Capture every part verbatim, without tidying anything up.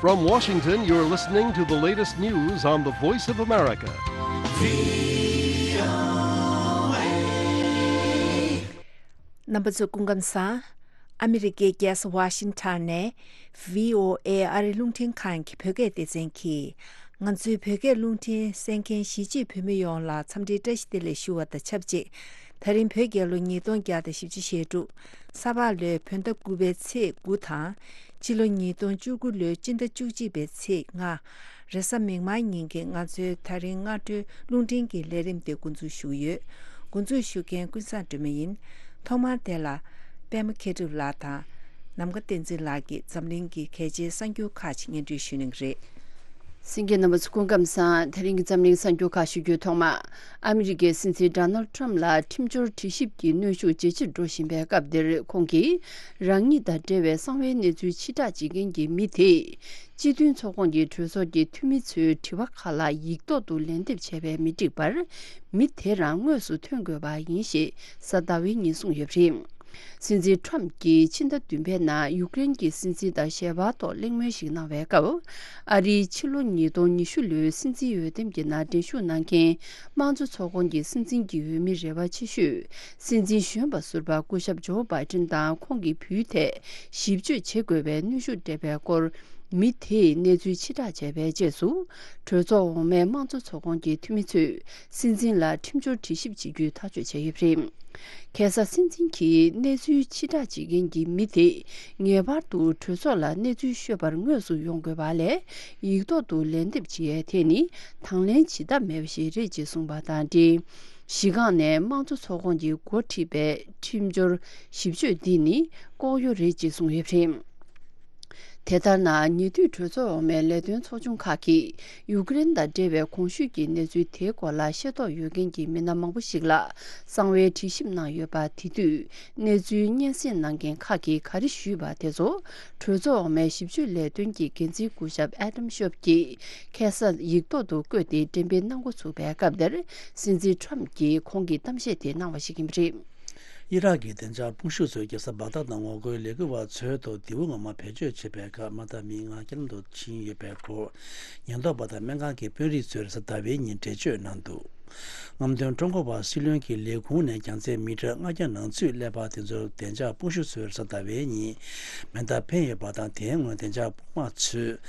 From Washington, you're listening to the latest news on the Voice of America. རྣམ་པ་ཚོ་སྐུ་ཁམས་བཟང་། ཨ་མི་རི་ཀའི་རྒྱལ་ས་ཝ་ཤིང་ཊོན་ནས་བྷི་ཨོ་ཨེ་ཨ་རི་རླུང་འཕྲིན་ཁང་གི་བོད་སྐད་སྡེ་ཚན་གྱིས། ང་ཚོའི་བོད་སྐད་རླུང་འཕྲིན་གསན་མཁན་གཞིས་བྱེས་བོད་མི་ཡོངས་ལ་འཚམས་འདྲིའི་བཀྲ་ཤིས་བདེ་ལེགས་ཞུ་བ་དང་ཆབས་ཅིག་ད་རིང་བོད་རྒྱལ་ལོ་ཉིས་སྟོང་བརྒྱ་དང་བཞི་བཅུ་ཞེ་དྲུག་ས་ཕག་ལོའི་བོད་ཟླ་དགུ་པའི་ཚེས་དགུ་དང་། སྤྱི་ལོ་ཉིས་སྟོང་བཅུ་དགུ་ལོའི་སྤྱི་ཟླ་བཅུ་གཅིག་པའི་ཚེས་ལྔ། རེས་གཟའ་མིག་དམར་ཉིན་གྱི་ང་ཚོའི་ད་རིང་སྔ་དྲོའི་རླུང་འཕྲིན་གྱི་ལས་རིམ་དེ་འགོ་འཛུགས་ཞུ་གི་ཡོད། འགོ་འཛུགས་ཞུ་མཁན་ཀུན་བཟང་སྒྲོལ་མ་ཡིན། ཐོག་མར་དེ་ལ་པད་མ་མཁས་གྲུབ་ལགས་དང་། ནམ་མཁའ་བསྟན་འཛིན་ལགས་ཀྱིས་འཛམ་གླིང་གི་གལ་ཆེའི་གསར་འགྱུར་ཁག་ཅིག་སྙན་སྒྲོན་ཞུ་གནང་གི་རེད། གསན་མཁན་རྣམ་པ་ཚོ་སྐུ་ཁམས་བཟང་། དེ་རིང་གི་འཛམ་གླིང་གསར་འགྱུར་ཁག་ཞུ་རྒྱུའི་ཐོག་མ། ཨ་མི་རི་ཀའི་སྲིད་འཛིན་ཌོ་ནལ་ཊམ་ལ་ཁྲིམས་སྦྱོར་དྲི་ཞིབ་ཀྱི་གནོན་ཤུགས་ཇེ་ཆེར་འགྲོ་བཞིན་པའི་སྐབས་འདིར། ཁོང་གིས་རང་ཉིད་དང་འབྲེལ་བའི་གསང་བའི་གནས་ཚུལ་ཕྱིར་བསྒྲགས་བྱེད་མཁན་གྱི་མི་དེས། སྤྱི་མཐུན་ཚོགས་ཁོངས་ཀྱི་གྲོས་ཚོགས་ཀྱི་འཐུས་མི་ཚོའི་དྲི་བ་ཁག་ལ་ཡིག་ཐོག་ཏུ་ལན་འདེབས་བྱས་པས་མི་འགྲིག་པར། མི་དེ་རང་དངོས་སུ་ཐོན་དགོས་པ་ཡིན་ཞེས་གཟའ་ཟླ་བའི་ཉིན་གསུངས་ཡོད་པ་རེད། སྲིད་འཛིན་ཊམ་གྱིས་ཕྱི་ཟླ་བདུན་པའི་ནང་ཡུཀ་རེན་གྱི་སྲིད་འཛིན་དང་ཞལ་པར་ཐོག་གླེང་མོལ་ཞིག་གནང་བའི་སྐབས། ཨ་རིའི་ཕྱི་ལོ་ཉིས་སྟོང་ཉི་ཤུ་ལོའི་སྲིད་འཛིན་འོས་འདེམས་ཀྱི་ནང་འགྲན་ཞུགས་གནང་མཁན་དམངས་གཙོ་ཚོགས་ཁོངས་ཀྱི་སྲིད་འཛིན་གྱི་འོས་མི་རེ་བ་ཆེ་ཤོས། སྲིད་འཛིན་གཞོན་པ་ཟུར་པ་སྐུ་ཞབས་ཇོ་བྷའི་ཏིན་དང་ཁོང་གི་བུའི་ཐད་ཞིབ་དཔྱོད་བྱེད་དགོས་པའི་གནོན་ཤུགས་སྤྲད་པའི་སྐོར། མི་དེས་གནས་ཚུལ་ཕྱིར་བསྒྲགས་བྱས་པའི་རྗེས་སུ། གྲོས་ཚོགས་འོག་མའི་དམངས་གཙོ་ཚོགས་ཁོངས་ཀྱི་འཐུས་མི་ཚོས་སྲིད་འཛིན་ལ་ཁྲིམས་སྦྱོར་དྲི་ཞིབ་བྱེད་རྒྱུའི་ཐག་གཅོད་བྱས་ཡོད་པ་རེད། ཁ་སང་སྲིད་འཛིན་གྱིས་གནས་ཚུལ་ཕྱིར་བསྒྲགས་བྱེད་མཁན་གྱི་མི་དེས་ངེས་པར་དུ་གྲོས་ཚོགས་ལ་གནས་ཚུལ་ཤོད་པར་དངོས་སུ་ཡོང་དགོས་པ་ལས། ཡིག་ཐོག་ཏུ་ལན་འདེབས་བྱེད་ཡས་དེ་ནི་དང་ལེན་བྱེད་ཐབས་མེད་པ་ཞིག་རེད་ཅེས་གསུངས་པ་དང་འབྲེལ། གཞི་སྒང་ནས་དམངས་གཙོ་ཚོགས་ཁོངས་ཀྱིས་འགོ་ཁྲིད་པའི་ཁྲིམས་སྦྱོར་ཞིབ་དཔྱོད་འདི་ནི་ལྐོག་གཡོ་རེད་ཅེས་གསུངས་ཡོད་པ་རེད། དེ་ལྟར་ན། ཉེ་དུས་གྲོས་ཚོགས་འོག་མའི་ལས་དོན་ཚོགས་ཆུང་ཁག་གིས་ཡུཀ་རེན་དང་འབྲེལ་བའི་གོང་ཞུས་ཀྱི་གནས་ཚུལ་དེའི་སྐོར་ལ་ཤེས་རྟོགས་ཡོད་མཁན་གྱི་མི་སྣ་མང་པོ་ཞིག་ལ་གསང་བའི་དྲི་ཞིབ་གནང་ཡོད་པ། དེ་དུས་གནས་ཚུལ་སྙན་སེང་གནང་མཁན་ཁག་གིས་ག་རེ་ཞུས་པ་དེ་ཚོ། གྲོས་ཚོགས་འོག་མའི་ཞིབ་དཔྱོད་ལས་དོན་གྱི་འགན་འཛིན་སྐུ་ཞབས་ཨེ་ཌམ་ཤོབ་ཀྱིས་ཁ་སང་ཡིག་ཐོག་ཏུ་བཀོད་དེ་འགྲེམས་སྤེལ་གནང་འགོ་ཚུགས་པའི་སྐབས་དེར། སྲིད་འཛིན་ཊམ་གྱིས་ཁོང་གི་གཏམ་བཤད་དེ་གནང་བ་ཞིག་ཡིན་པ་རེད། ཨི་རག་གི་བདེ་འཇགས་དཔུང་ཤུགས་ཚོས་རྒྱལ་ས་བག་དྷ་ནང་ངོ་རྒོལ་ལས་འགུལ་བ་ཚོའི་ཐོག་མདེའུ་ངོ་མ་བེད་སྤྱོད་བྱས་པའི་ཁར་མ་མཐའ་མི་ལྔ་རྐྱེན་ལམ་དུ་ཕྱིན་ཡོད་པའི་སྐོར། ཉེན་རྟོག་པ་དང་སྨན་ཁང་གི་དཔོན་རིགས་ཚོས་རེས་གཟའ་ཟླ་བའི་ཉིན་འགྲེལ་བརྗོད་གནང་འདུག་རྔམ་སྟོན་ཀྲུང་གོ་བ་སྲིད་བློན་གྱི་ལས་ཁུངས་ནས་རྒྱང་ཚད་མི་ཊར་ལྔ་བརྒྱ་ནང་ཚུད་སླེབས་པ་དེ་ཚོར་བདེ་འཇགས་དཔུང་ཤུགས་ཚོས་རེས་གཟའ་ཟླ་བའི་ཉིན་མེ་མདའ་འཕེན་ཡོད་པ་དང་། དེའི་སྔོན་བདེ་འཇགས་དཔུང་དམག་ཚོས་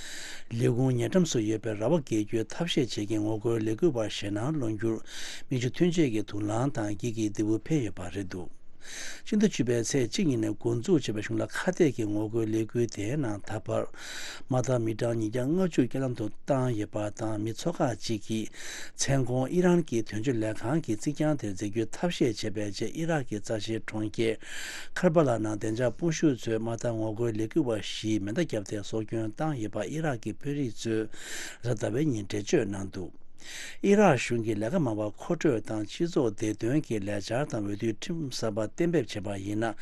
ལས་ཁུངས་ཉེ་འགྲམ་སུ་ཡོད་པའི་ར་བ་བརྒལ་རྒྱུའི་ཐབས་ཤེས་བྱེད་མཁན་ངོ་རྒོལ་ལས་འགུལ་བ་ཞེད་སྣང་སློང་རྒྱུར་མིག་ཆུ་ཐོན་ཆས་ཀྱི་དུག་རླངས་དང་འགྱིག་གི་མདེའུ་འཕེན་ཡོད་པ་རེད་འདུག་སྤྱི་ཟླ་བཅུ་པའི་ཚེས་གཅིག་ཉིན་ནས་འགོ་འཛུགས་བྱས་པའི་གཞུང་ལ་ཁ་གཏད་ཀྱི་ངོ་རྒོལ་ལས་འགུལ་དེའི་ནང་ད་བར་མ་མཐའ་མི་གྲངས་ཉིས་བརྒྱ་ལྔ་བཅུ་རྐྱེན་ལམ་དུ་བཏང་ཡོད་པ་དང་། མི་ཚོ་ཁག་ཅིག་གིས་མཚན་གུང་ཨི་རན་གྱི་དོན་གཅོད་ལས་ཁང་གི་རྩིག་གྱང་དེར་འཛེག་རྒྱུའི་ཐབས་ཤེས་བྱས་པའི་རྗེས། ཨི་རག་གི་རྩ་ཆེའི་གྲོང་ཁྱེར་ཁར་བ་ལ་ནང་བདེ་འཇགས་དཔུང་ཤུགས་ཚོས་མ་མཐའ་ངོ་རྒོལ་ལས་འགུལ་བ་བཞིས་མེ་མདའ་བརྒྱབ་སྟེ་སྲོག་སྐྱོན་བཏང་ཡོད་པ་ཨི་རག་གི་དཔོན་རིགས་ཚོས་རེས་གཟའ་ཟླ་བའི་ཉིན་འགྲེལ་བརྗོད་གནང་འདུག་ཨི་རག་གཞུང་གིས་ལས་ཀ་མང་བ་མཁོ་སྤྲོད་དང་སྤྱི་ཚོགས་བདེ་དོན་གྱི་ལས་འཆར་དང་འོས་བསྡུའི་ཁྲིམས་གསར་པ་གཏན་འབེབས་བྱས་པ་ཡིན་ན།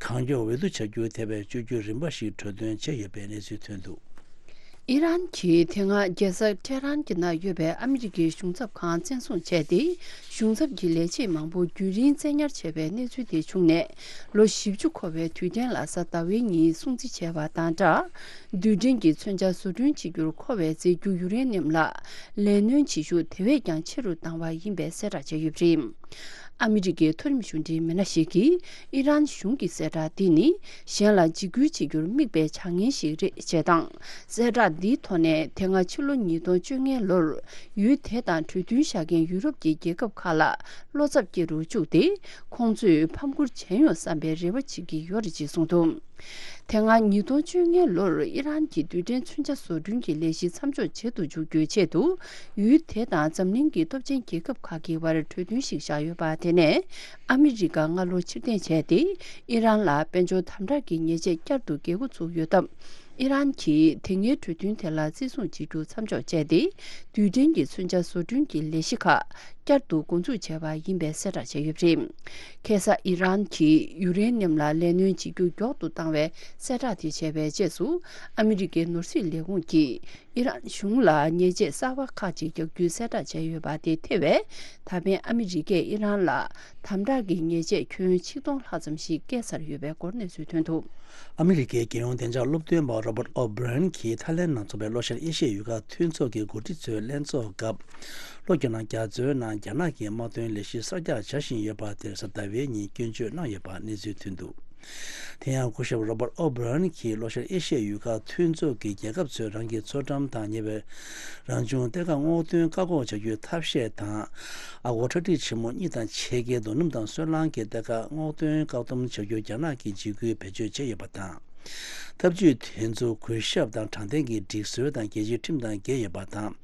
གང་མགྱོགས་འོས་བསྡུ་བྱ་རྒྱུའི་ཐད་པའི་བཅོས་བསྒྱུར་རིམ་པ་ཞིག་གྲོས་མཐུན་བྱས་ཡོད་པའི་གནས་ཚུལ་ཐོན་འདུག་ཨི་རན་གྱིས་དེ་སྔ་རྒྱལ་ས་ཏེ་ཧ་རན་གྱི་ནང་ཡོད་པའི་ཨ་མི་རི་ཀའི་གཞུང་ཚབ་ཁང་བཙན་བཟུང་བྱས་ཏེ། གཞུང་ཚབ་ཀྱི་ལས་བྱེད་མང་པོ་རྒྱུན་རིང་བཙན་ཉར་བྱས་པའི་གནས་ཚུལ་དེ་བྱུང་ནས། ལོ་བཞི་བཅུ་འཁོར་བའི་དུས་དྲན་ལ་གཟའ་ཟླ་བའི་ཉིན་སྲུང་བརྩི་བྱས་པ་དང་སྦྲགས། རྡུལ་ཕྲན་གྱི་མཚོན་ཆ་བཟོ་སྐྲུན་བྱེད་རྒྱུར་མཁོ་བའི་རྫས་འགྱུར་ཡུ་རེ་ནིམ་ལ་ལས་སྣོན་བྱེད་ཤུགས་དེ་བས་ཀྱང་ཆེ་རུ་བཏང་བ་ཡིན་པའི་གསལ་བསྒྲགས་བྱས་ཡོད་པ་རེད། ཨ་མི་རི་ཀའི་མཐོ་རིམ་གཞུང་འབྲེལ་མི་སྣ་ཞིག་གིས་ཨི་རན་གཞུང་གི་གསལ་བསྒྲགས་འདི་ནི་གཞན་ལ་འཇིགས་སྐུལ་བྱེད་རྒྱུར་དམིགས་པའི་བྱ་ངན་ཞིག་རེད་ཅེས་དང་། གསལ་བསྒྲགས་འདིའི་ཐོག་ནས་དེ་སྔ་ཕྱི་ལོ་ཉིས་སྟོང་བཅོ་ལྔའི་ལོར་ཡུལ་དེ་དང་གྲོས་མཐུན་བཞག་མཁན་ཡུ་རོབ་ཀྱི་རྒྱལ་ཁབ་ཁག་ལ་བློ་འཚབ་སྐྱེ་རུ་བཅུག་སྟེ། ཁོང་ཚོས་ཕམ་ཁུར་བྱས་ཡོང་བསམ་པའི་རེ་བ་བྱེད་ཀྱི་ཡོད་རེད་ཅེས་གསུངས་འདུག་དེ་སྔ་ཉིས་སྟོང་བཅོ་ལྔའི་ལོར་ཨི་རན་གྱི་རྡུལ་ཕྲན་མཚོན་ཆ་བཟོ་སྐྲུན་གྱི་ལས་གཞི་མཚམས་འཇོག་བྱེད་དུ་འཇུག་རྒྱུའི་ཆེད་དུ། ཡུལ་དེ་དང་འཛམ་གླིང་གི་སྟོབས་ཆེན་རྒྱལ་ཁབ་ཁག་གི་བར་གྲོས་མཐུན་ཞིག་བཞག་ཡོད་པ། དེ་ནས་ཨ་མི་རི་ཀ་སྔ་ལོ་ཕྱིར་འཐེན་བྱས་ཏེ། ཨི་རན་ལ་དཔལ་འབྱོར་དམ་དྲག་གི་ཉེས་ཆད་བསྐྱར་དུ་འགེལ་འགོ་ཚུགས་ཡོད་སྟབས། ཨི་རན་གྱིས་དེ་སྔའི་གྲོས་མཐུན་དེ་ལ་བརྩི་སྲུང་བྱེད་རྒྱུ་མཚམས་འཇོག་བྱས་ཏེ། རྡུལ་ཕྲན་གྱི་མཚོན་ཆ་བཟོ་སྐྲུན་གྱི་ལས་གཞི་ཁག་བསྐྱར་དུ་འགོ་འཛུགས་བྱས་པ་ཡིན་པའི་གསལ་བསྒྲགས་བྱས་ཡོད་པ་རེད། ཁ་སང་ཨི་རན་གྱིས་ཡུ་རེ་ནིམ་ལ་ལས་སྣོན་བྱེད་རྒྱུ་མགྱོགས་ཏུ་བཏང་བའི་གསལ་བསྒྲགས་དེ་བྱས་པའི་རྗེས་སུ། ཨ་མི་རི་ཀའི་ནོར་སྲིད་ལས་ཁུངས་ཀྱིས། ཨི་རན་གཞུང་ལ་ཉེས་ཆད་གསར་པ་ཁག་ཅིག་རྒྱག་རྒྱུའི་གསལ་བསྒྲགས་བྱས་ཡོད་པ་དེ་ཐེ་བས། ད་ཕན་ཨ་མི་རི་ཀས་ཨི་རན་ལ་དམ་དྲག་གི་ཉེས་ཆད་ཁྱོན་ཆིག་སྟོང་ལྷག་ཙམ་ཞིག་བཀལ་ཚར་ཡོད་པའི་སྐོར་གནས་ཚུལ་ཐོན་འདུག། ཨ་མི་རི་ཀའི་རྒྱལ་ཡོངས་བདེ་འཇགས་སློབ་སྟོན་པ་Robert O'Brien གྱིས་ཐའི་ལན་ནང་འཚོགས་པའི་ལྷོ་ཤར་ཨེ་ཤི་ཡའི་ཡུལ་ཁག་མཐུན་ཚོགས་ཀྱི་འགོ་ཁྲིད་ཚོའི་ལྷན་ཚོགས་སྐབས། ལྷོ་རྒྱ་ནག་རྒྱ་མཚོའི་ནང་རྒྱ་ནག་གི་དམག་དོན་ལས་གཞི་གསར་རྒྱག་བྱ་བཞིན་ཡོད་པ་དེར་གཟའ་ཟླ་བའི་ཉིན་སྐྱོན་བརྗོད་གནང་ཡོད་པ་གནས་ཚུལ་ཐོན་འདུག། དེ་ཡང་སྐུ་ཞབས་Robert O'Brien གྱིས་ལྷོ་ཤར་ཨེ་ཤི་ཡའི་ཡུལ་ཁག་མཐུན་ཚོགས་ཀྱི་རྒྱལ་ཁབ་ཚོས་རང་གི་མཚོ་འགྲམ་དང་ཉེ་བའི་རང་བྱུང་གཏེར་ཁ་སྔོག་འདོན་བཀག་འགོག་བྱ་རྒྱུའི་ཐབས་ཤེས་དང་། ཨ་སྒོར་ཁྲག་ཁྲིག་ཆེན་མོ་གཉིས་དང་ཕྱེད་ཀའི་རྡོ་སྣུམ་དང་སོལ་རླངས་ཀྱི་གཏེར་ཁ་སྔོག་འདོན་བཀག་སྡོམ་བྱ་རྒྱུར་རྒྱ་ནག་གིས་འཇིགས་སྐུལ་བེད་སྤྱོད་བྱས་ཡོད་པ་དང་། ཐབས་ཇུས་དེ་ཚོ་གུས་ཞབས་དང་དྲང་བདེན་གྱི་སྒྲིག་སྲོལ་དང་རྒྱལ་སྤྱིའི་ཁྲིམས་དང་འགལ་ཡོད་པ་དང་།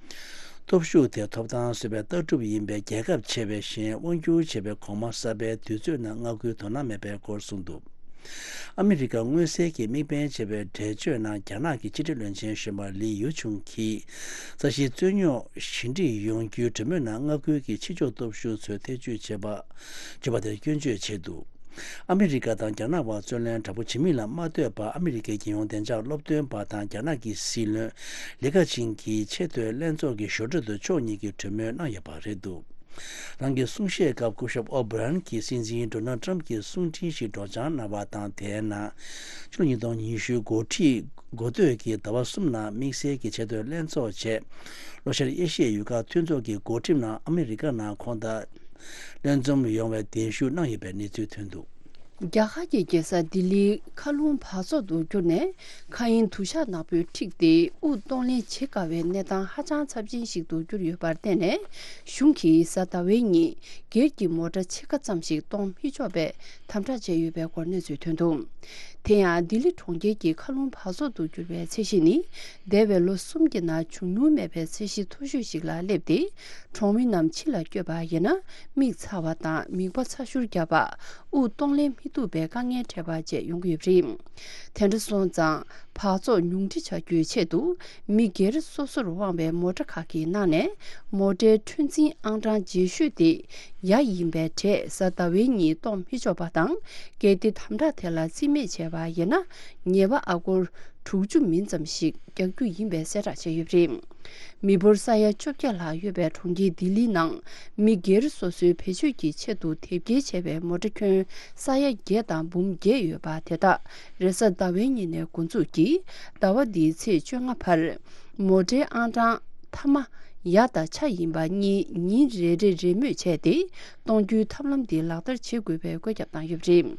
སྟོབས་ཤུགས་དེ་ཐོབ་ཐང་བཟོས་པའི་ལྟ་གྲུབ་ཡིན་པས། རྒྱལ་ཁབ་ཆེ་བའི་ཞིང་དབང་སྒྱུར་བྱེད་པའི་གོང་མ་གསར་པའི་དུས་ཚོད་ནང་མངའ་ཁུལ་དོ་སྣང་མེད་པའི་སྐོར་གསུངས་འདུག། ཨ་མི་རི་ཀ་མངོན་གསལ་གྱིས་དམིགས་འབེན་བྱས་པའི་འགྲེལ་བརྗོད་ནང་རྒྱ་ནག་གི་ཕྱི་འབྲེལ་བློན་ཆེན་གཞོན་པ་ལི་ཡུ་ཆུང་གིས་རྩ་ཤེའི་རྩོད་རྙོག་ཞི་འགྲིག་ཡོང་རྒྱུའི་གྲོས་མོལ་ནང་མངའ་ཁུལ་གྱི་ཕྱི་ཕྱོགས་སྟོབས་ཤུགས་ཚོས་ཐེ་བྱུས་བྱེད་པ་བྱེད་པ་དེར་སྐྱོན་བརྗོད་བྱས་འདུག། ཨ་མི་རི་ཀ་དང་རྒྱ་ནག་བར་རྩོད་ལེན་དྲག་པོ་བྱེད་མིན་ལ་མ་ལྟོས་པར། ཨ་མི་རི་ཀའི་རྒྱལ་ཡོངས་བདེ་འཇགས་སློབ་སྟོན་པ་དང་རྒྱ་ནག་གི་སྲིད་བློན་ལི་ཁ་ཆིང་གིས་ཆེས་མཐོའི་ལྷན་ཚོགས་ཀྱི་ཞོར་འཕྲོས་དུ་ཕྱོགས་གཉིས་ཀྱིས་གྲོས་མོལ་གནང་ཡོད་པ་རེད་འདུག། རང་གི་གསུང་བཤད་སྐབས་སྐུ་ཞབས་ཨོ་བྷི་རན་གྱིས་སྲིད་འཛིན་ཌོ་ནལ་ཊམ་གྱི་གསུང་འཕྲིན་ཞིག་སྒྲོག་སྦྱང་གནང་བ་དང་། དེའི་ནང་ཕྱི་ལོ་ཉིས་སྟོང་ཉི་ཤུ་འགོ་ཁྲིད་འགོ་སྟོད་ཀྱི་ཟླ་བ་གསུམ་ནང་དམིགས་བསལ་གྱི་ཆེས་མཐོའི་ལྷན་ཚོགས་བྱས། ལྷོ་ཤར་ཨེ་ཤི་ཡའི་ཡུལ་ཁག་མཐུན་ཚོགས་ཀྱི་འགོ་ཁྲིད་རྣམས་ཨ་མི་རི་ཀ་ནང་ཁོང་དང་ལྷན་འཛོམས་ཡོང་བའི་གདན་ཞུ་གནང་ཡོད་པའི་གནས་ཚུལ་ཐོན་འདུག། རྒྱ་གར་གྱི་རྒྱལ་ས་ལྡི་ལིའི་མཁའ་རླུང་འབག་བཙོག་ཏུ་གྱུར་ནས། མཁའ་དབྱིངས་དུ་ཞག་ནག་པོས་འཁྲིགས་ཏེ། དབུགས་གཏོང་ལེན་བྱེད་དཀའ་བའི་གནས་སྟངས་ཧ་ཅང་ཚབས་ཆེན་ཞིག་ཏུ་གྱུར་ཡོད་པར་བརྟེན་ནས། གཞུང་གིས་གཟའ་ཟླ་བའི་ཉིན་སྒེར་གྱི་མོ་ཊ་ཕྱེད་ཀ་ཙམ་ཞིག་གཏོང་མི་ཆོག་པའི་དམ་དྲག་བྱས་ཡོད་པའི་སྐོར་གནས་ཚུལ་ཐོན་འདུག། དེ་ཡང་ལྡི་ལི་གྲོང་ཁྱེར་གྱི་མཁའ་རླུང་འབག་བཙོག་ཏུ་གྱུར་བའི་ཚད་གཞི་ནི། འདས་པའི་ལོ་གསུམ་གྱི་ནང་བྱུང་མྱོང་མེད་པའི་ཚད་གཞི་མཐོ་ཤོས་ཤིག་ལ་སླེབས་ཏེ། གྲོང་མི་རྣམས་ཕྱི་ལ་བསྐྱོད་པ་ཡིན་ན། མིག་ཚ་བ་དང་མིད་པ་ཚ་ཤུར་བརྒྱབ་པ། དབུགས་གཏོང་ལེན་མི་ཐུབ་པའི་དཀའ་ངལ་འཕྲད་པ་བཅས་ཡོང་གི་ཡོད་པ་རེད། དེ་འདྲ་སོང་ཙང་། འབག་བཙོག་ཉུང་འཕྲི་བྱ་རྒྱུའི་ཆེད་དུ། མི་སྒེར་སོ་སོར་དབང་བའི་མོ་ཊ་ཁག་གི་ནང་ནས། མོ་ཊའི་འཁྲུག་འཛིང་ཨང་གྲངས་ལྗིད་ཤོས་དེ་ཡ་ཡིན་པའི་གྲས་གཟའ་ཟླ་བའི་ཉིན་གཏོང་མི་ཆོག་པ་དང་། གལ་ཏེ་དམ་དྲག་དེ་ལ་རྩིས་མེད་བྱས་པ་ཡིན་ན། ཉེས་པ་ཨ་སྒོར་དྲུག་ཅུ་མིན་ཙམ་ཞིག་རྒྱག་རྒྱུ་ཡིན་པའི་གསལ་བསྒྲགས་བྱས་ཡོད་པ་རེད། མི་འབོར་ས་ཡ་བཅོ་བརྒྱད་ལྷག་ཡོད་པའི་གྲོང་ཁྱེར་ལྡི་ལིའི་ནང་། མི་སྒེར་སོ་སོའི་བེད་སྤྱོད་ཀྱི་ཆེད་དུ་དེབ་སྐྱེལ་བྱས་པའི་མོ་ཊ་ཁྱོན་ས་ཡ་བརྒྱད་དང་འབུམ་བརྒྱད་ཡོད་པ་དེ་དག་རེས་གཟའ་ཟླ་བའི་ཉིན་ནས་འགོ་འཛུགས་ཀྱིས། ཟླ་བ་འདིའི་ཚེས་བཅོ་ལྔ་བར། མོ་ཊའི་ཨང་གྲངས་མཐའ་མ་ཡ་དང་ཆ་ཡིན་པ་གཉིས་ཉིན་རེ་རེ་རེས་མོས་བྱས་ཏེ། གཏོང་རྒྱུའི་ཐབས་ལམ་འདི་ལག་བསྟར་བྱེད་དགོས་པའི་བཀོད་ཁྱབ་བཏང་ཡོད་པ་རེད།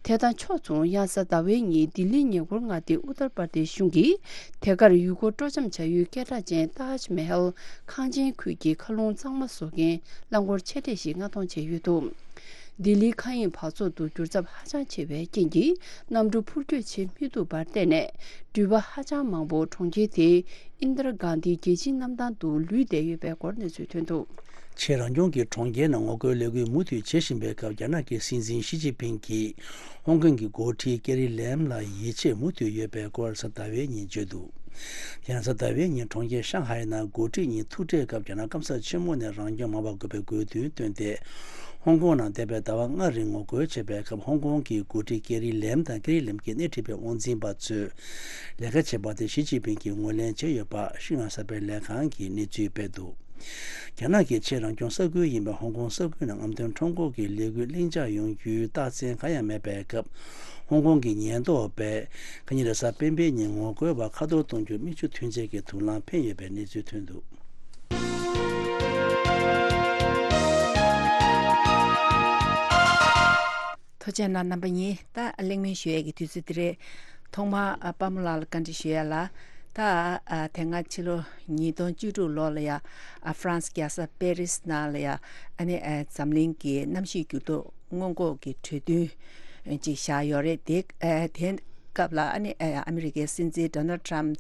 དེ་དང་ཕྱོགས་མཚུངས། ཡང་གཟའ་ཟླ་བའི་ཉིན་ལྡི་ལིའི་ཉེ་འཁོར་མངའ་སྡེ་ཨུ་ཏར་པར་དེཤ་གཞུང་གིས། དེ་གར་ཡུལ་སྐོར་སྤྲོ་འཆམ་བྱ་ཡུལ་སྐད་གྲགས་ཅན་ཏཱཇ་མ་ཧལ་ཁང་ཆེན་ཁུལ་གྱི་མཁའ་རླུང་གཙང་མ་བཟོ་མཁན་རླངས་འཁོར་ཆེ་གྲས་ཤིག་མངགས་གཏོང་བྱས་ཡོད་འདུག། ལྡི་ལིའི་མཁའ་དབྱིངས་འབག་བཙོག་ཏུ་འགྱུར་ཚབས་ཧ་ཅང་ཆེ་བའི་རྐྱེན་གྱིས། གནམ་གྲུ་འཕུར་སྐྱོད་བྱེད་མི་ཐུབ་པར་བརྟེན་ནས། འགྲུལ་པ་ཧ་ཅང་མང་པོ་གྲོང་ཁྱེར་དེའི་ཨིན་དར་གྷན་དྷི་རྒྱལ་སྤྱིའི་གནམ་ཐང་དུ་ལུས་བསྡད་ཡོད་པའི་སྐོར་གནས་ཚུལ་ཐོན་འདུག། ཆེས་རང་སྐྱོང་གི་གྲོང་ཁྱེར་ནང་ངོ་རྒོལ་ལས་འགུལ་མུ་མཐུད་བྱེད་བཞིན་པའི་སྐབས། རྒྱ་ནག་གི་སྲིད་འཛིན་ཞི་ཅིན་ཕིང་གིས་ཧོང་ཀོང་གི་འགོ་ཁྲིད་ཀེ་རི་ལེམ་ལ་ཡིད་ཆེས་མུ་མཐུད་ཡོད་པའི་སྐོར་གཟའ་ཟླ་བའི་ཉིན་བརྗོད་འདུག། ཡང་གཟའ་ཟླ་བའི་ཉིན་གྲོང་ཁྱེར་ཤང་ཧའེ་ནང་འགོ་ཁྲིད་གཉིས་ཐུག་འཕྲད་སྐབས། རྒྱ་ནག་སྐམ་ས་ཆེན་མོ་ནས་རང་སྐྱོང་མ་འབག་དགོས་པའི་དགོས་འདུན་བཏོན་ཏེ། ཧོང་ཀོང་ནང་འདས་པའི་ཟླ་བ་ལྔ་རིང་ངོ་རྒོལ་བྱས་པའི་སྐབས། ཧོང་ཀོང་གི་འགོ་ཁྲིད་ཀེ་རི་ལེམ་དང་ཀེ་རི་ལེམ་གྱི་སྣེ་ཁྲིད་པའི་དབང་འཛིན་པ་ཚོས་ལས་ཀ་བྱས་པ་དེ་ཞི་ཅིན་ཕིང་གིས་ངོས་ལེན་བྱས་ཡོད་པ་ཤིན་ཧྭ་གསར་སྤེལ་ལས་ཁང་གིས་གནས་ཚུལ་སྤེལ་འདུག། རྒྱ་ནག་གི་ཆེས་རང་སྐྱོང་ས་ཁུལ་ཡིན་པའི་ཧོང་ཀོང་ས་ཁུལ་ནང་རྔམ་སྟོན་ཁྲོམ་སྐོར་གྱི་ལས་འགུལ་ལྷིང་འཇགས་ཡོང་རྒྱུའི་རྟགས་མཚན་གང་ཡང་མེད་པའི་སྐབས། ཧོང་ཀོང་གི་ཉེན་རྟོག་པས་ཁ་ཉིན་རེས་གཟའ་སྤེན་པའི་ཉིན་ངོ་རྒོལ་བ་ཁ་ཐོར་གཏོང་རྒྱུར་མིག་ཆུ་ཐོན་ཆེད་ཀྱི་དུག་རླངས་འཕེན་ཡོད་པའི་གནས་ཚུལ་ཐོན་འདུག། ཐུགས་རྗེ་གནང་རྣམ་པ་གཉིས། ད་གླེང་མོལ་ཞུ་ཡས་ཀྱི་དུས་ཚོད་འདི་རེད། ཐོག་མར་ཨ་པདྨ་ལགས་ལ་བཀའ་འདྲི་ཞུ་ཡས་ལ། ད་ཨ་དེ་སྔ་ཕྱི་ལོ་ཉིས་སྟོང་བཅུ་དྲུག་ལོ་ལ་ཡ་ཨ་ཧྥ་རན་སི་རྒྱལ་ས་པེ་རི་སི་ནང་ལ་ཡ་ཨ་ནི་ཨ་འཛམ་གླིང་གི་གནམ་གཤིས་འགྱུར་ལྡོག་སྔོན་འགོག་གི་གྲོས་མཐུན་ཅིག་བཞག་ཡོད་རེད། དེ་ཨ་དེ་སྐབས་ལ་ཨ་ནི་ཨ་ཨ་མི་རི་ཀའི་སྲིད་འཛིན་ཌོ་ནལ་ཊམ་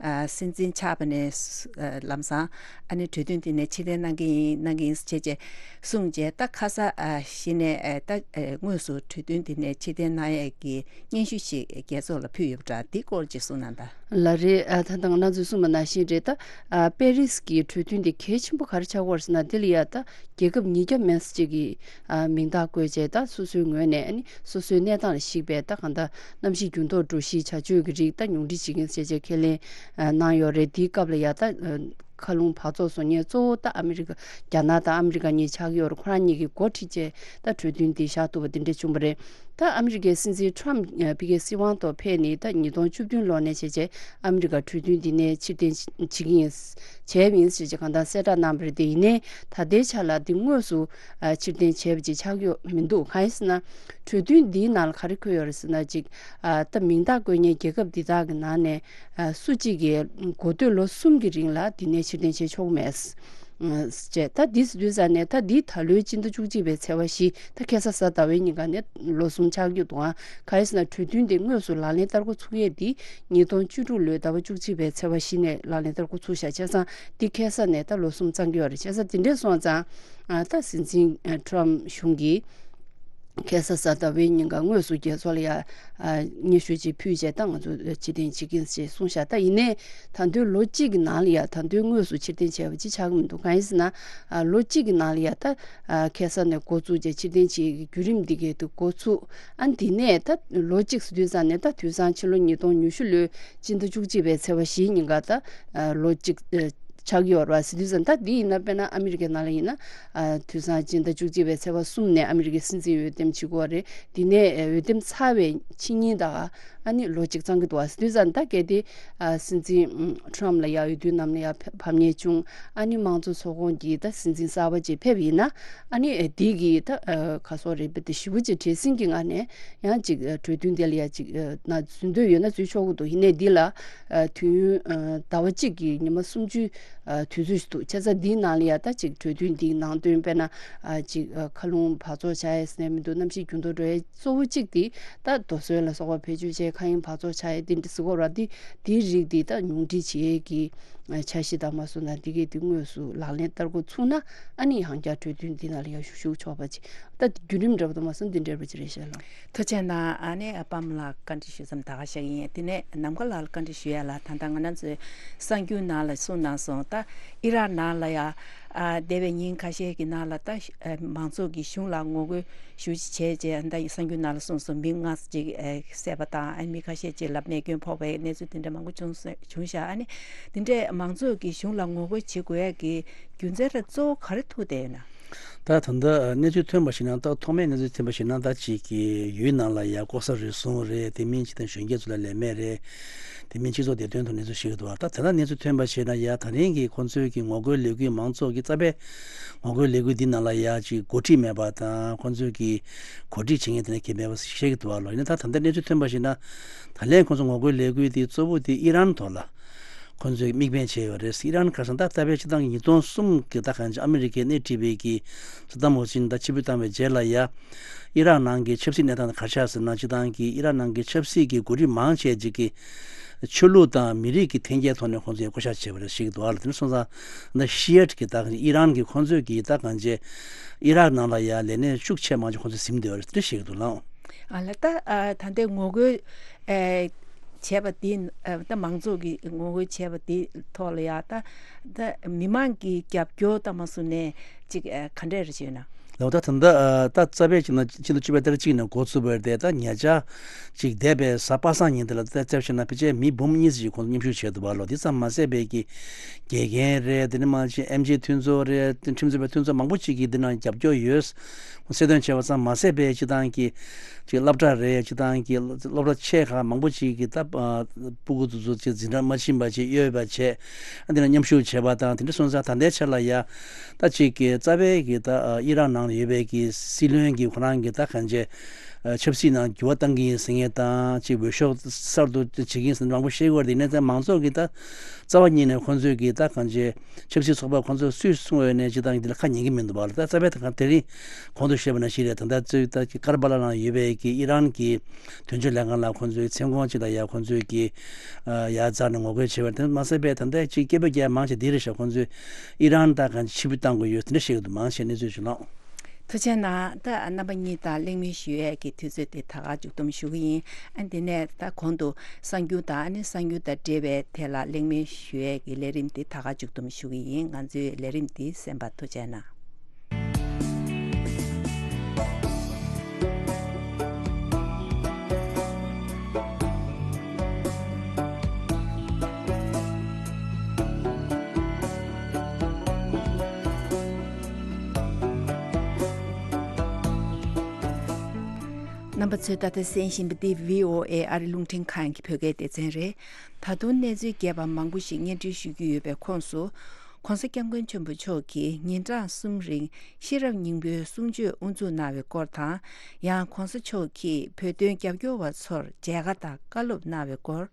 ཨ་སྲིད་འཛིན་ཆགས་པ་ནས་ཨ་ལམ་སང་ཨ་ནི་གྲོས་མཐུན་དེ་ནས་ཕྱིར་འཐེན་གནང་གི་ཡིན་གནང་གི་ཡིན་ཟེར་བྱས་བྱས་གསུངས་བྱས། ད་ཁ་ས་ཨ་གཞི་ནས་ཨ་ད་ཨ་དངོས་སུ་གྲོས་མཐུན་དེ་ནས་ཕྱིར་འཐེན་གནང་ཡས་ཀྱི་སྙན་ཞུ་ཞིག་རྒྱལ་ཚོགས་ལ་ཕུལ་ཡོད་པ་འདྲ། འདི་སྐོར་ཅིག་གསུངས་གནང་དང་། ལགས་རེད། ཨ་ད་ད་ང་རང་ཚོས་གསུངས་པ་ནང་བཞིན་རེད། ད་ཨ་པེ་རི་སི་གི་གྲོས་མཐུན་དེ་གལ་ཆེན་པོ་ག་རེ་ཆགས་ཀྱི་ཡོད་རེད་ཟེར་ན། དེ་ལ་ཡ་ད་རྒྱལ་ཁབ་ཉིས་བརྒྱ་མན་ཙམ་ཅིག་གིས་ཨ་མིང་རྟགས་བཀོད་བྱས། ད་སོ་སོའི་ངོས་ནས་ཨ་ནི་སོ་སོའི་གནས་སྟངས་ལ་གཞིགས་པའི་ད་གང་ལྟར་གནམ་གཤིས་འགྱུར་ལྡོག་འགྲོ་གཞིའི་བྱ་སྤྱོད་ཀྱི་རིགས་ད་ཉུང་འཕྲི་བྱེད་མཁན་ཟེར་བྱས་ཁས་ལེན་ གནང་ཡོད་རེད། དེའི་སྐབས་ལ་ཡ་ད་མཁའ་རླུང་འབག་བཙོག་བཟོ་མཁན་གཙོ་བོ་ད་ཨ་མི་རི་ཀ། རྒྱ་ནག་དང་ཨ་མི་རི་ཀ་གཉིས་ཆགས་ཀྱི་ཡོད་རེད། ཁོ་རང་གཉིས་ཀྱིས་འགོ་ཁྲིད་བྱས་ད་གྲོས་མཐུན་འདི་བཞག་ཐུབ་པ་འདི་འདྲ་བྱུང་བ་རེད། ད་ཨ་མི་རི་ཀའི་སྲིད་འཛིན་ཊམ་ཕ་གིའི་སྲིད་དབང་ཐོག་ཕེབས་ནས་ད་ཉིས་སྟོང་བཅུ་བདུན་ལོ་ནས་བྱས་བྱས་ཨ་མི་རི་ཀ་གྲོས་མཐུན་འདི་ནས་ཕྱིར་འཐེན་བྱེད་ཀྱི་ཡིན། བྱས་པ་ཡིན་ཟེར་བྱས་གང་ལྟར་གསལ་བསྒྲགས་གནང་བ་རེད། དེ་ཡིན་ནའི་ད་ལྟའི་ཆ་ལ་འདི་དངོས་སུ་ཕྱིར་འཐེན་བྱས་པ་ཅིག་ཆགས་ཡོད་མི་འདུག་གང་ཡིན་ཟེར་ན། གྲོས་མཐུན་འདིའི་ནང་ལ་ག་རེ་འཁོད་ཡོད་རེད་ཟེར་ན། ཅིག་ད་མིང་རྟགས་བཀོད་མཁན་རྒྱལ་ཁབ་འདི་དག་གི་ནང་ནས་སུ་གཅིག་གིས་འགོ་སྟོད་ལོ་གསུམ་གྱི་རིང་ལ་འདི་ནས་ཕྱིར་འཐེན་བྱེད་ཆོག་མེད། ཅེས་ད་འདི་ཟེར་དུས་ཙང་ནས་ད་འདི་ད་ལོའི་སྤྱི་ཟླ་བཅུ་གཅིག་པའི་ཚེས་པ་བཞི། ད་ཁ་སང་གཟའ་ཟླ་བའི་ཉིན་ཀ་ནས་ལོ་གསུམ་ཆགས་རྒྱུ་འདུག་ཨང་། གང་ཡིན་ཟེར་ན་གྲོས་མཐུན་དེ་དངོས་སུ་ལག་ལེན་བསྟར་འགོ་ཚུགས་ཡས་འདི་ཉིས་སྟོང་བཅུ་དྲུག་ལོའི་ཟླ་བ་བཅུ་གཅིག་པའི་ཚེས་པ་བཞི་ནས་ལག་ལེན་བསྟར་འགོ་ཚུགས་ཤག་བྱས་ཙང་འདི་ཁ་སང་ནས་ད་ལོ་གསུམ་ཚང་གི་ཡོད་རེད། བྱས་ཙང་དེ་འདྲས་སོང་ཙང་ད་སྲིད་འཛིན་ཊམ་གཞུང་གིས་ཁ་སང་གཟའ་ཟླ་བའི་ཉིན་ཀ་དངོས་སུ་རྒྱལ་ཚོགས་ལ་ཡ་སྙན་ཞུ་ཅིག་ཕུལ་བྱས་ད་ང་ཚོ་ཕྱིར་འཐེན་བྱེད་ཀྱི་ཡིན་ཞེས་གསུངས་ཤག་ད་ཡིན་ནའི་ད་དུང་ལོ་གཅིག་གི་ནང་ལ་ཡ་ད་དུང་དངོས་སུ་ཕྱིར་འཐེན་བྱས་པ་ཅིག་ཆགས་ཀྱི་མི་འདུག་གང་ཡིན་ཟེར་ན། ལོ་གཅིག་གི་ནང་ལ་ཡ་ད་ཁ་སང་ནས་འགོ་བཙུགས་བྱས་ཕྱིར་འཐེན་བྱེད་ཀྱི་བརྒྱུད་རིམ་འདི་གའི་དུ་འགོ་ཚུགས། ཨ་འདི་ནས་ད་ལོ་གཅིག་ཟེར་དུས་ཙང་ནས་ད་དུས་སང་ཕྱི་ལོ་ཉིས་སྟོང་ཉི་ཤུ་ལོའི་སྤྱི་ཟླ་བཅུ་གཅིག་པའི་ཚེས་པ་བཞིའི་ཉིན་ཀ་ད་ལོ་གཅིག་ཆགས་ཀྱི་ཡོད་རེད་པ། ཟེར་དུས་ཙང་ད་འདི་ཡིན་ན་དཔེར་ན་ཨ་མི་རི་ཀའི་ནང་ལ་ཡིན་ན་དུས་སང་སྤྱི་ཟླ་བཅུ་གཅིག་པའི་ཚེས་པ་གསུམ་ནས་ཨ་མི་རི་ཀའི་སྲིད་འཛིན་འོས་འདེམས་བྱེད་དགོས་པ་རེད། འདི་ནས་འོས་འདེམས་ཚར་བའི་ཕྱི་ཉིན་ད་ཨ་ནི་ལོ་གཅིག་ཚང་གི་འདུག་པ། ཟེར་དུས་ཙང་ད་གལ་ཏེ་སྲིད་འཛིན་ཊམ་ལ་ཡ་འོས་བསྡུའི་ནང་ལ་ཡ་ཕེབས་ཕམ་ཉེས་བྱུང་། ཨ་ནི་དམངས་གཙོ་ཚོགས་ཁོངས་ཀྱི་ད་སྲིད་འཛིན་གསར་པ་ཅིག་ཕེབས་ཡིན་ན་ཨ་ནི་འདི་གི་ད་ག་སོག་རེད་པ། དེ་ཞེ་པོ་ཅིག་བྲེལ་ཟིང་གི་ངང་ནས་ཡང་ཅིག་གྲོས་མཐུན་དེ་ལ་ཡ་ཅིག་ན་འཛུལ་འདོད་ཡོད་ན་འཛུལ་ཆོག་གི་འདུག་ཡིན་ནའི་འདི་ལ་དུས་ཡུན་ཟླ་བ་གཅིག་གི་ཉི་མ་སུམ་ཅུ་དུས་ཚོད་ཞིག་འདུག་བྱས་ཙང་འདིའི་ནང་ལ་ཡ་ད་ཅིག་གྲོས་མཐུན་འདིའི་ནང་དོན་དཔེར་ན་ཅིག་མཁའ་རླུང་འབག་བཙོག་བྱ་ཡས་ཟེར་ནས་མི་འདུག་གནམ་གཤིས་འགྱུར་ལྡོག་འགྲོ་ཡས་གཙོ་བོ་གཅིག་དེ་ད་རྡོ་སོལ་ལ་སོགས་པ་བེད་སྤྱོད་བྱས་མཁའ་དབྱིངས་འབག་བཙོག་བྱ་ཡས་དེ་འདྲ་ཟེར་གོ་ར། དེ་དེའི་རིགས་དེ་ད་ཉུང་འཕྲི་བྱེད་ཡས་ཀྱི་འཆར་གཞི་དང་མ་སོང་ན་འདི་གས་དེ་དངོས་སུ་ལག་ལེན་བསྟར་འགོ་ཚུགས་ན་ཨ་ནི་ཡང་བསྐྱར་གྲོས་མཐུན་འདི་ནང་ལ་ཡང་ཞུགས་ཞུགས་ཆོག་པ་ཅིག་ད་བརྒྱུད་རིམ་འདྲ་པོ་དང་མ་སོང་འདི་འདྲ་པོ་ཅིག་རེད་ཤག་ལགས། ཐུགས་རྗེ་གནང་། ཨ་ནི་པདྨ་ལགས་བཀའ་འདྲི་ཞུ་མཚམས་ད་ག་བཞག་གི་ཡིན། དེ་ནས་ནམ་མཁའ་ལགས་ལ་བཀའ་འདྲི་ཞུ་ཡ་ལ། ད་ལྟ་ང་རང་ཚོའི་གསར་འགྱུར་ནང་ལ་གསུངས་གནང་སོང་། ད་ཨི་རག་ནང་ལ་ཡ་ཨ་འདས་པའི་ཉིན་ཁ་ཤས་ཀྱི་ནང་ལ་ད་ཨ་མང་ཚོགས་ཀྱིས་གཞུང་ལ་ངོ་རྒོལ་ཞེ་པོ་ཅིག་བྱས་རྗེས་ད་གསར་འགྱུར་ནང་ལ་གསུངས་སོང་། མི་ལྔ་ཅིག་ཨ་བསད་པ་དང་ཨ་མི་ཁ་ཤས་ཅིག་ལ་རྨས་སྐྱོན་ཕོག་པའི་གནས་ཚུལ་དེ་འདྲ་མང་པོ་བྱུང་སོང་བྱུང་ཤག་ཨ་ནི་དེ་འདྲས་མང་ཚོགས་ཀྱིས་གཞུང་ལ་ངོ་རྒོལ་བྱེད་དགོས་ཡ་གི་རྒྱུ་མཚན་ར་གཙོ་བོ་ག་རེ་ཐུག་བསྡད་ཡོད་ན། ད་ད་ལྟ་གནས་ཚུལ་ཐོན་པ་ཞིག་ན། ད་ཐོག་མའི་གནས་ཚུལ་ཐོན་པ་ཞིག་ན་ད་ཅིག་གི་ཡུལ་ནང་ལ་ཡ་ལྐོག་ཟ་རུལ་སུངས་རེད། དེ་མིན་ཅིག་ད་གཞོན་སྐྱེས་ཚོ་ལ་ལས་མེད་རེད། དེ་མིན་སྤྱི་ཚོགས་བདེ་དོན་ཐོག་གནས་ཚུལ་ཞིག་འདུག་ད་དེ་ལྟར་གནས་ཚུལ་ཐོན་པ་ཞིག་ན་ཡ་ད་རིང་གི་ཁོང་ཚོའི་གི་ངོ་རྒོལ་ལས་འགུལ་མང་ཚོགས་ཀྱི་རྩ་བའི་ངོ་རྒོལ་ལས་འགུལ་འདི་ནང་ལ་ཡ་ཅིག་འགོ་ཁྲིད་མེད་པ་དང་ཁོང་ཚོའི་གི་གོ་སྒྲིག་བྱེད་མཁན་དེ་འདྲ་གལ་མེད་པ་བཤད་ཀྱི་འདུག་བ་ལོ། ཡིན་ན་ད་ད་ལྟ་གནས་ཚུལ་ཐོན་པ་ཞིག་ན་ད་ལན་ཁོང་ཚོ་ངོ་རྒོལ་ལས་འགུལ་དེ་གཙོ་བོ་དེ་ཨི་རན་ཐོག་ལ་ཁོང་ཚོས་དམིགས་འབེན་བྱས་ཡོད་རེད། ཨི་རན་ཁ་སང་ད་ལྟ་བའི་སྤྱི་བཏང་གི་ཉིས་སྟོང་གསུམ་གི་ད་གང་ཅི་ཨ་མི་རི་ཀས་སྣེ་ཁྲིད་པའི་གི་སི་ཏམ་ཧུ་སིན་ད་ཕྱིར་འབུད་བཏང་བའི་རྗེས་ལ་ཡ་ཨི་རག་ནང་གི་ཆབ་སྲིད་གནས་སྟངས་དེ་ག་རེ་ཆགས་ཟེར་ན། སྤྱི་བཏང་གི་ཨི་རག་ནང་གི་ཆབ་སྲིད་ཀྱི་འགོ་ཁྲིད་མང་ཆེ་ཅིག་གིས་ཆོས་ལུགས་དང་མི་རིགས་ཀྱི་འཐེན་འཁྱེར་ཐོག་ནས་ཁོང་ཚོས་བསྐོ་བཞག་བྱས་པ་རེད་ཞིག་འདུག་ཨ་ལ། དེ་འདྲ་སོང་ཙང་ད་ཤི་ཡ་ཊི་གི་ད་ཨི་རན་གྱི་ཁོང་ཚོས་ཀྱི་ད་གང་ཅི་ཨི་རག་ནང་ལ་ཡ་ལས་གནས་ཤུགས་ཆེ་མང་ཆེ་ཁོང་ཚོས་ཟིན་བསྡད་པ་རེད། དེ་འདྲ་ཞིག་འདུག་ལགས། ཨ་ལ་ད་ཨ་ད་ལྟའི་ངོ་རྒོལ་ཨེ་བྱས་པ་དེ་ཨ་ད་མང་ཚོགས་ཀྱིས་ངོ་རྒོལ་བྱས་པ་དེ་ཐོག་ལ་ཡ་ད་ད་མི་མང་གི་རྒྱབ་སྐྱོར་ད་མ་སུ་ནས་ཅིག་ཨ་ག་འདྲས་རེ་བྱས་ན། ལགས། ད་ད་ལྟ་ཨ་ད་རྩ་བའི་ཅིག་ན་ཕྱི་ཟླ་བཅུ་པའི་ཏ་རིག་གཅིག་ནས་འགོ་ཚུགས་པ་རེད་དེ། ད་ཉེ་ཆར་ཅིག་འདས་པའི་གཟའ་པ་སངས་ཉིན་དེ་ལ་ད་རྩ་བྱས་ན་ཕལ་ཆེར་མི་འབུམ་གཉིས་ཙམ་ཞིག་ཁོང་ཚོ་མཉམ་ཞུགས་བྱས་འདུག་བ་ལོ། དེ་ཙམ་མ་ཟད་པའི་གི་དགེ་རྒན་རེད། དེ་ནས་མ་ཅིག་ཨེམ་ཆི་མཐུན་ཚོགས་རེད། ཁྲིམས་རྩོད་པའི་མཐུན་ཚོགས་མང་པོ་ཅིག་གིས་འདི་ནང་རྒྱབ་སྐྱོར་ཡོད་གསལ་སྟོན་བྱས་པ་ཙམ་མ་ཟད་པའི་སྤྱི་བཏང་གི་ཅིག་སློབ་གྲྭ་རེད། སྤྱི་བཏང་གི་སློབ་གྲྭ་ཆེ་ཁག་མང་པོ་ཅིག་གིས་ད་ཨ་སྤུ་གུ་དེ་ཚོ་ཅིག་འཛིན་གྲྭ་མ་ཕྱིན་པ་ཅིག་གཡོལ་བ་བྱས། ཨ་འདི་ལ་མཉམ་ཞུགས་བྱས་པ་དང་། དེ་འདྲ་སོང་ཙང་ད་ལྟའི་ཆར་ལ་ཡ་ད་ཅིག་གི་རྩ་བའི་གི་ད་ཨ་ཨི་རག་ནང་ལ་ཡོད་པའི་གི་སྲིད་བློན་གྱི་ཁོ་རང་གི་ད་གང་ཅི་ཨ་ཆབ་སྲིད་ནང་འགྱུར་བ་གཏང་གི་ཡིན་ཟེར་མཁན་དང་། ཅིག་འོས་ཤོག་གསར་དུ་བྱེད་ཀྱི་ཡིན་ཟེར་མཁན་མང་པོ་བཤད་ཀྱི་ཡོད་རེད། དེ་ནས་ད་མང་ཚོགས་ཀྱིས་ད་རྩ་བ་ཉིད་ནས་ཁོང་ཚོས་གི་ད་གང་ཅི་ཆབ་སྲིད་ཚོགས་པ་ཁོང་ཚོས་སུས་གསུངས་ཡོད་ནས་སྤྱི་བཏང་འདི་ལ་ཁ་ཉན་གྱི་མི་འདུག་བ་ལ། ད་རྩ་བའི་ད་གང་དེ་རིང་གོང་དུ་བཤད་པ་ནང་བཞིན་རེད། ད་ལྟ་ཚོས་ད་ཀར་པ་ལ་ནང་ཡོད་པའི་གི་ཨི་རན་གྱི་དོན་གཅོད་ལྷན་ཁང་ལ་ཁོང་ཚོའི་མཚན་གུང་ཅིག་ལ་ཡ་ཁོང་ཚོས་ཀྱི་ཨ་ཡར་འཛེགས་ནས་ངོ་རྒོལ་བྱས་པ་རེད། དེ་མ་ཟད་པའི་ད་ལྟ་ཅིག་སྐད་འབོད་རྒྱག་མང་ཆེ་འདི་རེད་ཤག་ཁོང་ཚོས་ཨི་རན་ད་གང་ཕྱིར་འབུད་གཏང་དགོས་ཡོད་དེ་འདྲ་བཤད་ཀྱི་འདུག་མང་ཆེ་གནས་ཚུལ་ཞིག་ལོངས། ཐུགས་རྗེ་གནང་། ད་རྣམ་པ་གཉིས་དང་གླེང་མོལ་ཞུ་ཡས་ཀྱི་དུས་ཚོད་དེ་ད་ག་མཇུག་བསྡོམས་ཞུ་གི་ཡིན། ཨ་འདི་ནས་ད་གོང་དུ་གསར་འགྱུར་དང་ཨ་ནི་གསར་འགྱུར་དང་འབྲེལ་བའི་ཐད་ལ་གླེང་མོལ་ཞུ་ཡས་ཀྱི་ལས་རིམ་དེ་ད་ག་མཇུག་བསྡོམས་ཞུ་གི་ཡིན། ང་ཚོའི་ལས་རིམ་འདི་གསན་པར་ཐུགས་རྗེ་གནང་། རྣམ་པ་ཚོས་ད་ལྟ་གསན་བཞིན་པ་འདི་བྷི་ཨོ་ཨེ་ཨ་རི་རླུང་འཕྲིན་ཁང་གི་བོད་སྐད་སྡེ་ཚན་རེད། ད་དུང་གནས་ཚུལ་རྒྱས་པ་མང་པོ་ཞིག་སྙན་སྒྲོན་ཞུ་རྒྱུ་ཡོད་པའི་ཁོངས་སུ། ྋགོང་ས་ྋསྐྱབས་མགོན་ཆེན་པོ་མཆོག་གིས་ཉིན་གྲངས་གསུམ་རིང་ཤེས་རབ་སྙིང་པོའི་གསུང་ཆོས་དབུ་འཛུགས་གནང་བའི་སྐོར་དང་། ཡང་ྋགོང་ས་མཆོག་གིས་བོད་དོན་རྒྱབ་སྐྱོར་བ་ཚོར་མཇལ་ཁ་དང་བཀའ་སློབ་གནང་བའི་སྐོར།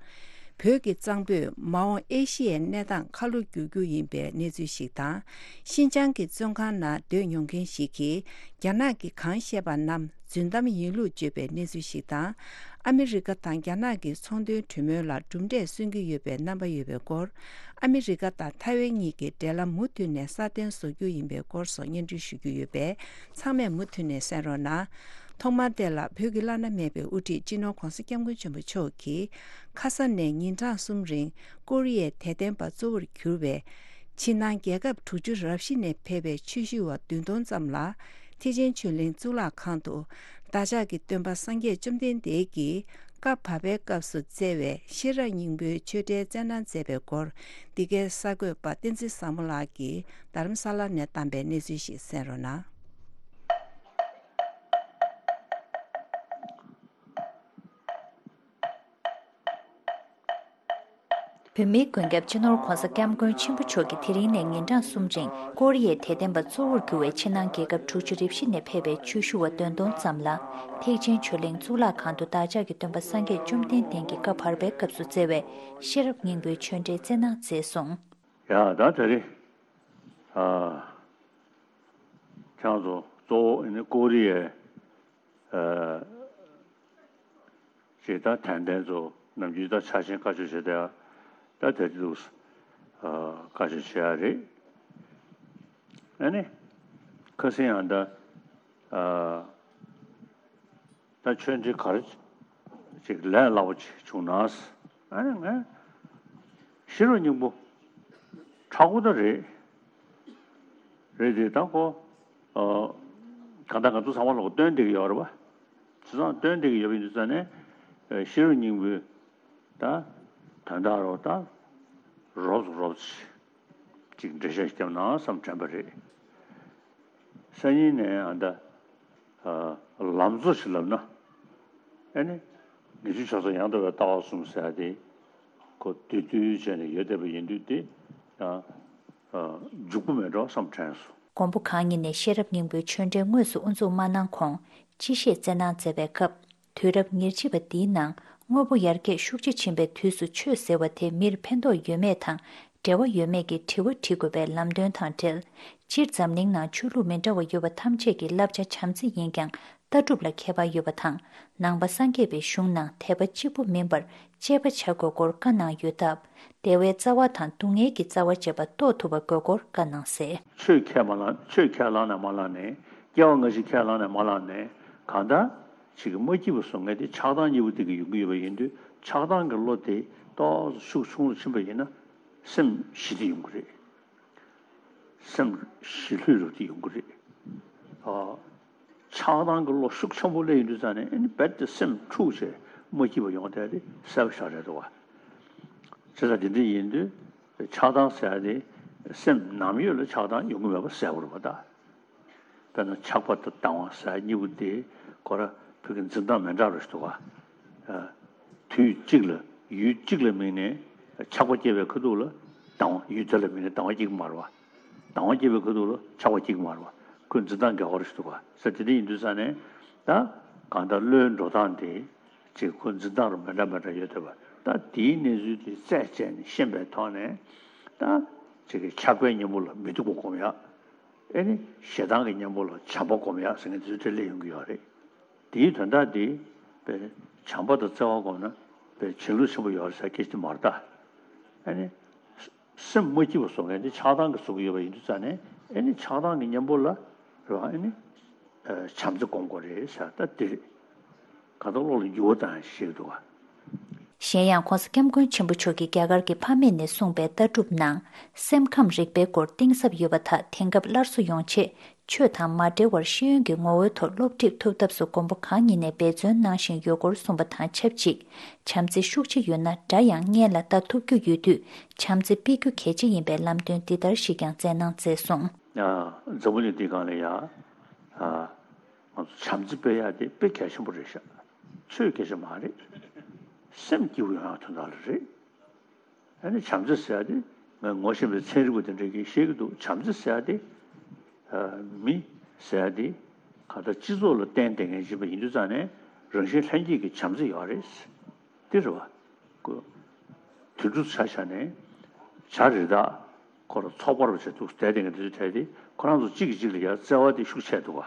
བོད་ཀྱི་གཙང་པོས་མ་འོངས་ཨེ་ཤི་ཡའི་གནས་སྟངས་ཁ་ལོ་བསྒྱུར་རྒྱུ་ཡིན་པའི་གནས་ཚུལ་ཞིག་དང་། ཤིན་ཅང་གི་བཙོན་ཁང་ནང་སྡོད་མྱོང་མཁན་ཞིག་གིས་རྒྱ་ནག་གིས་གང་བཤད་པ་རྣམས་རྫུན་གཏམ་ཡིན་ལུགས་བརྗོད་པའི་གནས་ཚུལ་ཞིག་དང་། ཨ་མི་རི་ཀ་དང་རྒྱ་ནག་གི་ཚོང་དོན་གྲོས་མོལ་ལ་གྲུབ་འབྲས་སོན་གྱི་ཡོད་པའི་རྣམ་པ་ཡོད་པའི་སྐོར། ཨ་མི་རི་ཀ་དང་ཐའེ་ཝན་གཉིས་ཀྱི་འབྲེལ་ལམ་མུ་མཐུད་ནས་སྲ་བརྟན་བཟོ་རྒྱུ་ཡིན་པའི་སྐོར་སོགས་སྙན་སྒྲོན་ཞུ་རྒྱུ་ཡོད་པས། ཚང་མས་མུ་མཐུད་ནས་གསན་རོགས་གནང་། ཐོག་མར་དེ་ལ་བོད་ཀྱི་བླ་ན་མེད་པའི་དབུ་ཁྲིད་སྤྱི་ནོར་ྋགོང་ས་ྋསྐྱབས་མགོན་ཆེན་པོ་མཆོག་གིས་ཁ་ས་ནས་ཉིན་གྲངས་གསུམ་རིང་ཀོ་རི་ཡའི་དད་ལྡན་པ་གཙོ་བོར་གྱུར་བའི་ཕྱི་ནང་རྒྱལ་ཁབ་དྲུག་ཅུ་རབ་བཞི་ནས་ཕེབས་པའི་ཆོས་ཞུ་བ་བདུན་སྟོང་ཙམ་ལ་ཐེག་ཆེན་ཆོས་གླིང་གཙུག་ལག་ཁང་དུ་བདག་ཅག་གི་སྟོན་པ་སངས་རྒྱས་བཅོམ་ལྡན་འདས་ཀྱིས་བཀའ་བབས་པའི་སྐབས་སུ་བསྩལ་བའི་ཤེས་རབ་སྙིང་པོའི་ཆོས་འབྲེལ་སྩལ་གནང་མཛད་པའི་སྐོར། འདི་གའི་གསར་འགོད་པ་བསྟན་འཛིན་བཟང་མོ་ལགས་ཀྱིས་རྡ་རམ་ས་ལ་ནས་བཏང་པའི་གནས་ཚུལ་ཞིག་གསན་རོགས་གནང་། བོད་མིའི་མགོན་སྐྱབས་སྤྱི་ནོར་ྋགོང་ས་ྋསྐྱབས་མགོན་ཆེན་པོ་མཆོག་གིས་དེ་རིང་ནས་ཉིན་གྲངས་གསུམ་རིང་ཀོ་རི་ཡའི་དད་ལྡན་པ་གཙོ་བོར་གྱུར་བའི་ཕྱི་ནང་རྒྱལ་ཁབ་དྲུག་ཅུ་རེ་བཞི་ནས་ཕེབས་པའི་ཆོས་ཞུ་བ་བདུན་སྟོང་ཙམ་ལ་ཐེག་ཆེན་ཆོས་གླིང་གཙུག་ལག་ཁང་དུ་བདག་ཅག་གི་སྟོན་པ་སངས་རྒྱས་བཅོམ་ལྡན་འདས་ཀྱི་བཀའ་བར་པའི་སྐབས་སུ་བསྩལ་བའི་ཤེས་རབ་སྙིང་པོའི་ཆོས་འབྲེལ་སྩལ་གནང་མཛད་སོང་། ཡ་ད་དེ་རིང་ཨ་ཁྱེད་ཚོ་གཙོ་བོ་ཨ་ནི་ཀོ་རི་ཡའི་ཨ་ཅེས་ད་དད་ལྡན་ཚོ་ནམ་རྒྱུན་ད་ཆ་ཤས་བཀའ་ཆོས་བྱེད་བསྡད་ད་དེ་དུས་བཀའ་ཆོས་བྱེད་ཡ་རེད། ཨ་ནི་ཁ་སང་ཡང་ད་ད་ཆོས་འབྲེལ་ག་རེ་ཅིག་ལས་སླ་པོ་ཅིག་བྱུང་ན། ཨ་ནི་ང་ཤེས་རབ་སྙིང་པོ་མཁྲེགས་པོ་ད་རེད། རེད་དེ་ད་ཁོ་གང་ལྟར་ང་ཚོ་ཚང་མ་ལོག་སྟོན་བསྡད་ཀྱི་ཡོད་རེད་པ། བྱས་ཙང་སྟོན་བསྡད་ཀྱི་ཡོད་པ་ཡིན་དུས་ཙང་ནས་ཤེས་རབ་སྙིང་པོའི་ད་དོན་དག་རོ་ད་རོབ་ཙམ་རོབ་ཙམ་ཅིག་འགྲེལ་བཤད་བརྒྱབ་ན་བསམ་དྲན་པ་རེད། སང་ཉིན་ནས་ཨ་ད་ལམ་གཙོ་ཞིག་ལབ་ན། ཨ་ནི་ངེས་འབྱུང་ཆགས་སོགས་ཡང་དག་པའི་ལྟ་བ་གསུམ་ཟེར་ཡ་དེ་ཁོ་བསྡུས་བསྡུས་བྱས་ནས་ཡོད་བསྡད་པ་ཡིན་དུས་དེ་ཡང་འཇུག་པོ་མེད་འགྲོ་བསམ་དྲན་སོང་། མགོན་པོ་གང་ཉིད་ནས་ཤེས་རབ་སྙིང་པོའི་ཆོས་འབྲེལ་དངོས་སུ་དབུ་འཛུགས་མ་གནང་གོང་སྤྱི་བཤད་སྩལ་གནང་མཛད་པའི་སྐབས། དུས་རབས་ཉེར་གཅིག་པ་འདིའི་ནང་དངོས་པོ་ཡར་རྒྱས་ཤུགས་ཆེ་ཕྱིན་པའི་དུས་སུ་ཆོས་ཟེར་བ་དེ་མིར་ཕན་ཐོགས་ཡོད་མེད་དང་འབྲེལ་བ་ཡོད་མེད་ཀྱི་དྲི་བ་དྲི་དགོས་པའི་ལམ་སྟོན་དང་འབྲེལ། སྤྱིར་འཛམ་གླིང་ནང་ཆོས་ལུགས་མི་འདྲ་བ་ཡོད་པ་ཐམས་ཅད་ཀྱི་བསླབ་བྱ་བྱམས་བརྩེ་ཡིན་ཀྱང་ལྟ་གྲུབ་ལ་ཁྱད་པར་ཡོད་པ་དང་། ནང་པ་སངས་རྒྱས་པའི་གཞུང་ནང་དད་པ་གཅིག་པུ་མིན་པར་དཔྱད་པ་བྱ་དགོས་སྐོར་བཀའ་གནང་ཡོད་སྟབས། བདེ་བའི་རྩ་བ་དང་སྡུག་བསྔལ་གྱི་རྩ་བ་བཅས་པ་རྟོགས་ཐུབ་པ་དགོས་སྐོར་བཀའ་གནང་གསལ། ཆོས་ཁས་མ་བླངས་ཆོས་ཁས་བླངས་ནས་མ་བླངས་ནས་སྐྱེ་བ་སྔ་ཕྱི་ཁས་བླངས་ནས་མ་བླངས་ནས་གང་ལྟར་ཅིག་མ་སྐྱིད་པ་བཟོ་མཁན་དེ་ཆགས་སྡང་གཉིས་པོ་དེ་གིས་ཡོང་གི་ཡོད་པ་ཡིན་དུས་ཆགས་སྡང་གི་བློ་དེ་ཏོག་ཙམ་ཤུགས་ཆུང་རུ་ཕྱིན་པ་ཡིན་ན་སེམས་ཞི་བདེ་ཡོང་གི་རེད། སེམས་ཞི་ལྷོད་རུ་དེ་ཡོང་གི་རེད། ཨ། ཆགས་སྡང་གི་བློ་ཤུགས་ཆེན་པོ་སླེབས་ཡོང་དུས་ཙང་ནས་ཨ་ནི་རྦད་དེ་སེམས་འཁྲུགས་བྱས་མ་སྐྱིད་པ་ཡོང་བསྡད་དེ་གསལ་པོ་ཞེ་དྲག་རེད་འདུག་བ། བྱས་ཙང་དེ་འདྲ་ཡིན་དུས་ཆགས་སྡང་ཟེར་ཡ་དེ་སེམས་ནམ་ཡོད་ལ་ཆགས་སྡང་ཡོང་གི་མེད་པ་གསལ་པོ་རེད་པ་ད། དཔེར་ན་ཆགས་པ་དང་སྡང་བ་ཟེར་ཡ་གཉིས་པོ་དེ་ཁོ་ར་བོད་ཀྱི་འཛིན་སྟངས་མི་འདྲ་རུ་ཞིག་འདུག་བ། དུས་གཅིག་ལ་ཡུལ་གཅིག་ལ་དམིགས་ནས་ཆགས་པ་སྐྱེ་བའི་ཁ་ཐུག་ལ་སྡང་བ་ཡུལ་དེ་ལ་དམིགས་ནས་སྡང་བ་སྐྱེ་གི་མ་རེད་བ། སྡང་བ་སྐྱེ་བའི་ཁ་ཐུག་ལ་ཆགས་པ་སྐྱེ་གི་མ་རེད་བ། ཁོའི་འཛིན་སྟངས་འགལ་བ་རེ་ཞིག་འདུག་བ། ཟེར་དེ་འདྲ་ཡིན་དུས་ཙང་ནས་ད་གང་ལྟར་བློའི་འགྲོ་སྟངས་དེ་ཅིག་ཁོའི་འཛིན་སྟངས་རུ་མི་འདྲ་མི་འདྲ་ཡོད་བསྡད་པ་ད་དེའི་གནས་ཚུལ་དེ་རྩད་བཅད་ནས་ཤེས་པའི་ཐོག་ནས་ད་ཅིག་གི་ཆགས་པའི་གཉེན་པོ་ལ་མི་སྡུག་པ་སྒོམ་ཡག་ཨེ་ནི་ཞེ་སྡང་གི་གཉེན་པོ་ལ་བྱམས་པ་སྒོམ་ཡག་ཟེར་མཁན་དེ་ཚོ་དེ་སླེབས་ཡོང་གི་ཡོད་རེད། དེའི་དོན་དག་དེ་པའི་བྱམས་པ་དང་བརྩེ་བ་སྒོམ་ན་པའི་བྱིན་རླབས་ཆེན་པོ་ཡོད་རེད་ཟེར་སྐད་ཆ་དེ་མ་རེད་ད། ཨེ་ནི་སེམས་མ་སྐྱིད་པ་བཟོ་མཁན་དེ་ཆགས་སྡང་གིས་བཟོ་གི་ཡོད་པ་ཡིན་དུས་ཙང་ནས་ཨེ་ནི་ཆགས་སྡང་གི་གཉེན་པོ་ལ་རེད་བ་ཨེ་ནི་བྱམས་བརྩེ་སྒོམ་དགོས་རེད་ཟེར་ད་དེ་རེད། གང་ལྟར་བློ་ལ་འགྱུར་བ་བཏང་ཞེས་འདུག་ག་གཞན་ཡང་ྋགོང་ས་ྋསྐྱབས་མགོན་ཆེན་པོ་མཆོག་གིས་རྒྱ་གར་གྱི་ཕ་མེས་ནས་གསུངས་པའི་ལྟ་གྲུབ་ནང་སེམས་ཁམས་རིག་པའི་སྐོར་གཏིང་ཟབ་ཡོད་པ་དག་དེང་སྐབས་སླར་གསོ་ཡོང་ཆེད་ཆོས་དང་མ་འབྲེལ་བར་ཤེས་ཡོན་གྱི་ངོ་བོའི་ཐོག་སློབ་ཁྲིད་ཐུབ་ཐབས་སུ་མགོན་པོ་གང་ཉིད་ནས་འབད་བརྩོན་གནང་བཞིན་ཡོད་སྐོར་གསུངས་པ་དང་ཆབས་ཅིག་བྱམས་བརྩེ་ཤུགས་ཆེ་ཡོད་ན་དགྲ་ཡང་སྔོན་ལ་ལྟ་ཐུབ་རྒྱུ་ཡོད་དུས་བྱམས་བརྩེ་སྤེལ་རྒྱུ་གལ་ཆེ་ཡིན་པའི་ལམ་སྟོན་འདི་ལྟར་ཞིག་ཀྱང་སྩལ་གནང་མཛད་སོང་། འཛམ་བུ་གླིང་འདིའི་སྒང་ལ་ཡ། ང་ཚོ་བྱམས་བརྩེ་སྤེལ་ཡག་དེ་དཔེ་གལ་ཆེན་པོ་རེད་ཤག་ཆོས་སྐད་ཆ་མ་རེད། སེམས་སྐྱིད་པོ་ཡོང་ཡག་དོན་དག་ལ་རེད། ཨ་ནི་བྱམས་བརྩེ་ཟེར་ཡ་དེ་ང་ངོ་ཤེས་པའི་ཚན་རིག་པ་དེ་འདྲས་ཀྱིས་བཤད་ཀྱི་འདུག་བྱམས་བརྩེ་ཟེར་ཡ་དེ་མི་ཟེར་ཡ་དེ་གང་ལྟར་སྤྱི་ཚོགས་ལ་བརྟེན་བསྡད་མཁན་ཅིག་ཡིན་པ་ཡིན་དུས་ཙང་ནས་རང་བཞིན་ལྷན་སྐྱེས་ཀྱི་བྱམས་བརྩེ་ཡོད་རེད། དེ་རེད་བ། དུད་འགྲོ་ཆ་བཞག་ནས་བྱ་རི་དྭགས་ཁོ་རང་ཚོགས་པ་རུ་བྱས་འདུག་བསྡད་བསྡད་མཁན་དེ་ཚོའི་གྲས་དེ་ཁོ་རང་ཚོ་གཅིག་གིས་གཅིག་ལ་ཡར་བརྩེ་བ་དེ་ཤུགས་ཆེ་འདུག་བ།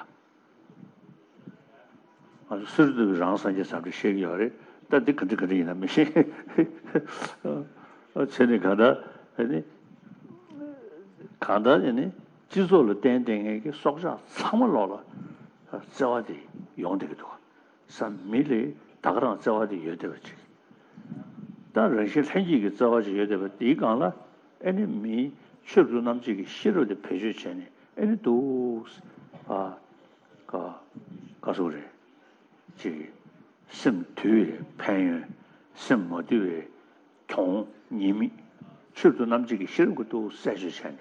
ང་ཚོ་སུ་རེད་འདུག་རང་སངས་རྒྱས་བྱམས་བརྩེ་བཤད་ཀྱི་ཡོད་རེད། ད་འདི་ག་འདྲ་ག་འདྲ་ཡིན་ན་མི་ཤེས། བྱས་ནས་གང་ལྟར་ཨ་ནི་གང་ལྟར་ཨ་ནི་སྤྱི་ཚོགས་ལ་བརྟེན་བསྡད་མཁན་གྱི་སྲོག་ཆགས་ཚང་མ་ལོག་ལ་བརྩེ་བ་དེ་ཡོང་བསྡད་ཀྱི་འདུག་བསམ། མི་ལ་ད་ག་རང་བརྩེ་བ་དེ་ཡོད་བསྡད་པ་ཅིག་ད་རང་བཞིན་ལྷན་སྐྱེས་ཀྱི་བརྩེ་བ་ཅིག་ཡོད་བསྡད་པ་དེའི་སྒང་ལ་ཨ་ནི་མིའི་ཆོས་སུ་རྣམ་འབྱེད་ཀྱི་ཤེས་རབ་དེ་བེད་སྤྱོད་བྱས་ནས་ཨ་ནི་འདུག་ཨ་ག་ག་སོགས་རེད། ཅིག་སེམས་དུལ་བའི་ཕན་ཡོན། སེམས་མ་དུལ་བའི་གྱོང་ཉེས་དམིགས། ཆོས་སུ་རྣམ་འབྱེད་ཀྱི་ཤེས་རབ་ཀྱིས་འདུག་གསལ་བརྗོད་བྱས་ནས།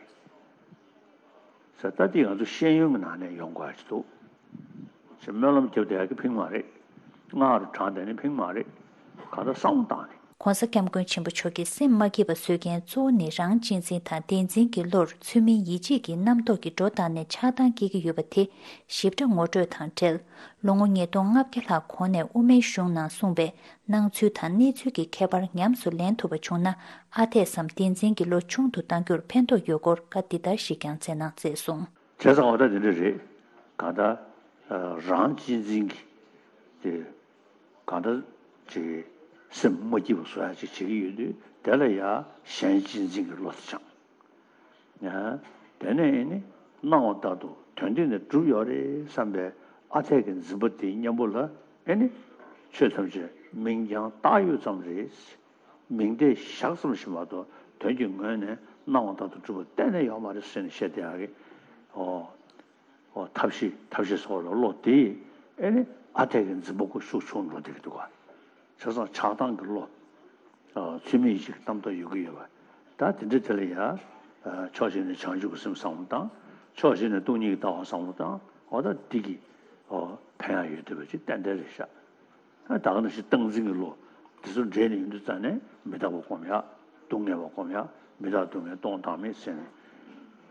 ས་ད་ལྟའི་ང་ཚོ་ཤེས་ཡོན་གྱི་ནང་ནས་ཡོང་དགོས་ཡ་ཅིག་འདུག་ཅེས་སྨོན་ལམ་རྒྱབ་བསྡད་ཡ་གི་ཕིང་མ་རེད། སྔགས་རུ་བགྲངས་བསྡད་ནི་ཕིང་མ་རེད། གང་ལྟར་བསམ་བློ་བཏང་ནས། ྋགོང་ས་ྋསྐྱབས་མགོན་ཆེན་པོ་མཆོག་གིས་སེམས་མ་སྐྱིད་པ་བཟོ་མཁན་གཙོ་བོ་ནི་རང་གཅེས་འཛིན་དང་བདེན་འཛིན་གྱི་བློར་ཚུལ་མིན་ཡིད་བྱེད་ཀྱི་རྣམ་རྟོག་གི་འགྲོ་སྟངས་ནས་ཆགས་སྡང་སྐྱེ་གི་ཡོད་པ་དེ་ཞིབ་ཕྲ་ངོ་སྤྲོད་དང་འབྲེལ། ལོ་ངོ་ཉིས་སྟོང་ལྔ་བརྒྱ་ལྷག་གོང་ནས་དབུ་མའི་གཞུང་ནང་གསུངས་པའི་སྣང་ཚུལ་དང་གནས་ཚུལ་གྱི་ཁྱད་པར་ཉམས་སུ་ལེན་ཐུབ་པ་བྱུང་ན་ཨ་འཐས་སམ་བདེན་འཛིན་གྱི་བློ་ཆུང་དུ་གཏང་རྒྱུར་ཕན་ཐོགས་ཡོད་སྐོར་བཀའ་འདི་ལྟར་ཞིག་ཀྱང་སྩལ་གནང་མཛད་སོང་། བྱས་ཙང་འོ་ད་དེ་འདྲ་རེད། གང་ལྟར་རང་གཅེས་འཛིན་གྱི་དེ་གང་ལྟར་ཅིག་སེམས་མ་སྐྱིད་པ་བཟོ་ཡ་ཅིག་བྱེད་ཀྱི་ཡོད་དུས་དེ་ལ་ཡ་གཞན་གཅེས་འཛིན་གྱི་བློ་དེ་སྦྱངས། དེ་ནས་ཨེ་ནི་སྣང་བ་ལྟར་དུ་དོན་འདི་ནི་གྲུབ་ཡོད་རེད་བསམ་པའི་ཨ་འཐས་ཀྱི་འཛིན་པ་དེའི་གཉེན་པོ་ལ་ཨེ་ནི་ཆོས་ཐམས་ཅད་མིང་རྐྱང་བཏགས་ཡོད་ཙམ་རེད། མིང་བརྡས་བཞག་ཙམ་ཞིག་མ་གཏོགས་དོན་གྱི་ངོས་ནས་སྣང་བ་ལྟར་དུ་གྲུབ་པ་གཏན་ནས་ཡོད་མ་རེད་ཟེར་ནས་བཤད་བསྡད་ཡག་གི་ཨོ། ཨོ་ཐབས་ཤེས་ཐབས་ཤེས་སོགས་ལ་བློ་དེ་ཨེ་ནི་ཨ་འཐས་ཀྱི་འཛིན་པ་ཁོ་ཤུགས་ཆུང་འགྲོ་བསྡད་ཀྱི་འདུག་ག་བྱས་ཙང་ཆགས་སྡང་གི་བློ། ཨ་ཚུལ་མིན་ཡིད་བྱེད་ཀྱི་རྣམ་རྟོག་ཡོད་ཀྱི་ཡོད་པ། ད་དེ་འདྲ་དེ་ལ་ཡ། ཨ་ཕྱོགས་གཅིག་ནས་བྱང་ཆུབ་ཀྱི་སེམས་བསམ་བློ་བཏང་། ཕྱོགས་གཅིག་ནས་སྟོང་ཉིད་ཀྱི་ལྟ་བ་བསམ་བློ་བཏང་། འོ་ད་འདི་གི་ཨོ་ཕན་ཡག་ཡོད་བསྡད་པ་ཅིག་ཏན་ཏན་རེད་ཤག་ཨ་ད་ག་ནང་བཞིན་སྟངས་འཛིན་གྱི་བློ་དེ་ཚོ་འདྲེས་ནས་ཡོང་དུས་ཙང་ནས་མི་རྟག་པ་སྒོམ་ཡག་སྡུག་བསྔལ་བ་སྒོམ་ཡག་མི་རྟག་སྡུག་བསྔལ་སྟོང་བདག་མེད་ཟེར་ནས།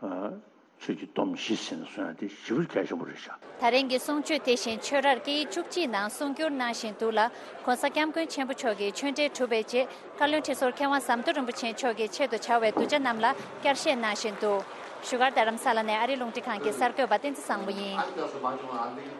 ཨ། ཆོས་ཀྱི་སྡོམ་བཞི་ཟེར་ནས་གསུང་ཡ་དེ་ཞེ་པོ་གལ་ཆེན་པོ་རེད་ཤག་ད་རིང་གི་གསུང་ཆོས་དེ་བཞིན་ཆོས་རར་སྐད་ཡིག་བཅུ་གཅིག་ནང་གསུང་བསྒྱུར་གནང་བཞིན་འདུག་ལ། ྋགོང་ས་ྋསྐྱབས་མགོན་ཆེན་པོ་མཆོག་གི་ཆོས་འབྲེལ་གྲུབ་པའི་རྗེས་བཀའ་བློན་ཁྲི་ཟུར་མཁས་དབང་ཟམ་གདོང་རིན་པོ་ཆེ་མཆོག་གིས་ཆེད་དུ་བྱ་བའི་གདུལ་བྱ་རྣམས་ལ་བསྐྱར་བཤད་གནང་བཞིན་འདུག་བཞུགས་སྒར་རྡ་རམ་ས་ལ་ནས་ཨ་རིའི་རླུང་འཕྲིན་ཁང་གི་གསར་འགོད་པ་བསྟན་འཛིན་བཟང་པོ་ཡིན།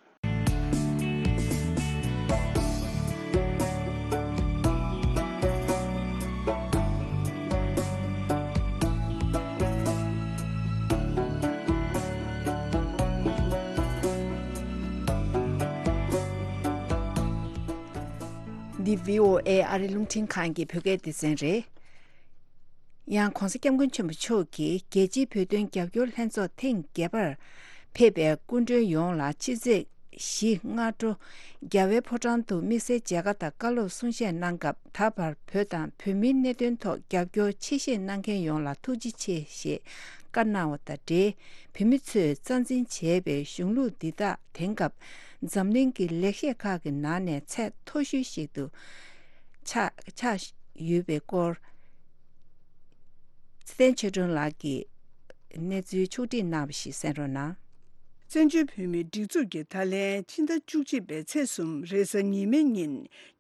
འདི་བྷི་ཨོ་ཨེ་ཨ་རི་རླུང་འཕྲིན་ཁང་གི་བོད་སྐད་སྡེ་ཚན་རེད། ཡང་ྋགོང་ས་ྋསྐྱབས་མགོན་ཆེན་པོ་མཆོག་གིས་རྒྱལ་སྤྱིའི་བོད་དོན་རྒྱབ་སྐྱོར་ལྷན་ཚོགས་ཐེངས་བརྒྱད་པར་ཕེབས་པའི་སྐུ་མགྲོན་ཡོངས་ལ་ཕྱི་ཚེས་བཞི་སྔ་དྲོ་རྒྱལ་བའི་ཕོ་བྲང་དུ་དམིགས་བསལ་མཇལ་ཁ་དང་བཀའ་སློབ་གསུང་བཤད་གནང་སྐབས། ད་བར་བོད་དང་བོད་མིའི་གནད་དོན་ཐོག་རྒྱབ་སྐྱོར་ཆེ་བཞེས་གནང་མཁན་ཡོངས་ལ་ཐུགས་རྗེ་ཆེ་ཞེས་བཀའ་གནང་བ་དང་འབྲེལ། བོད་མི་ཚོས་རྩ་འཛིན་བྱས་པའི་གཞུང་ལུགས་འདི་དག་དེང་སྐབས་འཛམ་གླིང་གི་ལེགས་བཤད་ཁག་གི་ནང་ནས་ཚད་མཐོ་ཤོས་ཤིག་ཏུ་ཆགས་ཆགས་ཡོད་པའི་སྐོར། ཚེ་བརྟན་ཆོས་སྒྲོན་ལགས་ཀྱིས་གནས་ཚུལ་ཕྱོགས་བསྒྲིགས་གནང་བ་ཞིག་གསན་རོགས་གནང་། བཙན་བྱོལ་བོད་མིའི་སྒྲིག་འཛུགས་ཀྱིས་ད་ལན་ཕྱི་ཟླ་བཅུ་གཅིག་པའི་ཚེས་གསུམ་རེས་གཟའ་ཉི་མའི་ཉིན་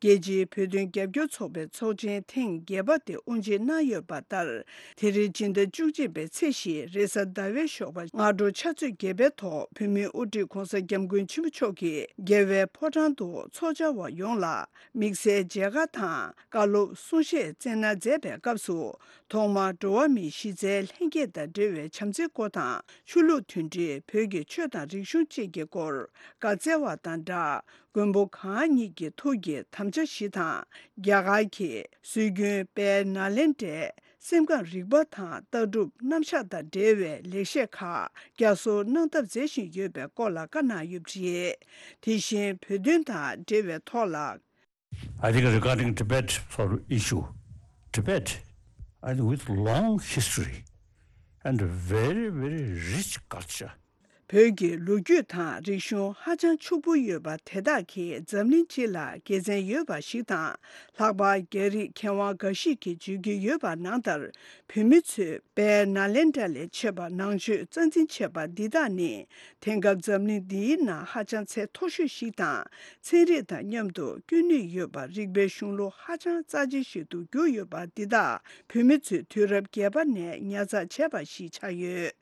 རྒྱལ་སྤྱིའི་བོད་དོན་རྒྱབ་སྐྱོར་ཚོགས་པའི་ཚོགས་ཆེན་ཐེངས་བརྒྱད་པ་དེ་དབུ་འབྱེད་གནང་ཡོད་པ་ལྟར། དེ་རིང་སྤྱི་ཟླ་བཅུ་གཅིག་པའི་ཚེས་བཞི་རེས་གཟའ་ཟླ་བའི་ཞོགས་པ་སྔ་དྲོ་ཕྱག་ཚོད་བརྒྱད་པའི་ཐོག་བོད་མིའི་དབུ་ཁྲིད་ྋགོང་ས་ྋསྐྱབས་མགོན་ཆེན་པོ་མཆོག་གིས་རྒྱལ་བའི་ཕོ་བྲང་དུ་ཚོགས་བཅར་བ་ཡོངས་ལ་དམིགས་བསལ་མཇལ་ཁ་དང་བཀའ་སློབ་གསུང་བཤད་སྩལ་གནང་མཛད་པའི་སྐབས་སུ། ཐོག་མར་འགྲོ་བ་མིའི་གཞི་རྩའི་ལྷན་སྐྱེས་དང་འབྲེལ་བའི་བྱམས་བརྩེའི་སྐོར་དང་། ཆོས་ལུགས་མཐུན་སྒྲིལ། བོད་ཀྱི་ཆོས་དང་རིག་གཞུང་བཅས་ཀྱི་སྐོར་བཀའ་སྩལ་བ་དང་སྦྲགས། མགོན་པོ་གང་ཉིད་ཀྱི་ཐུགས་ཀྱི་དམ་བཅའ་བཞི་དང་། རྒྱ་གར་གྱི་སྲོལ་རྒྱུན་དཔལ་ནཱ་ལེནྡྲའི་སེམས་ཁམས་རིག་པ་དང་ལྟ་གྲུབ་རྣམ་གཞག་དང་འབྲེལ་བའི་ལེགས་བཤད་ཁག་བསྐྱར་གསོ་གནང་ཐབས་མཛད་བཞིན་ཡོད་པའི་སྐོར་ལ་བཀའ་གནང་ཡོད་པ་རེད། དེ་བཞིན་བོད་དོན་དང་འབྲེལ་བའི་ཐོག་ལ། I think regarding Tibet sort of issue, Tibet, I think with long history and a very, very rich culture. བོད་ཀྱི་ལོ་རྒྱུས་དང་རིག་གཞུང་ཧ་ཅང་ཕྱུག་པོ་ཡོད་པ་དེ་དག་གིས་འཛམ་གླིང་སྤྱི་ལ་དགེ་མཚན་ཡོད་པ་ཞིག་དང་། ལྷག་པར་རྒྱ་རིགས་མཁས་དབང་འགའ་ཞིག་གིས་བརྗོད་ཀྱི་ཡོད་པ་ནང་ལྟར། བོད་མི་ཚོས་དཔལ་ནཱ་ལེནྡྲ་ལས་མཆེད་པ་ནང་ཆོས་རྩ་འཛིན་བྱས་པ་འདི་དག་ནི། དེང་སྐབས་འཛམ་གླིང་འདིའི་ནང་ཧ་ཅང་ཚད་མཐོ་ཤོས་ཤིག་དང་། ཚན་རིག་དང་མཉམ་དུ་སྐྱོན་ནུས་ཡོད་པ་རིག་པའི་གཞུང་ལུགས་ཧ་ཅང་རྩ་ཆེ་ཞིག་ཏུ་གྱུར་ཡོད་པ་འདི་དག་བོད་མི་ཚོས་དུས་རབས་བརྒྱད་པ་ནས་ཉར་ཚགས་བྱས་པ་ཞིག་ཆགས་ཡོད།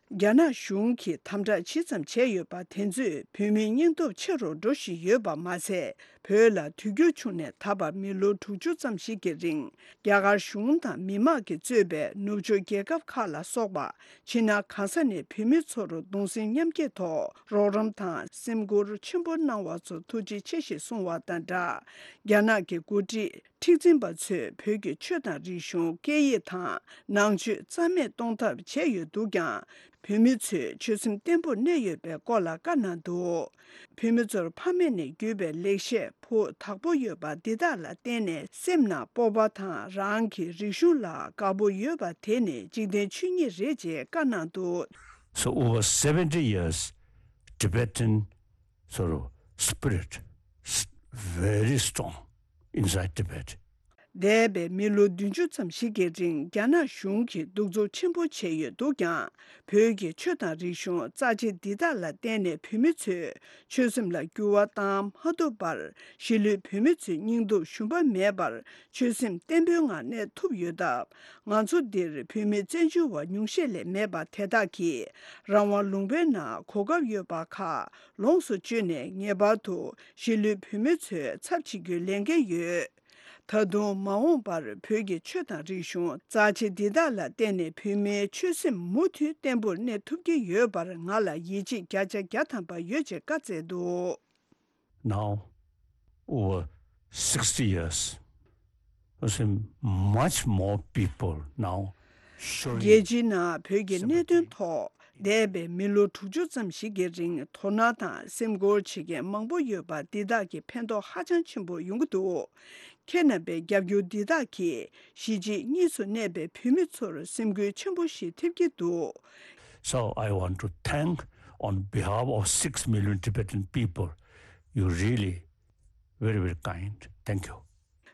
རྒྱ་ནག་གཞུང་གིས་དམ་དྲག་ཇི་ཙམ་བྱས་ཡོད་པ་དེ་ཚོས་བོད་མིའི་སྙིང་སྟོབས་ཆེ་རུ་འགྲོ་བཞིན་ཡོད་པ་མ་ཟད། བོད་ལ་དུས་འགྱུར་བྱུང་ནས་ད་བར་མི་ལོ་དྲུག་ཅུ་ཙམ་ཞིག་གི་རིང་རྒྱ་གར་གཞུང་དང་མི་དམངས་ཀྱིས་གཙོས་པའི་ནུབ་ཕྱོགས་རྒྱལ་ཁབ་ཁག་ལ་སོགས་པ་ཕྱི་ནང་གང་ས་ནས་བོད་མི་ཚོར་གདུང་སེམས་མཉམ་སྐྱེད་ཐོག་རོགས་རམ་དང་སེམས་ཁུར་ཆེན་པོ་གནང་བ་ཚོར་ཐུགས་རྗེ་ཆེ་ཞེས་གསུངས་བ་དང་སྦྲགས། རྒྱ་ནག་གི་འགོ་ཁྲིད་མཁྲེགས་འཛིན་པ་ཚོས་བོད་ཀྱི་ཆོས་དང་རིག་གཞུང་སྐད་ཡིག་དང་ནང་ཆོས་རྩ་མེད་གཏོང་ཐབས་བྱས་ཡོད་འདུག་ཀྱང་། བོད་མི་ཚོས་ཆོད་སེམས་བརྟན་པོར་གནས་ཡོད་པའི་སྐོར་ལ་བཀའ་གནང་འདུག་བོད་མི་ཚོར་ཕ་མེས་ནས་བརྒྱུད་པའི་ལེགས་བཤད་ཕུགས་དག་པོ་ཡོད་པ་འདི་དག་ལ་བརྟེན་ནས་སེམས་ནང་སྤོབས་པ་དང་རང་གི་རིག་གཞུང་ལ་དགའ་པོ་ཡོད་པ་དེ་ནི་འཇིག་རྟེན་ཆོས་ཉིད་རེད་ཅེས་བཀའ་གནང་འདུག So over seventy years, Tibetan sort of spirit s- very strong inside Tibet. འདས་པའི་མི་ལོ་བདུན་ཅུ་ཙམ་ཞིག་གི་རིང་རྒྱ་ནག་གཞུང་གིས་གདུག་རྩུབ་ཆེན་པོ་བྱས་ཡོད་འདུག་ཀྱང་། བོད་ཀྱི་ཆོས་དང་རིག་གཞུང་རྩ་ཆེ་འདི་དག་ལ་བརྟེན་ནས་བོད་མི་ཚོས་ཆོད་སེམས་ལ་འགྱུར་བ་བཏང་མ་ཐུབ་པར། གཞིས་ལུས་བོད་མི་ཚོའི་སྙིང་སྟོབས་ཞུམ་པ་མེད་པར་ཆོད་སེམས་བརྟན་པོའི་ངང་གནས་ཐུབ་ཡོད་སྟབས། ང་ཚོ་འདིར་བོད་མི་བཙན་བྱོལ་བ་ཉུང་ཤས་ལས་མེད་པ་དེ་དག་གིས་རང་དབང་ལུང་པའི་ནང་གོ་སྐབས་ཡོད་པ་ཁག་ལོངས་སུ་སྤྱོད་ནས་ངེས་པར་དུ་གཞིས་ལུས་བོད་མི་ཚོའི་ཚབ་བྱེད་རྒྱུའི་ལས་འགན་ཡོད། ད་དུང་མ་འོངས་པར་བོད་ཀྱི་ཆོས་དང་རིག་གཞུང་རྩ་ཆེ་འདི་དག་ལ་བརྟེན་ནས་བོད་མིའི་ཆོད་སེམས་མུ་མཐུད་བརྟན་པོར་གནས་ཐུབ་ཀྱི་ཡོད་པར་ང་ལ་ཡིད་ཆེས་བརྒྱ་ཆ་བརྒྱ་ཐམ་པ་ཡོད་ཅེས་བཀའ་སྩལ་འདུག Now, over sixty years, I see much more people now showing རྒྱལ་སྤྱིའི་ནང་བོད་ཀྱི་གནད་དོན་ཐོག་འདས་པའི་མི་ལོ་དྲུག་ཅུ་ཙམ་ཞིག་གི་རིང་དོ་སྣང་དང་སེམས་ཁུར་བྱེད་མཁན་མང་པོ་ཡོད་པ་འདི་དག་གི་ཕན་ཐོགས་ཧ་ཅང་ཆེན་པོ་ཡོང་གི་འདུག་ཁྱེད་རྣམ་པའི་རྒྱབ་སྐྱོར་འདི་དག་གིས་གཞིས་བྱེས་གཉིས་སུ་གནས་པའི་བོད་མི་ཚོར་སེམས་འགུལ་ཆེན་པོ་ཞིག་ཐེབས་ཀྱི་འདུག So I want to thank on behalf of six million Tibetan people. You really very, very kind. Thank you.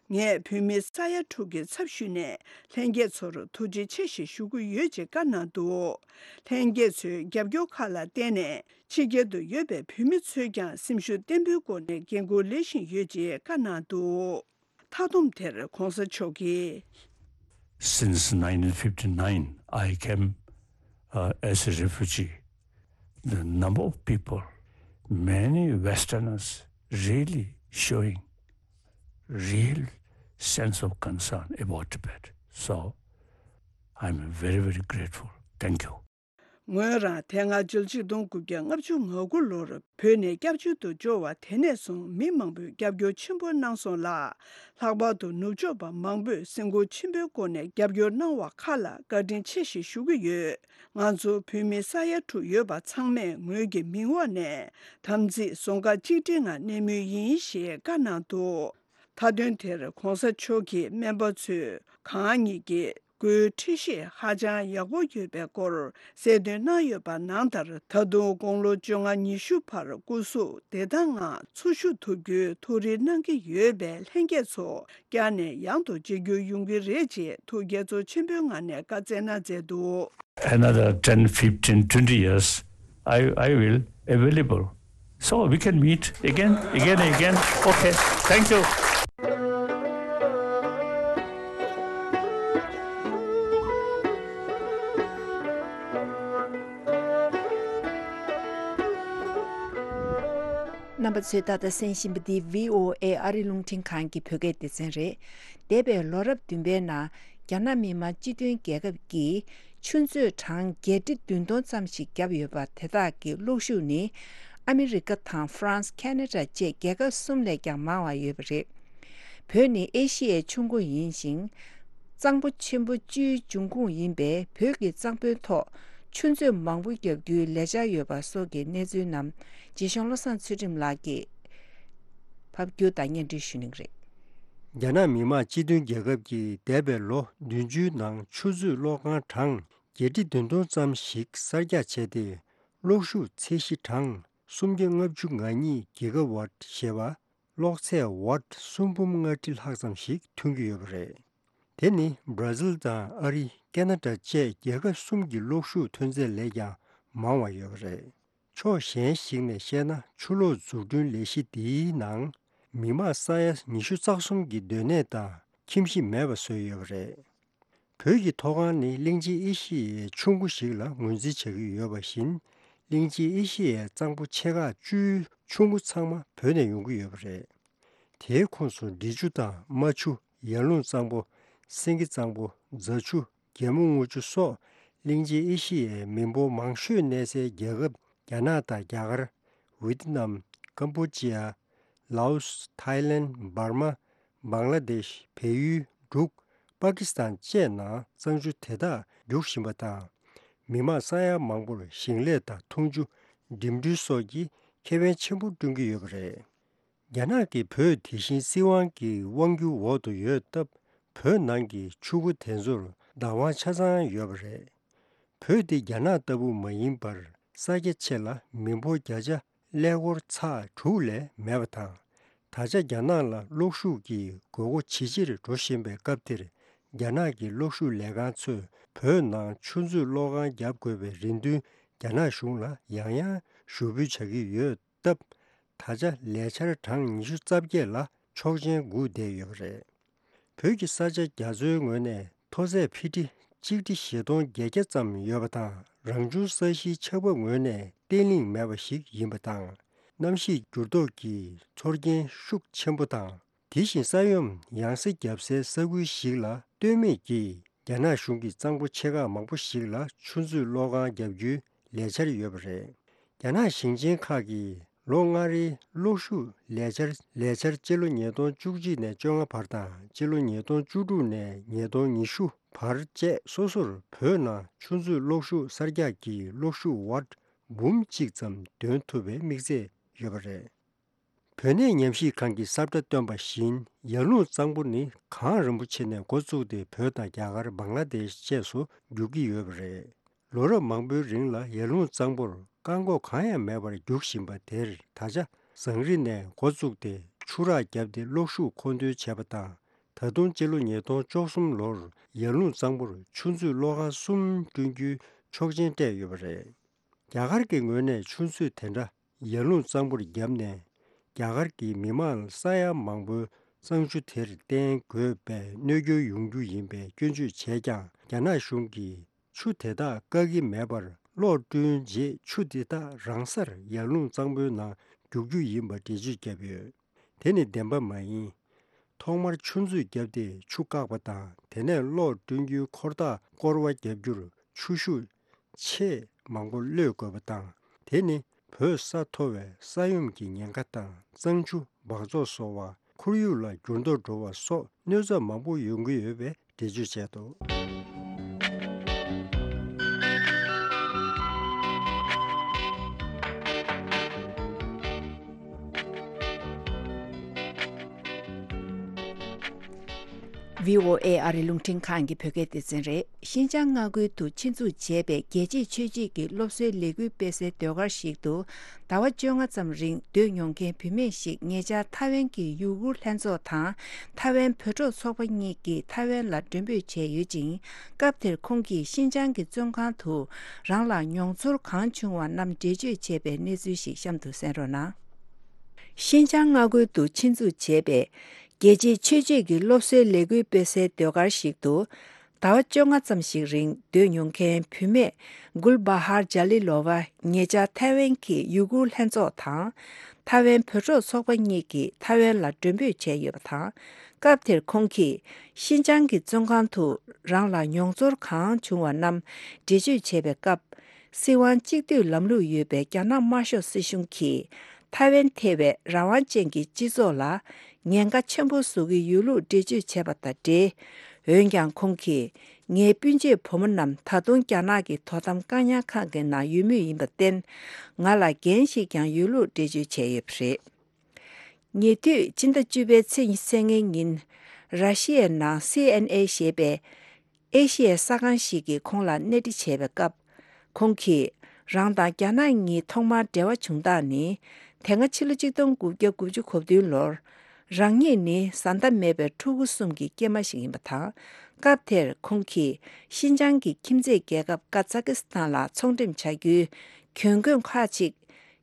ངས་བོད་མི་ས་ཡ་དྲུག་གི་ཚབ་ཞུས་ནས་ལྷན་རྒྱས་ཚོར་ཐུགས་རྗེ་ཆེ་ཞེས་ཞུ་གི་ཡོད་ཅེས་བཀའ་གནང་འདུག་ལྷན་རྒྱས་ཚོའི་རྒྱབ་སྐྱོར་ཁག་ལ་བརྟེན་ནས་ཕྱི་རྒྱལ་དུ་ཡོད་པའི་བོད་མི་ཚོས་ཀྱང་སེམས་ཤུགས་བརྟན་པོའི་སྒོ་ནས་འགན་ཁུར་ལེན་བཞིན་ཡོད་ཅེས་བཀའ་གནང་འདུག་མཐའ་སྡོམ་དེར་གོང་ས་མཆོག་གིས། Since nineteen fifty-nine, I came uh, as a refugee. The number of people, many Westerners really showing real sense of concern about Tibet. So I'm very, very grateful. Thank you. ངོས་རང་དེ་སྔ་ཕྱི་ལོ་ཆིག་སྟོང་དགུ་བརྒྱ་ལྔ་བཅུ་ང་དགུ་ལོར་བོད་ནས་སྐྱབས་བཅོལ་དུ་འབྱོར་བ་དེ་ནས་བཟུང་མི་མང་པོས་རྒྱབ་སྐྱོར་ཆེན་པོ་གནང་སོང་ལ། ལྷག་པར་དུ་ནུབ་ཕྱོགས་པ་མང་པོས་སེམས་ཁུར་ཆེན་པོའི་སྒོ་ནས་རྒྱབ་སྐྱོར་གནང་བ་ཁག་ལ་བཀའ་དྲིན་ཆེ་ཞེས་ཞུ་གི་ཡོད། ང་ཚོ་བོད་མི་ས་ཡ་དྲུག་ཡོད་པ་ཚང་མས་ངོས་ཀྱི་མིང་འོག་ནས་དམ་ཚིག་རྫོང་ཁག་གཅིག་སྒྲིལ་ངང་གནས་མུས་ཡིན་ཞེས་བཀའ་གནང་འདུག་མཐའ་དོན་དེར་གོང་ས་མཆོག་གིས་སྨན་པ་ཚོས་གང་ཉིད་ཀྱིས་སྒོའི་འཁྲུལ་གཞི་ཧ་ཅང་ཡག་པོ་ཡོད་པའི་སྐོར་གསལ་སྟོན་གནང་ཡོད་པ་ནང་ལྟར། ད་དུང་དགུང་ལོ་བཅོ་ལྔ་ཉི་ཤུ་བར་སྐུ་གཟུགས་བདེ་ཐང་ངང་འཚོ་བཞུགས་ཐུབ་རྒྱུའི་ཐུགས་རེ་གནང་གི་ཡོད་པས། ལྷན་རྒྱས་ཚོ་བསྐྱར་ནས་ཡང་དུ་མཇལ་རྒྱུ་ཡོང་གི་རེད་ཅེས་ཐུགས་དགྱེས་ཚོར་ཆེན་པོའི་ངང་ནས་བཀའ་སྩལ་གནང་མཛད་འདུག Another ten, fifteen, twenty years, I, I will available. So we can meet again, again, again. Okay, thank you. རྣམ་པ་ཚོས་ད་ལྟ་གསན་བཞིན་པ་འདི་བྷི་ཨོ་ཨེ་ཨ་རི་རླུང་འཕྲིན་ཁང་གི་བོད་སྐད་སྡེ་ཚན་རེད། འདས་པའི་ལོ་རབས་བདུན་པའི་ནང་རྒྱ་ནག་མི་དམངས་སྤྱི་མཐུན་རྒྱལ་ཁབ་ཀྱིས་ཆུ་མཛོད་གྲངས་བརྒྱད་ཁྲི་བདུན་སྟོང་ཙམ་ཞིག་བརྒྱབ་ཡོད་པ་དེ་དག་གི་གློག་ཤུགས་ནི་ཨ་མི་རི་ཀ་དང་ཧྥ་རན་སི། ཁ་ན་ཌ་བཅས་རྒྱལ་ཁབ་གསུམ་ལས་ཀྱང་མང་བ་ཡོད་པ་རེད། བོད་ནི་ཨེ་ཤི་ཡའི་ཆུ་མགོ་ཡིན་ཞིང་། གཙང་པོ་ཆེན་པོ་བཅུའི་འབྱུང་ཁུངས་ཡིན་པས། བོད་ཀྱི་གཙང་པོའི་ཐོག་ཆུ་མཛོད་མང་པོ་བརྒྱབ་རྒྱུའི་ལས་འཆར་ཡོད་པ་སོགས་ཀྱི་གནས་ཚུལ་རྣམས་རྗེ་གཞུང་བློ་བཟང་ཚུལ་ཁྲིམས་ལགས་ཀྱིས་ཕབ་སྒྱུར་དང་སྙན་སྒྲོན་ཞུ་གནང་གི་རེད། རྒྱ་ནག་མི་དམངས་སྤྱི་མཐུན་རྒྱལ་ཁབ་ཀྱིས་འདས་པའི་ལོ་བདུན་ཅུའི་ནང་ཆུ་མཛོད་གློག་ཁང་གྲངས་བརྒྱད་ཁྲི་བདུན་སྟོང་ཙམ་ཞིག་གསར་རྒྱག་བྱས་ཏེ། གློག་ཤུགས་ཚད་གཞི་གྲངས་སུམ་བརྒྱ་ལྔ་བཅུ་ང་གཉིས་གི་ག་ཝཊ་ཞེས་པ། གློག་ཚད་ཝཊ་སུམ་འབུམ་ལྔ་ཁྲི་ལྷག་ཙམ་ཞིག་ཐོན་གྱི་ཡོད་པ་རེད། དེ་ནི་བར་ཛིལ་དང་ཨ་རི། ཀེ་ན་ཌ་བཅས་རྒྱལ་ཁབ་གསུམ་གྱི་གློག་ཤུགས་ཐོན་ཚད་ལས་ཀྱང་མང་བ་ཡོད་པ་རེད། ཕྱོགས་གཞན་ཞིག་ནས་བཤད་ན། ཆུ་གློག་འཛུགས་སྐྲུན་ལས་གཞི་འདིའི་ནང་མི་མང་ས་ཡ་ཉི་ཤུ་རྩ་གསུམ་གྱི་སྡོད་གནས་དང་ཁྱིམ་གཞིས་མེད་པ་བཟོས་ཡོད་པ་རེད། བོད་ཀྱི་མཐོ་སྒང་ནི་གླིང་ཆེན་ཨེ་ཤི་ཡའི་ཆུ་མགོ་ཞིག་ལ་ངོས་འཛིན་བྱ་གི་ཡོད་པ་བཞིན། གླིང་ཆེན་ཨེ་ཤི་ཡའི་གཙང་པོ་ཆེ་ཁག་བཅུའི་ཆུ་མགོ་ཚང་མ་བོད་ནས་ཡོང་གི་ཡོད་པ་རེད། དེའི་ཁོངས་སུ་འབྲི་ཆུ་དང་རྨ་ཆུ། ཡར་ཀླུང་གཙང་པོ། སེང་གེ་གཙང་པོ། རྫ་ཆུ། རྒྱལ་མོ་རྔུལ་ཆུ་སོགས་གླིང་ཆེན་ཨེ་ཤི་ཡའི་མི་འབོར་མང་ཤོས་གནས་སའི་རྒྱལ་ཁབ་རྒྱ་ནག་དང་རྒྱ་གར། ཝི་ཏི་ནམ། ཀམ་པོ་ཅི་ཡ། ལའོ་སི། ཐའི་ལེན། འབར་མ། བང་ལ་དེཤ། བལ་ཡུལ། འབྲུག་པ་ཀི་སི་ཐན་བཅས་ནང་གཙང་ཆུ་དེ་དག་རྒྱུག་བཞིན་པ་དང་། མི་མང་ས་ཡ་མང་པོར་ཞིང་ལས་དང་འཐུང་ཆུ། འགྲིམ་འགྲུལ་སོགས་ཀྱི་ཁེ་ཕན་ཆེན་པོ་བསྐྲུན་གྱི་ཡོད་པ་རེད། རྒྱ་ནག་གིས་བོད་དེ་བཞིན་སྲིད་དབང་གི་དབང་སྒྱུར་འོག་ཏུ་ཡོད་སྟབས། བོད་ནང་གི་ཆུ་མགོ་དེ་ཚོར་བདག་དབང་ཆ་ཚང་ཡོད་པ་རེད། བོད་འདི་རྒྱ་ནག་ལྟ་བུ་མ་ཡིན་པར། ས་རྒྱ་ཆེ་ལ་མི་འབོར་བརྒྱ་ཆ་ཀླད་ཀོར་ཚེག་དྲུག་ལས་མེད་པ་དང་། ད་ཆ་རྒྱ་ནག་ལ་གློག་ཤུགས་ཀྱི་དགོས་མཁོ་ཇེ་ཆེར་འགྲོ་བཞིན་པའི་སྐབས་འདིར། རྒྱ་ནག་གི་གློག་ཤུགས་ལས་ཁང་ཚོས་བོད་ནང་ཆུ་མཛོད་གློག་ཁང་བརྒྱབ་དགོས་པའི་རེ་འདུན་རྒྱ་ནག་གཞུང་ལ་ཡང་ཡང་ཞུ་འབུལ་བྱ་གི་ཡོད་སྟབས། ད་ཆ་ལས་འཆར་གྲངས་ཉི་ཤུ་རྩ་བརྒྱད་ལ་ཆོག་མཆན་སྒུག་བསྡད་ཡོད་པ་རེད། བོད་ཀྱི་ས་ཆ་རྒྱ་མཚོའི་ངོས་ནས་མཐོ་ཚད་ཕི་ཊི་གཅིག་ཁྲི་བཞི་སྟོང་བརྒྱད་བརྒྱ་ཙམ་ཡོད་པ་དང་། རང་བྱུང་ས་གཞིའི་ཆགས་བབ་ངོས་ནས་བརྟན་ལྷིང་མེད་པ་ཞིག་ཡིན་པ་དང་། གནམ་གཤིས་འགྱུར་ལྡོག་གི་ཚོར་སྐྱེན་ཤུགས་ཆེན་པོ་དང་། དེ་བཞིན་ས་ཡོམ་ཡང་སེ་བརྒྱབ་སའི་ས་ཁུལ་ཞིག་ལ་ལྟོས་མེད་ཀྱིས། རྒྱ་ནག་གཞུང་གིས་གཙང་པོ་ཆེ་ཁག་མང་པོ་ཞིག་ལ་ཆུ་མཛོད་གློག་ཁང་བརྒྱབ་རྒྱུའི་ལས་འཆར་ཡོད་པ་རེད། རྒྱ་ནག་ཞིང་ཆེན་ཁག་གིས་ལོ་ལྔ་རེའི་གློག་ཤུགས་ལས་འཆར། ལས་འཆར་སྤྱི་ལོ་ཉིས་སྟོང་བཅུ་གཅིག་ནས་བཅོ་ལྔ་བར་དང་། སྤྱི་ལོ་ཉིས་སྟོང་བཅུ་དྲུག་ནས་ཉིས་སྟོང་ཉི་ཤུ་བར་བཅས་སོ་སོར་བོད་ནང་ཆུ་མཛོད་གློག་ཤུགས་གསར་རྒྱག་གི་གློག་ཤུགས་ཝཊ་འབུམ་གཅིག་ཙམ་འདོན་ཐུབ་པའི་དམིགས་ཚད་ཡོད་པ་རེད། བོད་གནས་ཉམས་ཞིབ་ཁང་གིས་གསལ་བསྒྲགས་བཏོན་པ་བཞིན། ཡར་ཀླུང་གཙང་པོ་ནི་གངས་རིན་པོ་ཆེ་ནས་འགོ་བཙུགས་ཏེ། བོད་དང་རྒྱ་གར། བང་ལ་དེཤ་བཅས་སུ་རྒྱུག་གི་ཡོད་པ་རེད། ལོ་རབས་མང་པོའི་རིང་ལ་ཡར་ཀླུང་གཙང་པོར་བཀག་འགོག་གང་ཡང་མེད་པར་རྒྱུག་བཞིན་པ་དེར། ད་ཆ་ཟངས་རི་ནས་འགོ་བཙུགས་ཏེ་ཆུ་རགས་བརྒྱབ་སྟེ་གློག་ཤུགས་མཁོ་འདོན་བྱས་པ་དང་། ད་དུང་སྤྱི་ལོ་ཉིས་སྟོང་བཅུ་གསུམ་ལོར་ཡར་ཀླུང་གཙང་པོར་ཆུ་མཛོད་གློག་ཁང་གསུམ་བསྐྲུན་རྒྱུའི་ཆོག་མཆན་སྤྲད་ཡོད་པ་རེད། རྒྱ་གར་གྱི་ངོས་ནས་ཆུ་མཛོད་དེ་འདྲ་ཡར་ཀླུང་གཙང་པོར་བརྒྱབ་ནས། རྒྱ་གར་གྱི་མི་མང་ས་ཡ་མང་པོའི་གཙང་ཆུ་དེར་བརྟེན་དགོས་པའི་གནོད་སྐྱོན་ཡོང་རྒྱུ་ཡིན་པའི་སྐྱོན་བརྗོད་བྱས་ཀྱང་། རྒྱ་ནག་གཞུང་གིས་ཆུ་དེ་དག་བཀག་གི་མེད་པར། གློག་བསྐྲུན་རྗེས་ཆུ་དེ་དག་རང་སར་ཡར་ཀླུང་གཙང་པོའི་ནང་རྒྱུག་རྒྱུ་ཡིན་པ་འགྲེལ་བརྗོད་བརྒྱབ་ཡོད། དེ་ནི་བདེན་པ་མ་ཡིན། ཐོག་མར་ཆུ་མཛོད་བརྒྱབ་སྟེ་ཆུ་བཀག་པ་དང་། དེ་ནས་གློག་བསྐྲུན་རྒྱུའི་འཁོར་ཐག་སྐོར་བ་བརྒྱབ་རྒྱུར་ཆུ་ཤུགས་ཆེས་མང་པོ་གློད་དགོས་པ་དང་། དེ་ནི་བོད་ས་མཐོ་བས་ས་ཡོམ་གྱི་ཉེན་ཁ་དང་། གཙང་ཆུ་འབག་བཙོག་བཟོ་བ། ཁོར་ཡུག་ལ་འགྱུར་ལྡོག་འགྲོ་བ་སོགས་གནོད་འཚེ་མང་པོ་ཡོང་གི་ཡོད་པའི་འགྲེལ་བརྗོད་བྱས་འདུག། ཝི་ཨོ་ཨེ་ཨ་རི་རླུང་འཕྲིན་ཁང་གི་བོད་སྐད་སྡེ་ཚན་རེད། ཤིན་ཅང་མངའ་ཁུལ་དུ་ཆེད་འཛུགས་བྱས་པའི་རྒྱལ་གཅེས་ཆོས་བརྒྱུད་ཀྱི་སློབ་གསོའི་ལས་འགུལ་སྤེལ་སའི་ཟློས་གར་ཞིག་ཏུ། ཟླ་བ་བཅོ་ལྔ་ཙམ་རིང་སྡོད་མྱོང་མཁན་བུད་མེད་ཞིག་ཉེ་ཆར་ཐའེ་ཝན་གྱི་ཡུ་གུར་ལྷན་ཚོགས་དང་། ཐའེ་ཝན་བོད་ཕྲུག་ཚོགས་པ་གཉིས་ཀྱིས་ཐའེ་ཝན་ལ་མགྲོན་འབོད་བྱས་ཡོད་ཅིང་། སྐབས་དེར་ཁོང་གིས་ཤིན་ཅང་གི་བཙོན་ཁང་དུ་རང་ལ་མྱོང་ཚོར་གང་བྱུང་བ་རྣམས་འགྲེལ་བརྗོད་བྱས་པའི་གནས་ཚུལ་ཞིག་གཤམ་དུ་གསན་རོགས་གནང་། ཤིན་ཅང་མངའ་ཁུལ་དུ་ཆེད་འཛུགས་བྱས་པའི་རྒྱལ་གཅེས་ཆོས་བརྒྱུད་ཀྱི་སློབ་གསོའི་ལས་འགུལ་སྤེལ་སའི་ཟློས་གར་ཞིག་ཏུ། ཟླ་བ་བཅོ་ལྔ་ཙམ་ཞིག་རིང་སྡོད་མྱོང་མཁན་བུད་མེད་གུལ་བྷ་ཧར་ཇཱ་ལི་ལོ་ཝ་ཉེ་ཆར་ཐའེ་ཝན་གྱི་ཡུ་གུར་ལྷན་ཚོགས་དང་། ཐའེ་ཝན་བོད་ཕྲུག་ཚོགས་པ་གཉིས་ཀྱིས་ཐའེ་ཝན་ལ་མགྲོན་འབོད་བྱས་ཡོད་པ་དང་། སྐབས་དེར་ཁོང་གིས་ཤིན་ཅང་གི་བཙོན་ཁང་དུ་རང་ལ་མྱོང་ཚོར་གང་བྱུང་བ་རྣམས་འགྲེལ་བརྗོད་བྱས་པའི་སྐབས། སྲིད་དབང་གཅིག་སྡུད་ལམ་ལུགས་ཡོད་པའི་རྒྱ་ནག་དམར་ཤོག་སྲིད་གཞུང་གིས་ཐའེ་ཝན་ཐེ་བའི་རང་དབང་ཅན་གྱི་སྤྱི་ཚོགས་ལ་ཉེན་ཁ་ཆེན་པོ་བཟོ་གི་ཡོད་ལུགས་འགྲེལ་བརྗོད་བྱས་པ་དང་འབྲེལ། འོན་ཀྱང་ཁོང་གིས་ངའི་སྤུན་མཆེད་བུ་མོ་རྣམས་ད་དུང་རྒྱ་ནག་གི་དོ་དམ་བཀག་ཉར་ཁང་གི་ནང་ཡོད་མུས་ཡིན་པར་བརྟེན། ང་ལ་འགན་ཞིག་ཀྱང་ཡོད་ལུགས་འགྲེལ་བརྗོད་བྱས་ཡོད་པ་རེད། ཉེ་དུས་ཕྱི་ཟླ་བཅུ་པའི་ཚེས་ཉི་ཤུ་རྩ་ལྔའི་ཉིན། ར་ཤི་ཡའི་ནང་སི་ཨེན་ཨེ་ཞེས་པའི་ཨེ་ཤི་ཡའི་གསར་ཁང་ཞིག་གིས་ཁོང་ལ་གནས་འདྲི་བྱས་པའི་སྐབས། ཁོང་གིས་ རང་དང་རྒྱ་ནག་གཉིས་ཐོག་མར་འབྲེལ་བ་བྱུང་སྟངས་ནི། དེ་སྔ་ཕྱི་ལོ་ཆིག་སྟོང་དགུ་བརྒྱ་དགུ་བཅུ་གོ་བདུན་ལོར། རང་ཉིད་ནི་བཟའ་ཟླ་མེད་པའི་ཕྲུ་གུ་གསུམ་གྱི་སྐྱེས་མ་ཞིག་ཡིན་པ་དང་། སྐབས་དེར་ཁོང་གིས་ཤིན་ཅང་གི་ཁྱིམ་མཚེས་རྒྱལ་ཁབ་ཀ་ཛ་ཀི་སི་ཐན་ལ་ཚོང་འགྲེམས་བྱ་རྒྱུའི་གྱོན་གོས་ཁག་ཅིག་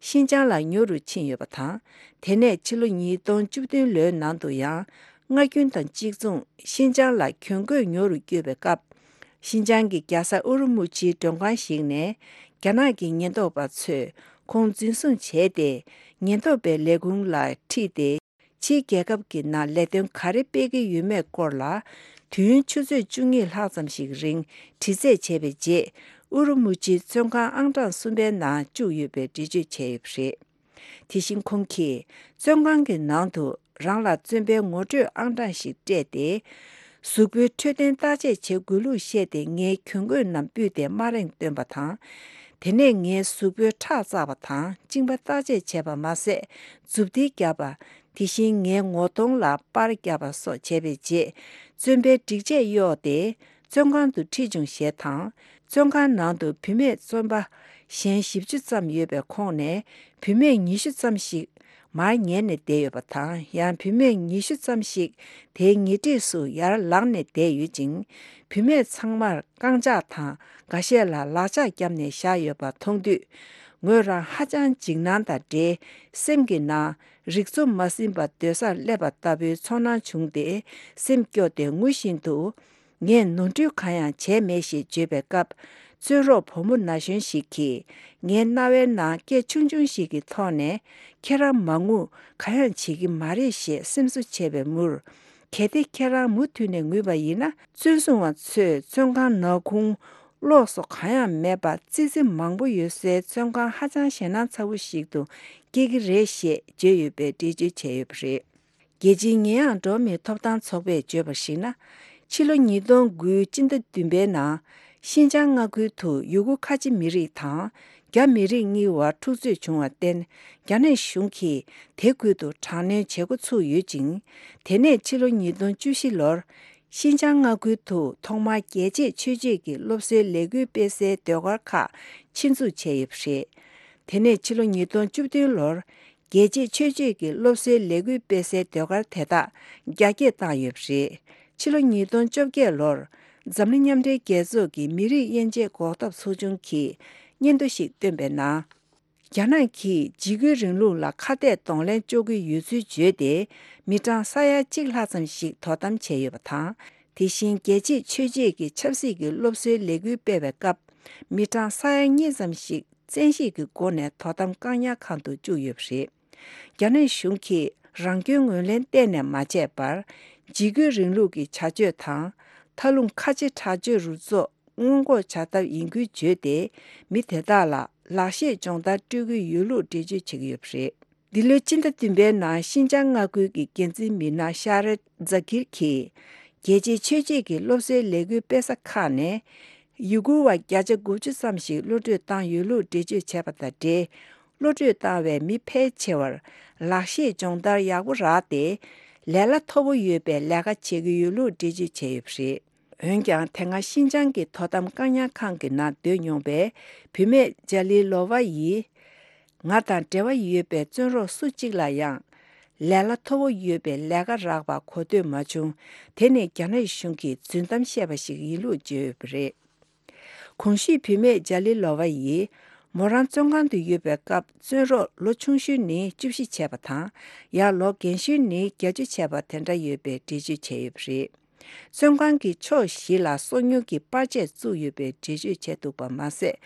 ཤིན་ཅང་ལ་ཉོ་རུ་ཕྱིན་ཡོད་པ་དང་། དེ་ནས་ཕྱི་ལོ་ཉིས་སྟོང་བཅུ་བདུན་ལོའི་ནང་དུ་ཡང་། སྔ་རྒྱུན་དང་གཅིག་མཚུངས་ཤིན་ཅང་ལ་གྱོན་གོས་ཉོ་རུ་བསྐྱོད་པའི་སྐབས། ཤིན་ཅང་གི་རྒྱལ་ས་ཨུ་རུ་མུ་ཆིའི་མགྲོན་ཁང་ཞིག་ནས། རྒྱ་ནག་གི་ཉེན་རྟོག་པ་ཚོས་ཁོང་འཛིན་བཟུང་བྱས་ཏེ། ཉེན་རྟོག་པའི་ལས་ཁུངས་ལ་ཁྲིད་དེ། ཕྱིའི་རྒྱལ་ཁབ་ཀྱི་ནང་ལས་དོན་ག་རེ་སྤེལ་གྱི་ཡོད་མེད་སྐོར་ལ། དུས་ཡུན་ཆུ་ཚོད་བཅུ་གཉིས་ལྷག་ཙམ་ཞིག་རིང་དྲི་རྩད་བྱས་པའི་རྗེས། ཨུ་རུ་མུ་ཆིའི་བཙོན་ཁང་ཨང་གྲངས་གསུམ་པའི་ནང་བཅུག་ཡོད་པའི་འགྲེལ་བརྗོད་བྱས་ཡོད་པ་རེད། དེ་བཞིན་ཁོང་གིས་བཙོན་ཁང་གི་ནང་དུ་རང་ལ་བཙོན་པའི་ངོ་སྤྲོད་ཨང་གྲངས་ཤིག་སྤྲད་དེ། གཟུགས་པོའི་འཕྲོད་བསྟེན་བརྟག་དཔྱད་བྱེད་དགོས་ལུགས་བཤད་དེ། ངའི་གྱོན་གོས་རྣམས་སྤུས་ཏེ་དམའ་རིང་བཏོན་པ་དང་། དེ་ནས་ངའི་གཟུགས་པོའི་ཁྲག་བཙགས་པ་དང་གཅིན་པ་བརྟག་དཔྱད་བྱས་པ་མ་ཟད། མཛུབ་ཐེལ་བརྒྱབ་པ། དེ་བཞིན་ངའི་ངོ་གདོང་ལ་པར་བརྒྱབ་པ་སོགས་བྱས་པའི་རྗེས། བཙོན་པའི་སྒྲིག་ཆས་གཡོགས་ཏེ། བཙོན་ཁང་དུ་ཁྲིད་བྱུང་ཞེས་དང་། བཙོན་ཁང་ནང་དུ་བུད་མེད་བཙོན་པ་གཞན་བཞི་བཅུ་ཙམ་ཡོད་པའི་ཁོངས་ནས། བུད་མེད་ཉི་ཤུ་ཙམ་ཞིག་མར་ཉལ་ནས་བསྡད་ཡོད་པ་དང་། ཡང་བུད་མེད་ཉི་ཤུ་ཙམ་ཞིག་དེའི་ཉེ་འཁྲིས་སུ་ཡར་ལངས་ནས་བསྡད་ཡོད་ཅིང་། བུད་མེད་ཚང་མར་རྐང་ལྕགས་དང་། འགའ་ཤས་ལ་ལག་ལྕགས་བརྒྱབ་ནས་བཞག་ཡོད་པ་མཐོང་དུས། ངོས་རང་ཧ་ཅང་འཇིགས་སྣང་དང་འབྲེལ། སེམས་ཀྱི་ནང་རིག་འཚོ་མ་ཟིན་པར་སྡོད་སར་སླེབས་པ་ལྟ་བུའི་ཚོར་སྣང་བྱུང་སྟེ། སེམས་སྐྱོ་སྟེ་ངུ་བཞིན་དུ། ངས་ནོར་འཁྲུལ་གང་ཡང་བྱས་མེད་ཞེས་བརྗོད་པའི་སྐབས། བཙོན་རོགས་བུ་མོ་ན་གཞོན་ཞིག་གིས། ངའི་རྣ་བའི་ནང་སྐད་ཆུང་ཆུང་ཞིག་གི་ཐོག་ནས། ཁྱེད་རང་མ་ངུ། གང་ཡང་བྱེད་ཀྱི་མ་རེད་ཞེས་སེམས་གསོ་བྱས་པའི་མུར། གལ་ཏེ་ཁྱེད་རང་མུ་མཐུད་ནས་ངུས་པ་ཡིན་ན། བཙོན་སྲུང་བ་ཚོས་བཙོན་ཁང་ནག་ཁུང་གློག་སོགས་གང་ཡང་མེད་པར། ཙི་ཙི་མང་པོ་ཡོད་སའི་བཙོན་ཁང་ཧ་ཅང་ཞེད་སྣང་ཚ་བོ་ཞིག་ཏུ་སྐྱེ་གི་རེད་ཞེས་བརྗོད་ཡོད་པའི་འགྲེལ་བརྗོད་བྱས་ཡོད་པ་རེད། རྒྱལ་སྤྱིའི་ཉེས་ཡངས་འགྲོ་བ་མིའི་ཐོབ་ཐང་ཚོགས་པས་བརྗོད་པར་གཞིགས་ན། ཕྱི་ལོ་ཉིས་སྟོང་དགུ་སྤྱི་ཟླ་བདུན་པའི་ནང་། ཤིན་ཅང་མངའ་ཁུལ་དུ་ཡུ་གུར་ཁ་ཆེ་མི་རིགས་དང་རྒྱ་མི་རིགས་གཉིས་བར་འཁྲུག་རྩོད་བྱུང་བར་བརྟེན། རྒྱ་ནག་གཞུང་གིས་དེ་ཁུལ་དུ་དྲག་གནོན་བྱེད་འགོ་ཚུགས་ཡོད་ཅིང་། དེ་ནས་ཕྱི་ལོ་ཉིས་སྟོང་བཅུ་བཞི་ལོར། ཤིན་ཅང་མངའ་ཁུལ་དུ་ཐོག་མར་རྒྱལ་གཅེས་ཆོས་གཅེས་ཀྱི་སློབ་གསོའི་ལས་འགུལ་སྤེལ་སའི་ཟློས་གར་ཁག་ཆེད་འཛུགས་བྱས་ཡོད་པ་རེད། དེ་ནས་ཕྱི་ལོ་ཉིས་སྟོང་བཅུ་བདུན་ལོར། རྒྱལ་གཅེས་ཆོས་གཅེས་ཀྱི་སློབ་གསོའི་ལས་འགུལ་སྤེལ་སའི་ཟློས་གར་དེ་དག་རྒྱ་སྐྱེད་བཏང་ཡོད་པ་རེད། ཕྱི་ལོ་ཉིས་སྟོང་བཅོ་བརྒྱད་ལོར། འཛམ་གླིང་མཉམ་འབྲེལ་རྒྱལ་ཚོགས་ཀྱི་མི་རིགས་དབྱེ་འབྱེད་འགོག་ཐབས་ཚོགས་ཆུང་གིས་སྙན་ཐོ་ཞིག་བཏོན་པའི་ནང་། རྒྱ་ནག་གིས་འཇིགས་སྐུལ་རིང་ལུགས་ལ་ཁ་གཏད་གདོང་ལེན་གཅོག་གི་ཡོད་ཚུལ་བརྗོད་དེ། མི་གྲངས་ས་ཡ་གཅིག་ལྷག་ཙམ་ཞིག་དོ་དམ་བྱས་ཡོད་པ་དང་། དེ་བཞིན་རྒྱལ་གཅེས་ཆོས་གཅེས་ཀྱི་ཆབ་སྲིད་ཀྱི་སློབ་གསོའི་ལས་འགུལ་སྤེལ་བའི་སྐབས། མི་གྲངས་ས་ཡ་གཉིས་ཙམ་ཞིག་བཙན་ཤེད་ཀྱི་སྒོ་ནས་དོ་དམ་བཀག་ཉར་ཁང་དུ་བཅུག་ཡོད་པ་རེད། རྒྱ་ནག་གཞུང་གིས་རང་སྐྱོན་ངོས་ལེན་གཏན་ནས་མ་བྱས་པར། འཇིགས་སྐུལ་རིང་ལུགས་ཀྱི་བྱ་སྤྱོད་དང་། མཐའ་ལྷུང་ཁ་ཆེ་དྲག་སྤྱོད་རུ་ཚོགས་སྔོན་འགོག་བྱ་ཐབས་ཡིན་ཁུལ་བརྗོད་དེ། མི་དེ་དག་ལ་ལག་ཤེས་སྦྱོང་བརྡར་སྤྲོད་ཀྱི་ཡོད་ལུགས་འགྲེལ་བརྗོད་བྱེད་ཀྱི་ཡོད་པ་རེད། འདི་ལོའི་སྤྱི་ཟླ་བདུན་པའི་ནང་ཤིན་ཅང་མངའ་ཁུལ་གྱི་འགན་འཛིན་མི་སྣ་ཤ་རེད་ཛ་ཁིར་གྱིས། རྒྱལ་གཅེས་ཆོས་གཅེས་ཀྱི་སློབ་གསོའི་ལས་འགུལ་སྤེལ་ས་ཁག་ནས། ཡུ་གུར་བ་བརྒྱ་ཆ་དགུ་བཅུ་ཙམ་ཞིག་གློད་བཀྲོལ་བཏང་ཡོད་ལུགས་འགྲེལ་བརྗོད་བྱས་པ་དང་འབྲེལ། གློད་བཀྲོལ་བཏང་བའི་མི་ཕལ་ཆེ་བར་ལག་ཤེས་སྦྱོང་བརྡར་ཡག་པོ་རག་སྟེ། ལས་སླ་མཐོ་པོ་ཡོད་པའི་ལས་ཀ་བྱེད་ཀྱི་ཡོད་ལུགས་འགྲེལ་བརྗོད་བྱས་ཡོད་པ་རེད། འོན་ཀྱང་། དེ་སྔ་ཤིན་ཅང་གི་དོ་དམ་བཀག་ཉར་ཁང་གི་ནང་སྡོད་མྱོང་བའི་བུད་མེད་ཇ་ལི་ལོ་ཝ་ཡིས། ང་དང་འབྲེལ་བ་ཡོད་པའི་བཙོན་རོགས་སུ་གཅིག་ལ་ཡང་། ལས་སླ་མཐོ་པོ་ཡོད་པའི་ལས་ཀ་རག་པ་གོ་ཐོས་མ་བྱུང་། དེ་ནི་རྒྱ་ནག་གཞུང་གིས་རྫུན་གཏམ་བཤད་པ་ཞིག་ཡིན་ལུགས་བརྗོད་ཡོད་པ་རེད། གོང་ཞུས་བུད་མེད་ཇ་ལི་ལོ་ཝ་ཡིས། མོ་རང་བཙོན་ཁང་དུ་ཡོད་པའི་སྐབས། བཙོན་རོགས་ལོ་ཆུང་ཤོས་ནི་བཅུ་བཞི་བྱས་པ་དང་། ཡང་ལོ་རྒན་ཤོས་ནི་བརྒྱད་ཅུ་བྱས་པ་དེ་འདྲ་ཡོད་པའི་འགྲེལ་བརྗོད་བྱས་ཡོད་པ་རེད། བཙོན་ཁང་གི་ཕྱོགས་བཞི་ལ་སོ་ཉུལ་གྱི་པར་ཆས་བཙུགས་ཡོད་པའི་འགྲེལ་བརྗོད་བྱས་འདུག་པ་མ་ཟད།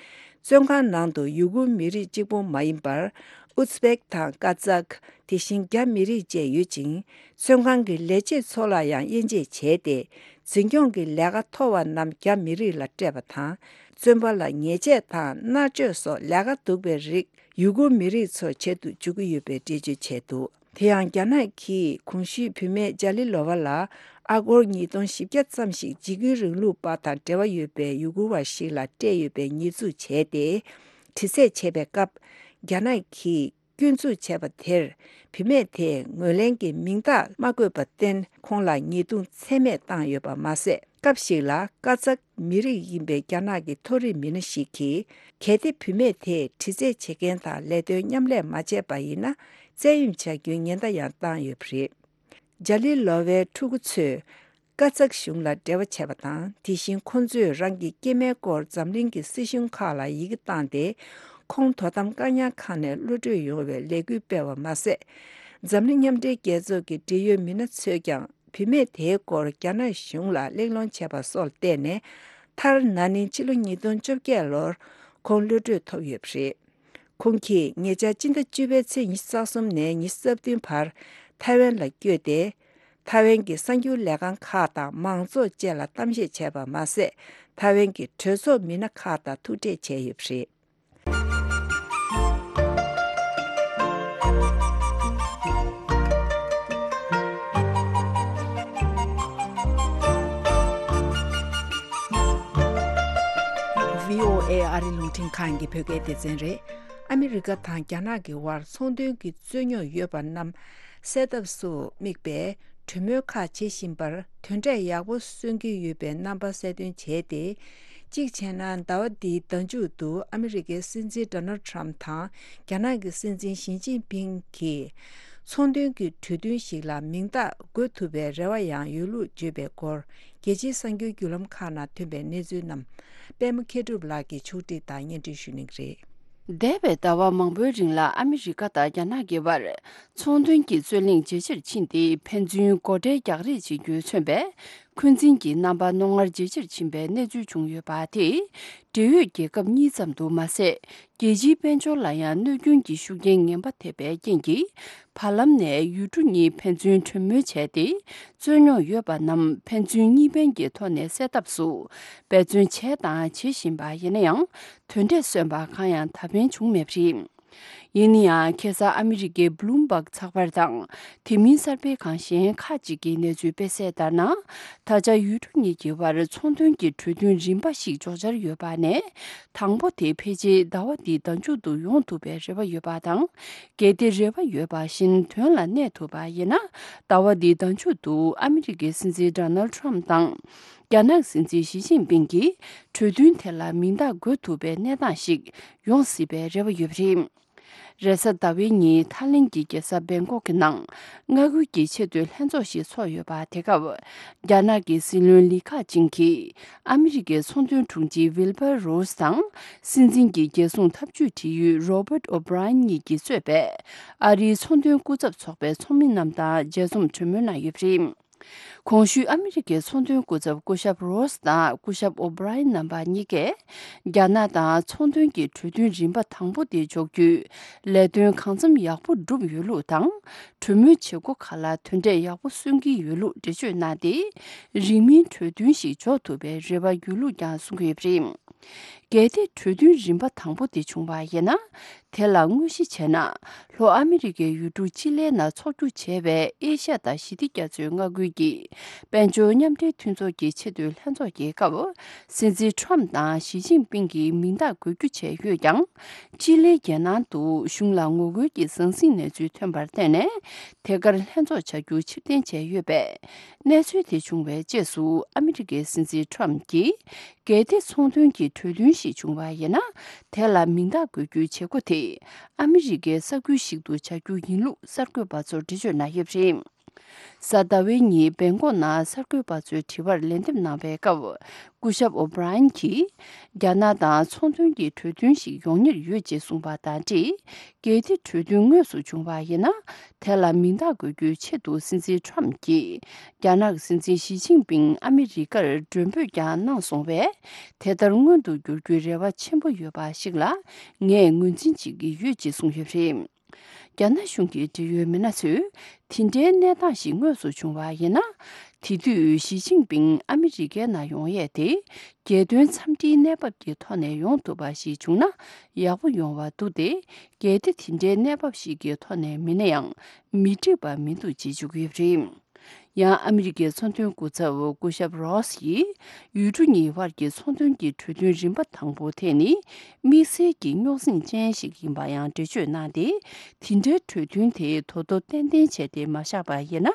བཙོན་ཁང་ནང་དུ་ཡུ་གུར་མི་རིགས་གཅིག་པུ་མ་ཡིན་པར། ཨུ་ཛི་བེག་དང་ཀ་ཛག། དེ་བཞིན་རྒྱ་མི་རིགས་བཅས་ཡོད་ཅིང་། བཙོན་ཁང་གི་ལས་བྱེད་ཚོ་ལ་ཡང་དབྱེ་འབྱེད་བྱས་ཏེ། འཛིན་སྐྱོང་གི་ལས་ཀ་མཐོ་བ་རྣམས་རྒྱ་མི་རིགས་ལ་སྤྲད་པ་དང་། བཙོན་པ་ལ་ཉེས་ཆད་དང་མནར་གཅོད་སོགས་ལས་ཀ་སྡུག་པའི་རིགས་ཡུ་གུར་མི་རིགས་ཚོར་བྱེད་དུ་འཇུག་གི་ཡོད་པའི་འགྲེལ་བརྗོད་བྱས་འདུག་དེ་ཡང་། རྒྱ་ནག་གིས་གོང་ཞུས་བུད་མེད་ཇ་ལི་ལོ་ཝ་ལ་ཨ་སྒོར་ཉིས་སྟོང་བཞི་བརྒྱ་ཙམ་ཞིག་འཇིགས་སྐུལ་རིང་ལུགས་པ་དང་འབྲེལ་བ་ཡོད་པའི་ཡུ་གུར་བ་ཞིག་ལ་སྤྲད་ཡོད་པའི་ཉེས་འཛུགས་བྱས་ཏེ། དྲི་རྩད་བྱས་པའི་སྐབས། རྒྱ་ནག་གིས་ སྐྱོན་འཛུགས་བྱས་པ་དེར། བུད་མེད་དེས་ངོས་ལེན་གྱི་མིང་རྟགས་མ་བཀོད་པར་བརྟེན། ཁོང་ལ་ཉེས་རྡུང་ཚད་མེད་བཏང་ཡོད་པ་མ་ཟད། སྐབས་ཤིག་ལ་ཀ་ཙག་མི་རིགས་ཡིན་པའི་རྒྱ་ནག་གི་མཐོ་རིམ་མི་སྣ་ཞིག་གིས། གལ་ཏེ་བུད་མེད་དེས་དྲི་རྩད་བྱེད་མཁན་དང་ལས་དོན་མཉམ་ལས་མ་བྱས་པ་ཡིན་ན། བཙན་གཡེམ་བྱ་རྒྱུའི་ཉེན་བརྡ་ཡང་བཏང་ཡོད་པ་རེད། ཇ་ལི་ལོ་ཝའི་ཕྲུ་གུ་ཚོས་ཀ་ཙག་གཞུང་ལ་འབྲེལ་བ་བྱས་པ་དང་། དེ་བཞིན་ཁོང་ཚོས་རང་གི་སྐྱེས་མའི་སྐོར་འཛམ་གླིང་གི་སྲིད་གཞུང་ཁག་ལ་ཡི་གེ་བཏང་སྟེ། ཁོང་དོ་དམ་བཀག་ཉར་ཁང་ནས་གློད་གྲོལ་ཡོང་བའི་ལས་འགུལ་སྤེལ་བ་མ་ཟད། འཛམ་གླིང་མཉམ་འབྲེལ་རྒྱལ་ཚོགས་ཀྱི་འབྲེལ་ཡོད་མི་སྣ་ཚོས་ཀྱང་བུད་མེད་དེའི་སྐོར་རྒྱ་ནག་གཞུང་ལ་གླེང་སློང་བྱས་པ་སོགས་ལ་བརྟེན་ནས། མཐར་ན་ནིང་ཕྱི་ལོ་ཉིས་སྟོང་བཅོ་བརྒྱད་ལོར་ཁོང་གློད་གྲོལ་ཐོབ་ཡོད་པ་རེད། ཁོང་གིས་ཉེ་ཆར་སྤྱི་ཟླ་བཅུ་པའི་ཚེས་ཉི་ཤུ་རྩ་གསུམ་ནས་ཉི་ཤུ་རྩ་བདུན་བར་ཐའེ་ཝན་ལ་བསྐྱོད་དེ། ཐའེ་ཝན་གྱི་གསར་འགྱུར་ལས་ཁང་ཁག་དང་མང་ཚོགས་བཅས་ལ་གཏམ་བཤད་བྱས་པ་མ་ཟད། ཐའེ་ཝན་གྱི་གྲོས་ཚོགས་མི་སྣ་ཁག་དང་ཐུག་འཕྲད་བྱས་ཡོད་པ་རེད། ཨ་རི་རླུང་འཕྲིན་ཁང་གི་བོད་སྐད་སྡེ་ཚན་རེད། ཨ་མི་རི་ཀ་དང་རྒྱ་ནག་གི་དབར་ཚོང་དོན་གྱི་རྩོད་རྙོག་ཡོད་པ་རྣམས་སེལ་ཐབས་སུ་དམིགས་པའི་གྲོས་མོལ་ཁག་བྱེད་བཞིན་པར་དོན་འབྲས་ཡག་པོ་སོན་གྱི་ཡོད་པའི་རྣམ་པ་གསལ་སྟོན་བྱས་ཏེ། གཅིག་བྱས་ན། ཟླ་བ་འདིའི་ཟླ་མཇུག་ཏུ་ཨ་མི་རི་ཀའི་སྲིད་འཛིན་ཌོ་ནལ་ཊམ་དང་རྒྱ་ནག་གི་སྲིད་འཛིན་ཞི་ཅིན་ཕིང་གིས་ཚོང་དོན་གྱི་གྲོས་མཐུན་ཞིག་ལ་མིང་རྟགས་འགོད་ཐུབ་པའི་རེ་བ་ཡང་ཡོད་ལུགས་བརྗོད་པའི་སྐོར། རྒྱལ་སྤྱིའི་གསར་འགྱུར་བརྒྱུད་ལམ་ཁག་ནང་ཐོན་པའི་གནས་ཚུལ་རྣམས་པད་མ་མཁས་གྲུབ་ལགས་ཀྱིས་ཕྱོགས་སྒྲིག་དང་སྙན་སྒྲོན་ཞུ་གནང་གི་རེད། འདས་པའི་ཟླ་བ་མང་པོའི་རིང་ལ་ཨ་མི་རི་ཀ་དང་རྒྱ་ནག་གི་བར་ཚོང་དོན་གྱི་རྩོད་གླེང་ཇེ་ཆེར་ཕྱིན་ཏེ། ཕན་ཚུན་སྒོ་ཁྲལ་རྒྱག་རེས་བྱེད་རྒྱུས་མཚོན་པའི་འཁོན་འཛིན་གྱི་རྣམ་པ་རྣོ་ངར་ཇེ་ཆེར་ཕྱིན་པའི་གནས་ཚུལ་བྱུང་ཡོད་པ་དེས། འབྲེལ་ཡོད་རྒྱལ་ཁབ་གཉིས་ཙམ་དུ་མ་ཟད། རྒྱལ་སྤྱིའི་དཔལ་འབྱོར་ལ་ཡང་གནོད་སྐྱོན་གྱི་ཤུགས་རྐྱེན་ངན་པ་ཐེབས་པའི་རྐྱེན་གྱིས། བར་ལམ་ནས་ཡུལ་གྲུ་གཉིས་ཕན་ཚུན་གྲོས་མོལ་བྱས་ཏེ། རྩོད་རྙོག་ཡོད་པ་རྣམས་ཕན་ཚུན་གཉིས་ཕན་གྱི་ཐོག་ནས་སེལ་ཐབས་སུ་འབད་བརྩོན་བྱས་དང་བྱེད་བཞིན་པ་ཡིན་ན་ཡང་། དོན་འབྲས་སོན་པ་གང་ཡང་ད་ཕན་བྱུང་མེད་པ་རེད། ཡིན་ན་ཡང་། ཁ་སང་ཨ་མི་རི་ཀའི་བྷ་ལུམ་བྷག་ཚགས་པར་དང་། དེ་མིན་གསར་སྤེལ་ཁང་གཞན་ཁག་ཅིག་གིས་གནས་ཚུལ་སྤེལ་གསལ་ལྟར་ན། ད་ཆ་ཡུལ་གྲུ་གཉིས་ཀྱི་བར་ཚོང་དོན་གྱི་གྲོས་མཐུན་རིམ་པ་ཞིག་འཇོག་འཆར་ཡོད་པ་ནས། དང་པོ་དེ་ཕལ་ཆེར་ཟླ་བ་འདིའི་ཟླ་མཇུག་ཏུ་ཡོང་ཐུབ་པའི་རེ་བ་ཡོད་པ་དང་། གལ་ཏེ་རེ་བ་ཡོད་པ་བཞིན་དོན་ལ་གནས་ཐུབ་པ་ཡིན་ན། ཟླ་བ་འདིའི་ཟླ་མཇུག་ཏུ་ཨ་མི་རི་ཀའི་སྲིད་འཛིན་ཌོ་ནལ་ཊམ་དང་། རྒྱ་ནག་སྲིད་འཛིན་ཞི་ཅིན་ཕིང་གིས་གྲོས་མཐུན་དེ་ལ་མིང་རྟགས་འགོད་ཐུབ་པའི་གནས་སྟངས་ཤིག་ཡོང་སྲིད་པའི་རེ་བ་ཡོད་པ་རེད། རེས་གཟའ་ཟླ་བའི་ཉིན་ཐའི་ལེན་གྱི་རྒྱལ་ས་བེང་ཀོག་གི་ནང་མངའ་ཁུལ་གྱི་ཆེས་མཐོའི་ལྷན་ཚོགས་ཤིག་ཚོགས་ཡོད་པ་དེ་སྐབས། རྒྱ་ནག་གི་སྲིད་བློན་ལི་ཁེ་ཆིང་གིས་ཨ་མི་རི་ཀའི་ཚོང་དོན་དྲུང་ཆེ་ཝིལ་བར་རོས་དང་། སྲིད་འཛིན་གྱི་རྒྱལ་སྲུང་འཐབ་ཇུས་འབྲེལ་ཡོད་རོ་བར་ཨོ་བྷི་རའི་ཡན་གཉིས་ཀྱིས་གཙོས་པའི་ཨ་རིའི་ཚོང་དོན་སྐུ་ཚབ་ཚོགས་པའི་ཚོགས་མི་རྣམས་དང་མཇལ་འཛོམས་གྲོས་མོལ་གནང་ཡོད་པ་རེད། གོང་ཞུས་ཨ་མི་རི་ཀའི་ཚོང་དོན་སྐུ་ཚབ་སྐུ་ཞབས་རོས་དང་སྐུ་ཞབས་ཨོ་བྷི་རའི་ཡན་རྣམ་པ་གཉིས་ཀས། རྒྱ་ནག་དང་ཚོང་དོན་གྱི་གྲོས་མཐུན་རིམ་པ་དང་པོ་དེ་འཇོག་རྒྱུའི་ལས་དོན་གང་འཚམ་ཡག་པོ་བསྒྲུབས་ཡོད་ལུགས་དང་། གྲོས་མོལ་བྱེད་སྒོ་ཁག་ལ་དོན་འབྲས་ཡག་པོ་སོན་གྱི་ཡོད་ལུགས་འགྲེལ་བརྗོད་གནང་སྟེ། རིང་མིན་གྲོས་མཐུན་ཞིག་འཇོག་ཐུབ་པའི་རེ་བ་ཡོད་ལུགས་ཀྱང་གསུང་གི་ཡོད་པ་རེད། གལ་ཏེ་གྲོས་མཐུན་རིམ་པ་དང་པོ་དེ་བྱུང་བ་ཡིན་ན། དེ་ལ་དངོས་གཞི་བྱས་ན། ལྷོ་ཨ་མི་རི་ཀའི་ཡུལ་གྲུ་ཅི་ལིའི་ནང་འཚོགས་རྒྱུ་བྱས་པའི་ཨེ་ཤ་ཡ་དང་ཞི་བདེ་རྒྱ་མཚོའི་མངའ་ཁུལ་གྱི་དཔལ་འབྱོར་མཉམ་འབྲེལ་མཐུན་ཚོགས་ཀྱི་ཆེས་མཐོའི་ལྷན་ཚོགས་ཀྱི་སྐབས། སྲིད་འཛིན་ཁྲོམ་དང་ཞི་ཅིན་ཕིང་གིས་མིང་རྟགས་འགོད་རྒྱུ་བྱས་ཡོད་ཀྱང་། ཅི་ལིའི་རྒྱལ་ནང་དུ་གཞུང་ལ་ངོ་རྒོལ་གྱི་ཟང་ཟིང་གནས་ཚུལ་ཐོན་པར་བརྟེན་ནས། དེ་གར་ལྷན་ཚོགས་བྱ་རྒྱུ་ཕྱིར་འཐེན་བྱས་ཡོད་པས། གནས་ཚུལ་དེ་བྱུང་བའི་རྗེས་སུ་ཨ་མི་རི་ཀའི་སྲིད་འཛིན་ཁྲོམ་གྱིས། གལ་ཏེ་ཚོང་དོན་གྱི་གྲོས་མཐུན་ཞིག་བྱུང་བ་ཡིན་ན། དེ་ལ་མིང་རྟགས་འགོད་རྒྱུའི་བྱེད་སྒོ་དེ་ཨ་མི་རི་ཀའི་ས་ཁུལ་ཞིག་ཏུ་བྱ་རྒྱུ་ཡིན་ལུགས་གསར་འགོད་པ་ཚོར་འགྲེལ་བརྗོད་གནང་ཡོད་པ་རེད། གཟའ་ཟླ་བའི་ཉིན་བེང་ཀོག་ནང་གསར་འགོད་པ་ཚོའི་དྲི་བར་ལན་འདེབས་གནང་བའི་སྐབས། སྐུ་ཞབས་ཨོ་བྷི་རའི་ཡན་གྱིས། རྒྱ་ནག་དང་ཚོང་དོན་གྱི་གྲོས་མཐུན་ཞིག་ཡོང་ཉེར་ཡོད་ཅེས་གསུངས་པ་དང་འབྲེལ། གལ་ཏེ་གྲོས་མཐུན་དངོས་སུ་བྱུང་བ་ཡིན་ན། དེ་ལ་མིང་རྟགས་འགོད་རྒྱུའི་ཆེད་དུ་སྲིད་འཛིན་ཁྲོམ་གྱིས། རྒྱ་ནག་སྲིད་འཛིན་ཞི་ཅིན་ཕིང་ཨ་མི་རི་ཀར་མགྲོན་འབོད་ཀྱང་གནང་སོང་བས། དེ་ལྟར་མངོན་དུ་འགྱུར་རྒྱུའི་རེ་བ་ཆེན་པོ་ཡོད་པ་ཞིག་ལ། ངས་ངོས་འཛིན་བྱེད་ཀྱི་ཡོད་ཅེས་གསུངས་ཡོད་པ་རེད། རྒྱ་ནག་གཞུང་གི་འབྲེལ་ཡོད་མི་སྣ་ཚོས། དེ་འདྲའི་གནས་སྟངས་ཤིག་དངོས་སུ་བྱུང་བ་ཡིན་ན། དེ་དུས་ཞི་ཅིན་ཕིང་ཨ་མི་རི་ཀའི་ནང་ཡོང་ཡས་དེ། རྒྱལ་དོན་འཚམས་འདྲིའི་གནས་བབ་ཀྱི་ཐོག་ནས་ཡོང་ཐུབ་པ་ཞིག་བྱུང་ན་ཡག་པོ་ཡོང་བ་འདུག་སྟེ། གལ་ཏེ་དེ་འདྲའི་གནས་བབ་ཞིག་གི་ཐོག་ནས་མིན་ན་ཡང་མི་འགྲིག་པ་མི་འདུག་ཅེས་བརྗོད་ཀྱི་ཡོད་པ་རེད། ཡང་ཨ་མི་རི་ཀའི་ཚོང་དོན་སྐུ་ཚབ་སྐུ་ཞབས་རོས་ཡིས་ཡུལ་གྲུ་གཉིས་དབར་གྱི་ཚོང་དོན་གྱི་གྲོས་མཐུན་རིམ་པ་དང་པོ་དེ་ནི་དམིགས་བསལ་གྱི་རྙོག་ཟིང་ཅན་ཞིག་ཡིན་པ་ཡང་འགྲེལ་བརྗོད་གནང་སྟེ། དེ་འདྲའི་གྲོས་མཐུན་དེ་ད་དུང་ཏན་ཏན་བྱས་ཏེ་མ་བཞག་པ་ཡིན་ན།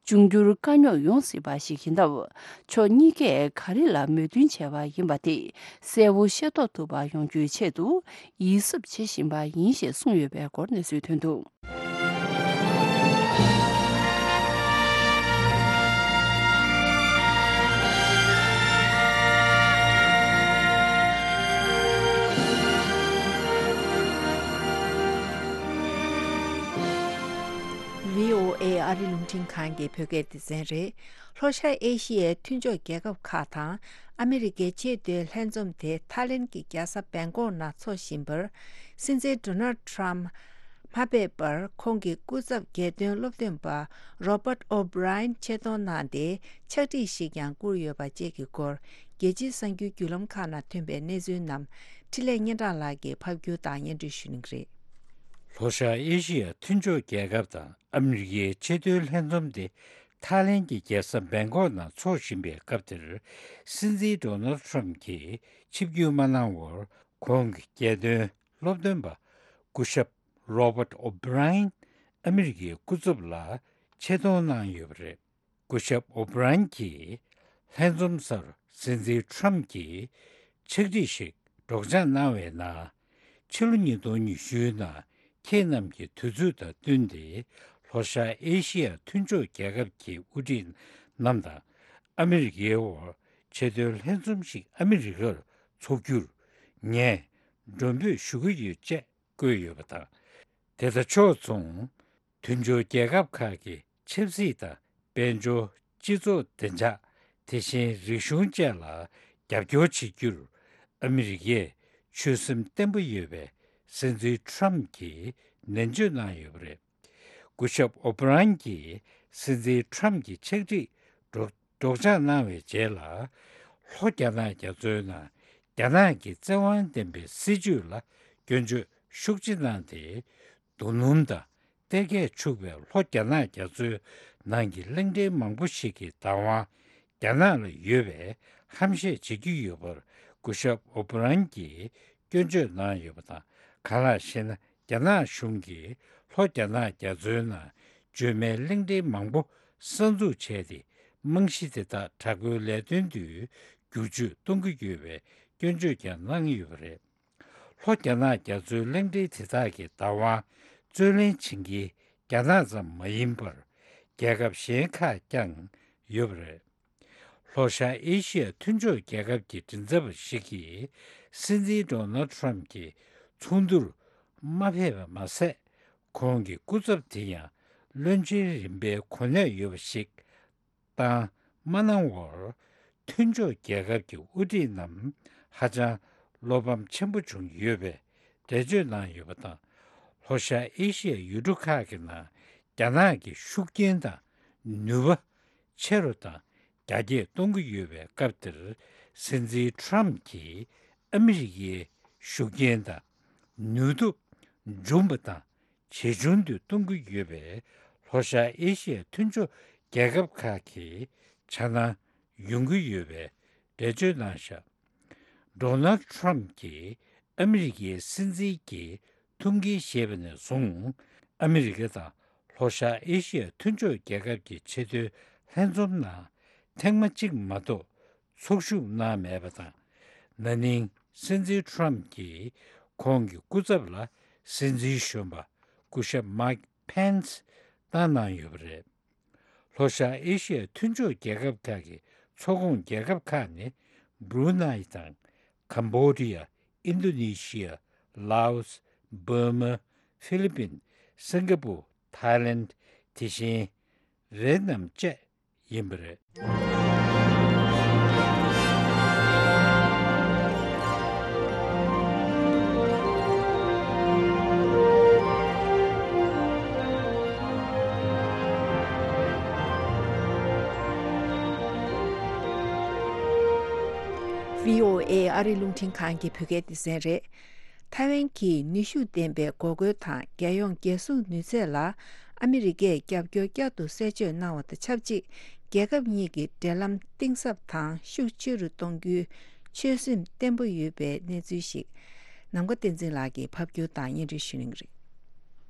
འབྱུང་འགྱུར་དཀའ་རྙོག་ཡོང་སྲིད་པ་ཞིག་ཡིན་སྟབས། ཕྱོགས་གཉིས་ཀས་ག་རེ་ལ་མོས་མཐུན་བྱས་པ་ཡིན་པ་དེ་གསལ་བོ་ཤེས་རྟོགས་ཐུབ་པ་ཡོང་རྒྱུའི་ཆེད་དུ་ཡིད་གཟབ་བྱེད་བཞིན་པ་ཡིན་ཞེས་གསུངས་ཡོད་པའི་སྐོར་གནས་ཚུལ་ཐོན་འདུག། བྷི་ཨོ་ཨེ་ཨ་རི་རླུང་འཕྲིན་ཁང་གི་བོད་སྐད་སྡེ་ཚན་རེད། ལྷོ་ཤར་ཨེ་ཤི་ཡའི་མཐུན་ཕྱོགས་རྒྱལ་ཁབ་ཁག་དང་ཨ་མི་རི་ཀའི་ཆེས་མཐོའི་ལྷན་འཛོམས་དེ་ཐའི་ལེན་གྱི་རྒྱལ་ས་བེང་ཀོག་ནང་འཚོགས་བཞིན་པར། སྲིད་འཛིན་ཌོ་ནལ་ཊམ་མ་ཕེབས་པར་ཁོང་གི་སྐུ་ཚབ་རྒྱལ་དོན་སློབ་སྟོན་པ་རོ་པར་ཨོ་བྷི་རའེན་ཆེད་གཏོང་གནང་སྟེ། ཕྱག་བྲིས་ཤིག་ཀྱང་བསྐུར་ཡོད་པ་བཅས་ཀྱི་སྐོར། རྒྱལ་སྤྱིའི་གསར་འགྱུར་བརྒྱུད་ལམ་ཁག་ནང་ཐོན་པའི་གནས་ཚུལ་རྣམས་འཕྲིན་ལས་སྙན་གྲགས་ལགས་ཀྱིས་ཕབ་སྒྱུར་དང་སྙན་སྒྲོན་ཞུ་གནང་གི་རེད། ལྷོ་ཤར་ཨེ་ཤི་ཡ་མཐུན་ཕྱོགས་རྒྱལ་ཁབ་དང་ཨ་མི་རི་ཀའི་ཆེས་མཐོའི་ལྷན་འཛོམས་དེ་ཐའི་ལེན་གྱི་རྒྱལ་ས་བེང་ཀོག་ནང་འཚོགས་བཞིན་པའི་སྐབས་དེར། སྲིད་འཛིན་ཌོ་ནལ་ཊམ་གྱིས་ཆིབས་བསྒྱུར་མ་གནང་བར། ཁོང་གི་རྒྱལ་དོན་སློབ་སྟོན་པ་སྐུ་ཞབས་རོ་པར་ཨོ་བྷི་རའེན་ཨ་མི་རི་ཀའི་སྐུ་ཚབ་ལ་ཆེད་གཏོང་གནང་ཡོད་པ་རེད། སྐུ་ཞབས་ཨོ་བྷི་རན་གྱིས་ལྷན་འཛོམས་སར་སྲིད་འཛིན་ཁྲམ་གྱིས་ཕྱག་བྲིས་ཤིག་སྒྲོག་སྦྱང་གནང་བའི་ནང་། ཕྱི་ལོ་ཉིས་སྟོང་ཉི་ཤུའི་ནང་ཁྱེད་རྣམས་ཀྱི་དུས་ཚོད་དང་བསྟུན་ཏེ། ལྷོ་ཤར་ཨེ་ཤི་ཡ་མཐུན་ཕྱོགས་རྒྱལ་ཁབ་ཀྱི་དབུ་ཁྲིད་རྣམས་དང་ཨ་མི་རི་ཀའི་དབར་ཆེས་མཐོའི་ལྷན་འཛོམས་ཤིག་ཨ་མི་རི་ཀར་འཚོགས་རྒྱུར་ངས་མགྲོན་འབོད་ཞུ་གི་ཡོད་ཅེས་བཀོད་ཡོད་པ་དང་། དེ་དང་ཕྱོགས་མཚུངས། མཐུན་ཕྱོགས་རྒྱལ་ཁབ་ཁག་གི་ཆབ་སྲིད་དང་དཔལ་འབྱོར། སྤྱི་ཚོགས་བདེ་འཇགས། དེ་བཞིན་རིག་གཞུང་བཅས་ལ་རྒྱབ་སྐྱོར་བྱེད་རྒྱུར་ཨ་མི་རི་ཀས་ཆོད་སེམས་བརྟན་པོ་ཡོད་པའི་སྲིད་འཛིན་ཁྲམ་གྱིས་ནན་བརྗོད་གནང་ཡོད་པ་རེད། སྐུ་ཞབས་ཨོ་བྷི་རན་གྱིས་སྲིད་འཛིན་ཁྲམ་གྱི་ཕྱག་བྲིས་སྒྲོག་སྒྲོག་སྦྱང་གནང་བའི་རྗེས་ལ། ལྷོ་རྒྱ་ནག་རྒྱ་མཚོའི་ནང་རྒྱ་ནག་གི་བཙན་དབང་ལྡན་པའི་སྲིད་བྱུས་ལ་སྐྱོན་བརྗོད་ཤུགས་ཆེ་གནང་སྟེ། རྡོ་སྣུམ་དང་གཏེར་ཁས་འཕྱུགས་པའི་ལྷོ་རྒྱ་ནག་རྒྱ་མཚོའི་ནང་གི་གླིང་ཕྲན་མང་པོ་ཞིག་གི་བདག་དབང་རྒྱ་ནག་ལ་ཡོད་པའི་ཧམ་བཤད་བྱེད་ཀྱི་ཡོད་པར་སྐུ་ཞབས་ཨོ་བྷི་རན་གྱིས་སྐྱོན་བརྗོད་གནང་ཡོད་པ་དང་། གང་ལགས་ཤེ་ན། རྒྱ་ནག་གཞུང་གིས་ལྷོ་རྒྱ་ནག་རྒྱ་མཚོའི་ནང་བརྗོད་མེད་གླིང་ཕྲན་མང་པོ་གསར་འཛུགས་བྱས་ཏེ། རྨང་གཞི་དེ་དག་དྲག་པོའི་ལས་དོན་དུ་བསྒྱུར་བཅོས་གཏོང་གི་ཡོད་པའི་སྐྱོན་བརྗོད་ཀྱང་གནང་ཡོད་པ་རེད། ལྷོ་རྒྱ་ནག་རྒྱ་མཚོའི་གླིང་ཕྲན་དེ་དག་གི་བདག་དབང་རྩོད་ལེན་བྱེད་མཁན་རྒྱ་ནག་ཙམ་མ་ཡིན་པར། རྒྱལ་ཁབ་གཞན་ཁག་ཀྱང་ཡོད་པ་རེད། ལྷོ་ཤར་ཨེ་ཤི་ཡ་མཐུན་ཕྱོགས་རྒྱལ་ཁབ་ཀྱི་མགྲིན་ཚབ་པ་ཞིག་གིས་སྲིད་འཛིན་ཌོ་ནལ་ཁྲམ་གྱི་ཚོགས་འདུར་མ་ཕེབས་པ་མ་ཟད། ཁོང་གི་སྐུ་ཚབ་དེ་ཡང་བློན་ཆེན་རིམ་པའི་གོ་གནས་ཡོད་པ་ཞིག་བཏང་མ་གནང་བར། མཐུན་ཕྱོགས་རྒྱལ་ཁབ་ཀྱི་དབུ་ཁྲིད་རྣམས་ཧ་ཅང་བློ་ཕམ་ཆེན་པོ་བྱུང་ཡོད་པའི་འགྲེལ་བརྗོད་གནང་ཡོད་པ་དང་། ལྷོ་ཤར་ཨེ་ཤི་ཡའི་ཡུལ་གྲུ་ཁག་གི་ནང་རྒྱ་ནག་གི་ཤུགས་རྐྱེན་དང་ནུས་པ་ཆེ་རུ་དང་རྒྱ་སྐྱེད་གཏོང་གི་ཡོད་པའི་སྐབས་འདིར། སྲིད་འཛིན་ཁྲམ་གྱིས་ཨ་མི་རི་ཀའི་ཤུགས་རྐྱེན་དང་ནུས་སྟོབས་འབྱུང་བ་དང་། ཇེ་ཆུང་དུ་གཏོང་གི་ཡོད་པས། ལྷོ་ཤར་ཨེ་ཤི་ཡའི་མཐུན་ཕྱོགས་རྒྱལ་ཁབ་ཁག་གི་འཆར་སྣང་ཡོང་གི་ཡོད་པའི་འགྲེལ་བརྗོད་གནང་བཞག་ཌོ་ནལ་ཁྲམ་གྱིས་ཨ་མི་རི་ཀའི་སྲིད་འཛིན་གྱི་ཐུགས་འགན་བཞེས་པ་ནས་བཟུང་། ཨ་མི་རི་ཀ་དང་ལྷོ་ཤར་ཨེ་ཤི་ཡའི་མཐུན་ཕྱོགས་རྒྱལ་ཁབ་ཀྱི་ཆེས་མཐོའི་ལྷན་འཛོམས་ནང་ཐེངས་མ་གཅིག་མ་གཏོགས་ཚོགས་ཞུགས་གནང་མེད་པ་དང་། ན་ནིང་སྲིད་འཛིན་ཁྲམ་གྱིས་ཁོང་གི་སྐུ་ཚབ་ལ་སྲིད་འཛིན་གཞོན་པ་སྐུ་ཞབས་མཱིག་ཕེན་སི་བཏང་གནང་ཡོད་པ་རེད། ལྷོ་ཤར་ཨེ་ཤི་ཡའི་མཐུན་ཕྱོགས་རྒྱལ་ཁབ་ཁག་གི་ཚོགས་ཁོངས་རྒྱལ་ཁབ་ཁག་ནི། སྦྲུ་ནའི་དང་། ཀམ་བྷོ་ཌི་ཡ། ཨིན་རྡོ་ནེ་ཤི་ཡ། ལའོ་སི། འབར་མ། ཧྥི་ལི་པིན། སིང་ག་པུར། ཐའི་ལེན། དེ་བཞིན་ཝེ་ཏི་ནམ་བཅས་ཡིན་པ་རེད། བྷི་ཨོ་ཨེ་ཨ་རི་རླུང་འཕྲིན་ཁང་གི་བོད་སྐད་སྡེ་ཚན་རེད། ཐའེ་ཝན་གྱིས་ནུས་ཤུགས་ལྡན་པའི་འགོག་རྒོལ་དང་རྒྱལ་ཡོངས་རྒྱལ་སྲུང་ནུས་ཚད་ལ་ ཨ་མི་རི་ཀས་རྒྱབ་སྐྱོར་བསྐྱར་དུ་གསལ་བརྗོད་གནང་བ་དང་ཆབས་ཅིག་རྒྱལ་ཁབ་གཉིས་ཀྱི་འབྲེལ་ལམ་གཏིང་ཟབ་དང་ཤུགས་ཆེ་རུ་གཏོང་རྒྱུའི་ཆོད་སེམས་བརྟན་པོ་ཡོད་པའི་གནས་ཚུལ་ཞིག་ནམ་མཁའ་བསྟན་འཛིན་ལགས་ཀྱིས་ཕབ་སྒྱུར་དང་སྙན་སྒྲོན་ཞུ་གནང་གི་རེད།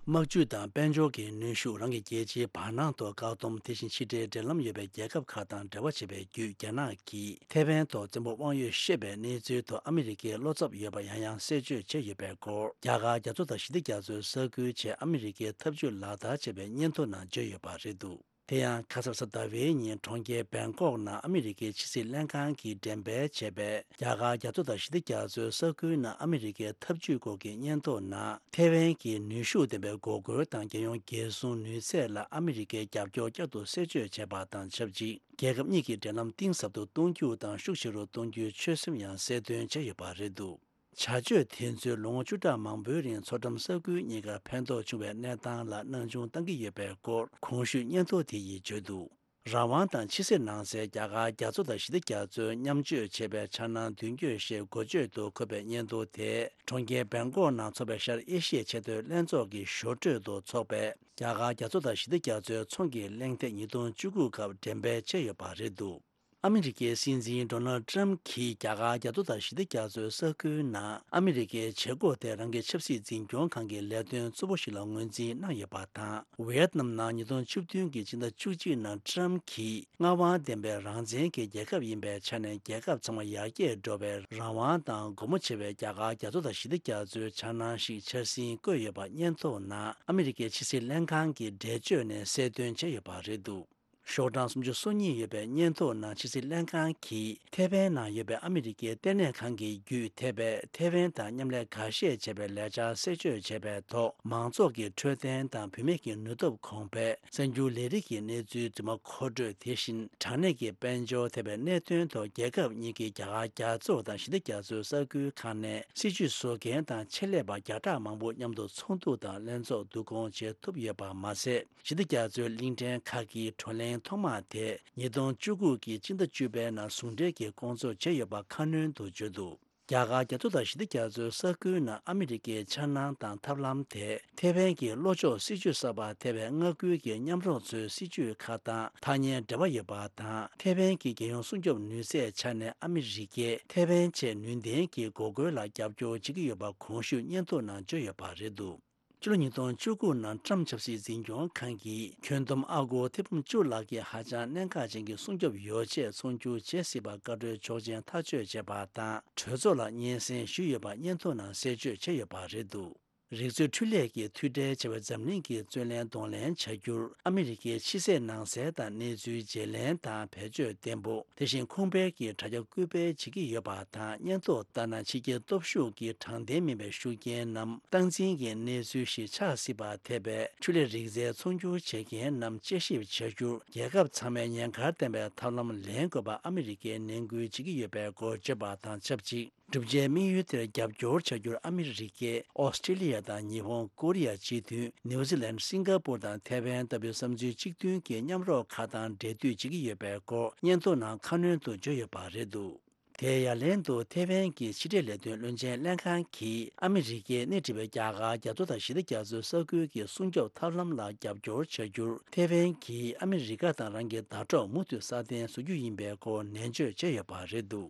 དམག་ཇུས་དང་དཔལ་འབྱོར་གྱི་ནུས་ཤུགས། རང་གི་རྒྱལ་སྤྱིའི་བར་སྣང་ཐོག་བཀག་སྡོམ། དེ་བཞིན་ཕྱི་འབྲེལ་འབྲེལ་ལམ་ཡོད་པའི་རྒྱལ་ཁབ་ཁག་དང་འབྲེལ་བ་བྱེད་པའི་བརྒྱུད། རྒྱ་ནག་གིས་ཐེ་ཝན་ཐོག་བཙན་པོ་དབང་ཡོད་བཤད་པའི་གནས་ཚུལ་ཐོག་ཨ་མི་རི་ཀའི་བློ་འཚབ་ཡོད་པ་ཡང་ཡང་གསལ་བརྗོད་བྱས་ཡོད་པའི་སྐོར། རྒྱ་གར་རྒྱ་མཚོ་དང་ཞི་བདེ་རྒྱ་མཚོའི་ས་ཁུལ་ཆེད་ཨ་མི་རི་ཀའི་འཐབ་ཇུས་ལག་བསྟར་བྱས་པའི་སྙན་ཐོ་ནང་བརྗོད་ཡོད་པ་རེད་འདུག་དེ་ཡང་ཁ་སང་གཟའ་ཟླ་བའི་ཉིན་གྲོང་ཁྱེར་བེང་ཀོག་ནང་ཨ་མི་རི་ཀའི་ཕྱི་སྲིད་ལྷན་ཁང་གིས་འགྲེམས་སྤེལ་བྱས་པའི་རྒྱ་གར་རྒྱ་མཚོ་དང་ཞི་བདེ་རྒྱ་མཚོའི་ས་ཁུལ་ནང་ཨ་མི་རི་ཀའི་འཐབ་ཇུས་སྐོར་གྱི་སྙན་ཐོ་ནང་། ཐེ་ཝན་གྱི་ནུས་ཤུགས་ལྡན་པའི་འགོག་རྒོལ་དང་རྒྱལ་ཡོངས་རྒྱལ་སྲུང་ནུས་ཚད་ལ་ཨ་མི་རི་ཀའི་རྒྱབ་སྐྱོར་བསྐྱར་དུ་གསལ་བརྗོད་བྱས་པ་དང་ཆབས་ཅིག་རྒྱལ་ཁབ་གཉིས་ཀྱི་འབྲེལ་ལམ་གཏིང་ཟབ་ཏུ་གཏོང་རྒྱུ་དང་ཤུགས་ཆེ་རུ་གཏོང་རྒྱུའི་ཆོད་སེམས་ཡང་གསལ་སྟོན་བྱས་ཡོད་པ་རེད་འདུག་བྱ་སྤྱོད་དེ་ཚོས་ལོ་ངོ་བཅུ་ཕྲག་མང་པོའི་རིང་མཚོ་འགྲམ་ས་ཁུལ་གཉིས་ཀར་ཕན་ཐོགས་བྱུང་བའི་གནས་སྟངས་ལ་སྣང་ཆུང་བཏང་གི་ཡོད་པའི་སྐོར་གོང་ཞུས་སྙན་ཐོ་དེ་ཡིས་བརྗོད་འདུག་རང་དབང་དང་ཕྱི་སེལ་ནང་གསལ་རྒྱ་གར་རྒྱ་མཚོ་དང་ཞི་བདེ་རྒྱ་མཚོའི་མཉམ་སྤྱོད་བྱེད་པའི་འཆར་སྣང་མདུན་སྐྱོད་ཞེས་འགོ་བརྗོད་དུ་འཁོད་པའི་སྙན་ཐོ་དེ་གྲོང་ཁྱེར་བེང་ཀོག་ནང་འཚོགས་པའི་ཤར་ཨེ་ཤི་ཡའི་ཆེས་མཐོའི་ལྷན་ཚོགས་ཀྱི་ཞོར་འཕྲོས་སུ་འཚོགས་པའི་རྒྱ་གར་རྒྱ་མཚོ་དང་ཞི་བདེ་རྒྱ་མཚོའི་ཚོང་གི་གླེང་སྟེགས་ཉིས་སྟོང་བཅུ་དགུ་སྐབས་འགྲེམས་སྤེལ་བྱས་ཡོད་པ་རེད་འདུག་ཨ་མི་རི་ཀའི་སྲིད་འཛིན་ཌོ་ནལ་ཊམ་གྱིས་རྒྱ་གར་རྒྱ་མཚོ་དང་ཞི་བདེ་རྒྱ་མཚོའི་ས་ཁུལ་ནང་ཨ་མི་རི་ཀའི་བྱེད་སྒོ་དེ་རང་གི་ཆབ་སྲིད་འཛིན་སྐྱོང་ཁང་གི་ལས་དོན་གཙོ་བོ་ཞིག་ལ་ངོས་འཛིན་གནང་ཡོད་པ་དང་། ཝེ་ཏི་ནམ་ནང་ཉིས་སྟོང་བཅུ་བདུན་གྱི་ཕྱི་ཟླ་བཅུ་གཅིག་ནང་ཊམ་གྱིས་མངའ་དབང་ལྡན་པའི་རང་བཙན་གྱི་རྒྱལ་ཁབ་ཡིན་པའི་ཆ་ནས་རྒྱལ་ཁབ་ཚང་མ་ཡར་རྒྱས་འགྲོ་བའི་རང་དབང་དང་སྒོ་མོ་ཕྱེ་བའི་རྒྱ་གར་རྒྱ་མཚོ་དང་ཞི་བདེ་རྒྱ་མཚོའི་འཆར་སྣང་ཞིག་འཆར་ཟིན་བཀོད་ཡོད་པ་སྙན་ཐོ་ནང་ཨ་མི་རི་ཀའི་ཕྱི་སྲིད་ལྷན་ཁང་གི་འགྲེལ་བརྗོད་ནས་གསལ་སྟོན་བྱས་ཡོད་པ་རེད་འདུག་ཤོག་གྲངས་སུམ་ཅུ་སོ་གཉིས་ཡོད་པའི་སྙན་ཐོ་ནང་ཕྱི་སྲིད་ལྷན་ཁང་གིས་ཐེ་ཝན་ནང་ཡོད་པའི་ཨ་མི་རི་ཀའི་ལྟེ་གནས་ཁང་གི་བརྒྱུད་ཐེ་པས་ཐེ་ཝན་དང་མཉམ་ལས་འགའ་ཤས་བྱས་པའི་ལས་འཆར་གསལ་བརྗོད་བྱས་པའི་ཐོག་མང་ཚོགས་ཀྱི་འཕྲོད་བསྟེན་དང་བུད་མེད་ཀྱི་ནུས་སྟོབས་གོང་འཕེལ། གསར་འགྱུར་ལས་རིགས་ཀྱི་གནས་ཚུལ་རྫུན་མ་མཁོ་སྤྲོད། དེ་བཞིན་དྲང་གནས་ཀྱི་དཔལ་འབྱོར་ཐེ་པའི་གནད་དོན་ཐོག་རྒྱལ་ཁབ་གཉིས་ཀྱི་རྒྱ་གར་རྒྱ་མཚོ་དང་ཞི་བདེ་རྒྱ་མཚོའི་ས་ཁུལ་ཁག་ནས་སྲིད་བྱུས་བཟོ་མཁན་དང་ཆེད་ལས་པ་བརྒྱ་ཕྲག་མང་པོ་མཉམ་དུ་ཚོགས་འདུ་དང་ལྷན་ཚོགས་བསྡུ་སྐོང་བྱེད་ཐུབ་ཡོད་པ་མ་ཟད། ཞི་བདེ་རྒྱ་མཚོའི་གླིང་ཕྲན་ཁག་གི་བགྲོ་གླེང་ཐོག་མ་དེ་ཉིས་སྟོང་བཅུ་དགུ་གི་སྤྱི་ཟླ་བཅུ་པའི་ནང་ཟུང་འབྲེལ་གྱིས་སྐོང་ཚོགས་བྱས་ཡོད་པ་ཁ་སྣོན་དུ་བརྗོད་འདུག་རྒྱ་གར་རྒྱ་མཚོ་དང་ཞི་བདེ་རྒྱ་མཚོའི་ས་ཁུལ་ནང་ཨ་མི་རི་ཀའི་འཆར་སྣང་དང་ཐབས་ལམ་དེ་ཐེ་ཝན་གྱི་ལྷོ་ཕྱོགས་སྲིད་བྱུས་གསར་པ་ཐེ་ཝན་མངའ་ཁུལ་གྱི་མཉམ་རོགས་ཚོའི་སྲིད་བྱུས་ཁག་དང་ཐག་ཉེ་འབྲེལ་བ་ཡོད་པ་དང་། ཐེ་ཝན་གྱི་རྒྱལ་ཡོངས་སྲུང་སྐྱོབ་ནུས་ཚད་ཆ་ནས་ཨ་མི་རི་ཀས་ཐེ་ཝན་ཆེད་ནུས་ལྡན་གྱི་འགོག་རྒོལ་ལ་རྒྱབ་སྐྱོར་བྱེད་ཀྱི་ཡོད་པ་གོང་ཞུས་སྙན་ཐོ་ནང་བརྗོད་ཡོད་པ་རེད་འདུག་ཕྱི་ལོ་ཉིས་སྟོང་བཅུ་དགུ་ནང་ཀྲམ་ཆབ་སྲིད་འཛིན་སྐྱོང་ཁང་གིས་ཁྱོན་བསྡོམས་ཨ་སྒོར་ཐེར་འབུམ་བཅུ་ལྷག་གི་ཧ་ཅང་གནད་འགག་ཅན་གྱི་སྲུང་སྐྱོབ་ཡོ་ཆས་ཚོང་སྒྱུར་བྱེད་སྲིད་པ་བཀའ་འཁྲོལ་ཆོག་མཆན་ཐག་གཅོད་བྱས་པ་དང་། གྲོས་ཚོགས་ལ་སྙན་སེང་ཞུས་ཡོད་པ་སྙན་ཐོ་ནང་གསལ་བརྗོད་བྱས་ཡོད་པ་རེད་འདུག་རིག་རྩལ་འཕྲུལ་ལས་ཀྱི་མཐུད་འབྲེལ་བྱ་བའི་འཛམ་གླིང་གི་རྩོད་གླེང་གདོང་ལེན་བྱ་རྒྱུར་ཨ་མི་རི་ཀའི་ཕྱི་སྲིད་ནང་གསལ་དང་གནས་ཚུལ་བརྗེ་ལེན་དང་བེད་སྤྱོད་བརྟན་པོ། དེ་བཞིན་ཁུངས་སྤེལ་གྱི་དྲ་རྒྱ་སྐུལ་སྤེལ་བྱེད་ཀྱི་ཡོད་པ་དང་། སྙན་ཐོ་ལྟར་ན་ཕྱི་རྒྱལ་སྟོབས་ཤུགས་ཀྱི་དྲང་བདེན་མིན་པའི་ཤུགས་རྐྱེན་ནམ་སྟངས་འཛིན་གྱི་གནས་ཚུལ་ཞིག་ཆགས་སྲིད་པར་འཐད་པའི་འཕྲུལ་ལས་རིག་རྩལ་ཚོང་སྒྱུར་བྱེད་མཁན་རྣམས་དཔྱད་ཞིབ་བྱ་རྒྱུར་རྒྱལ་ཁབ་ཚང་མས་ཉེན་ཁར་ལྟ་བའི་ཐབས་ལམ་ལེན་དགོས་པ་ཨ་མི་རི་ཀས་ནན་སྐུལ་བྱེད་ཀྱི་ཡོད་པའི་སྐོར་བརྗོད་པ་དང་ཆབས་ཅིག་བསྒྲུབ་བྱའི་དམིགས་ཡུལ་དེར་རྒྱབ་སྐྱོར་བྱ་རྒྱུར་ཨ་མི་རི་ཀས་ཨོ་སི་ཀྲི་ལི་ཡ་དང་ཉི་ཧོང་། ཀོ་རི་ཡ་སྤྱི་མཐུན། ནིའུ་ཛི་ལན། སིང་ག་པུར་དང་ཐེ་ཝན་ལྟ་བུའི་བསམ་ཚུལ་གཅིག་མཐུན་གྱི་མཉམ་རོགས་ཁག་དང་འབྲེལ་མཐུད་བྱེད་ཀྱི་ཡོད་པའི་སྐོར་སྙན་ཐོ་ནང་ཁ་སྣོན་དུ་བརྗོད་ཡོད་པ་རེད་འདུག་དེའི་ཡ་ལན་དུ་ཐེ་ཝན་གྱི་ཕྱི་འབྲེལ་ལས་དོན་བློན་ཆེན་ལྷན་ཁང་གིས་ཨ་མི་རི་ཀས་སྣེ་ཁྲིད་པའི་རྒྱ་གར་རྒྱ་མཚོ་དང་ཞི་བདེ་རྒྱ་མཚོའི་ས་ཁུལ་གྱི་སྲུང་སྐྱོབ་ཐབས་ལམ་ལ་རྒྱབ་སྐྱོར་བྱ་རྒྱུར་ཐེ་ཝན་གྱིས་ཨ་མི་རི་ཀ་དང་རང་གི་ཟླ་གྲོགས་མུ་མཐུད་སྲ་བརྟན་བཟོ་རྒྱུ་ཡིན་པའི་སྐོར་ནན་བརྗོད་བྱས་ཡོད་པ་རེད་འདུག་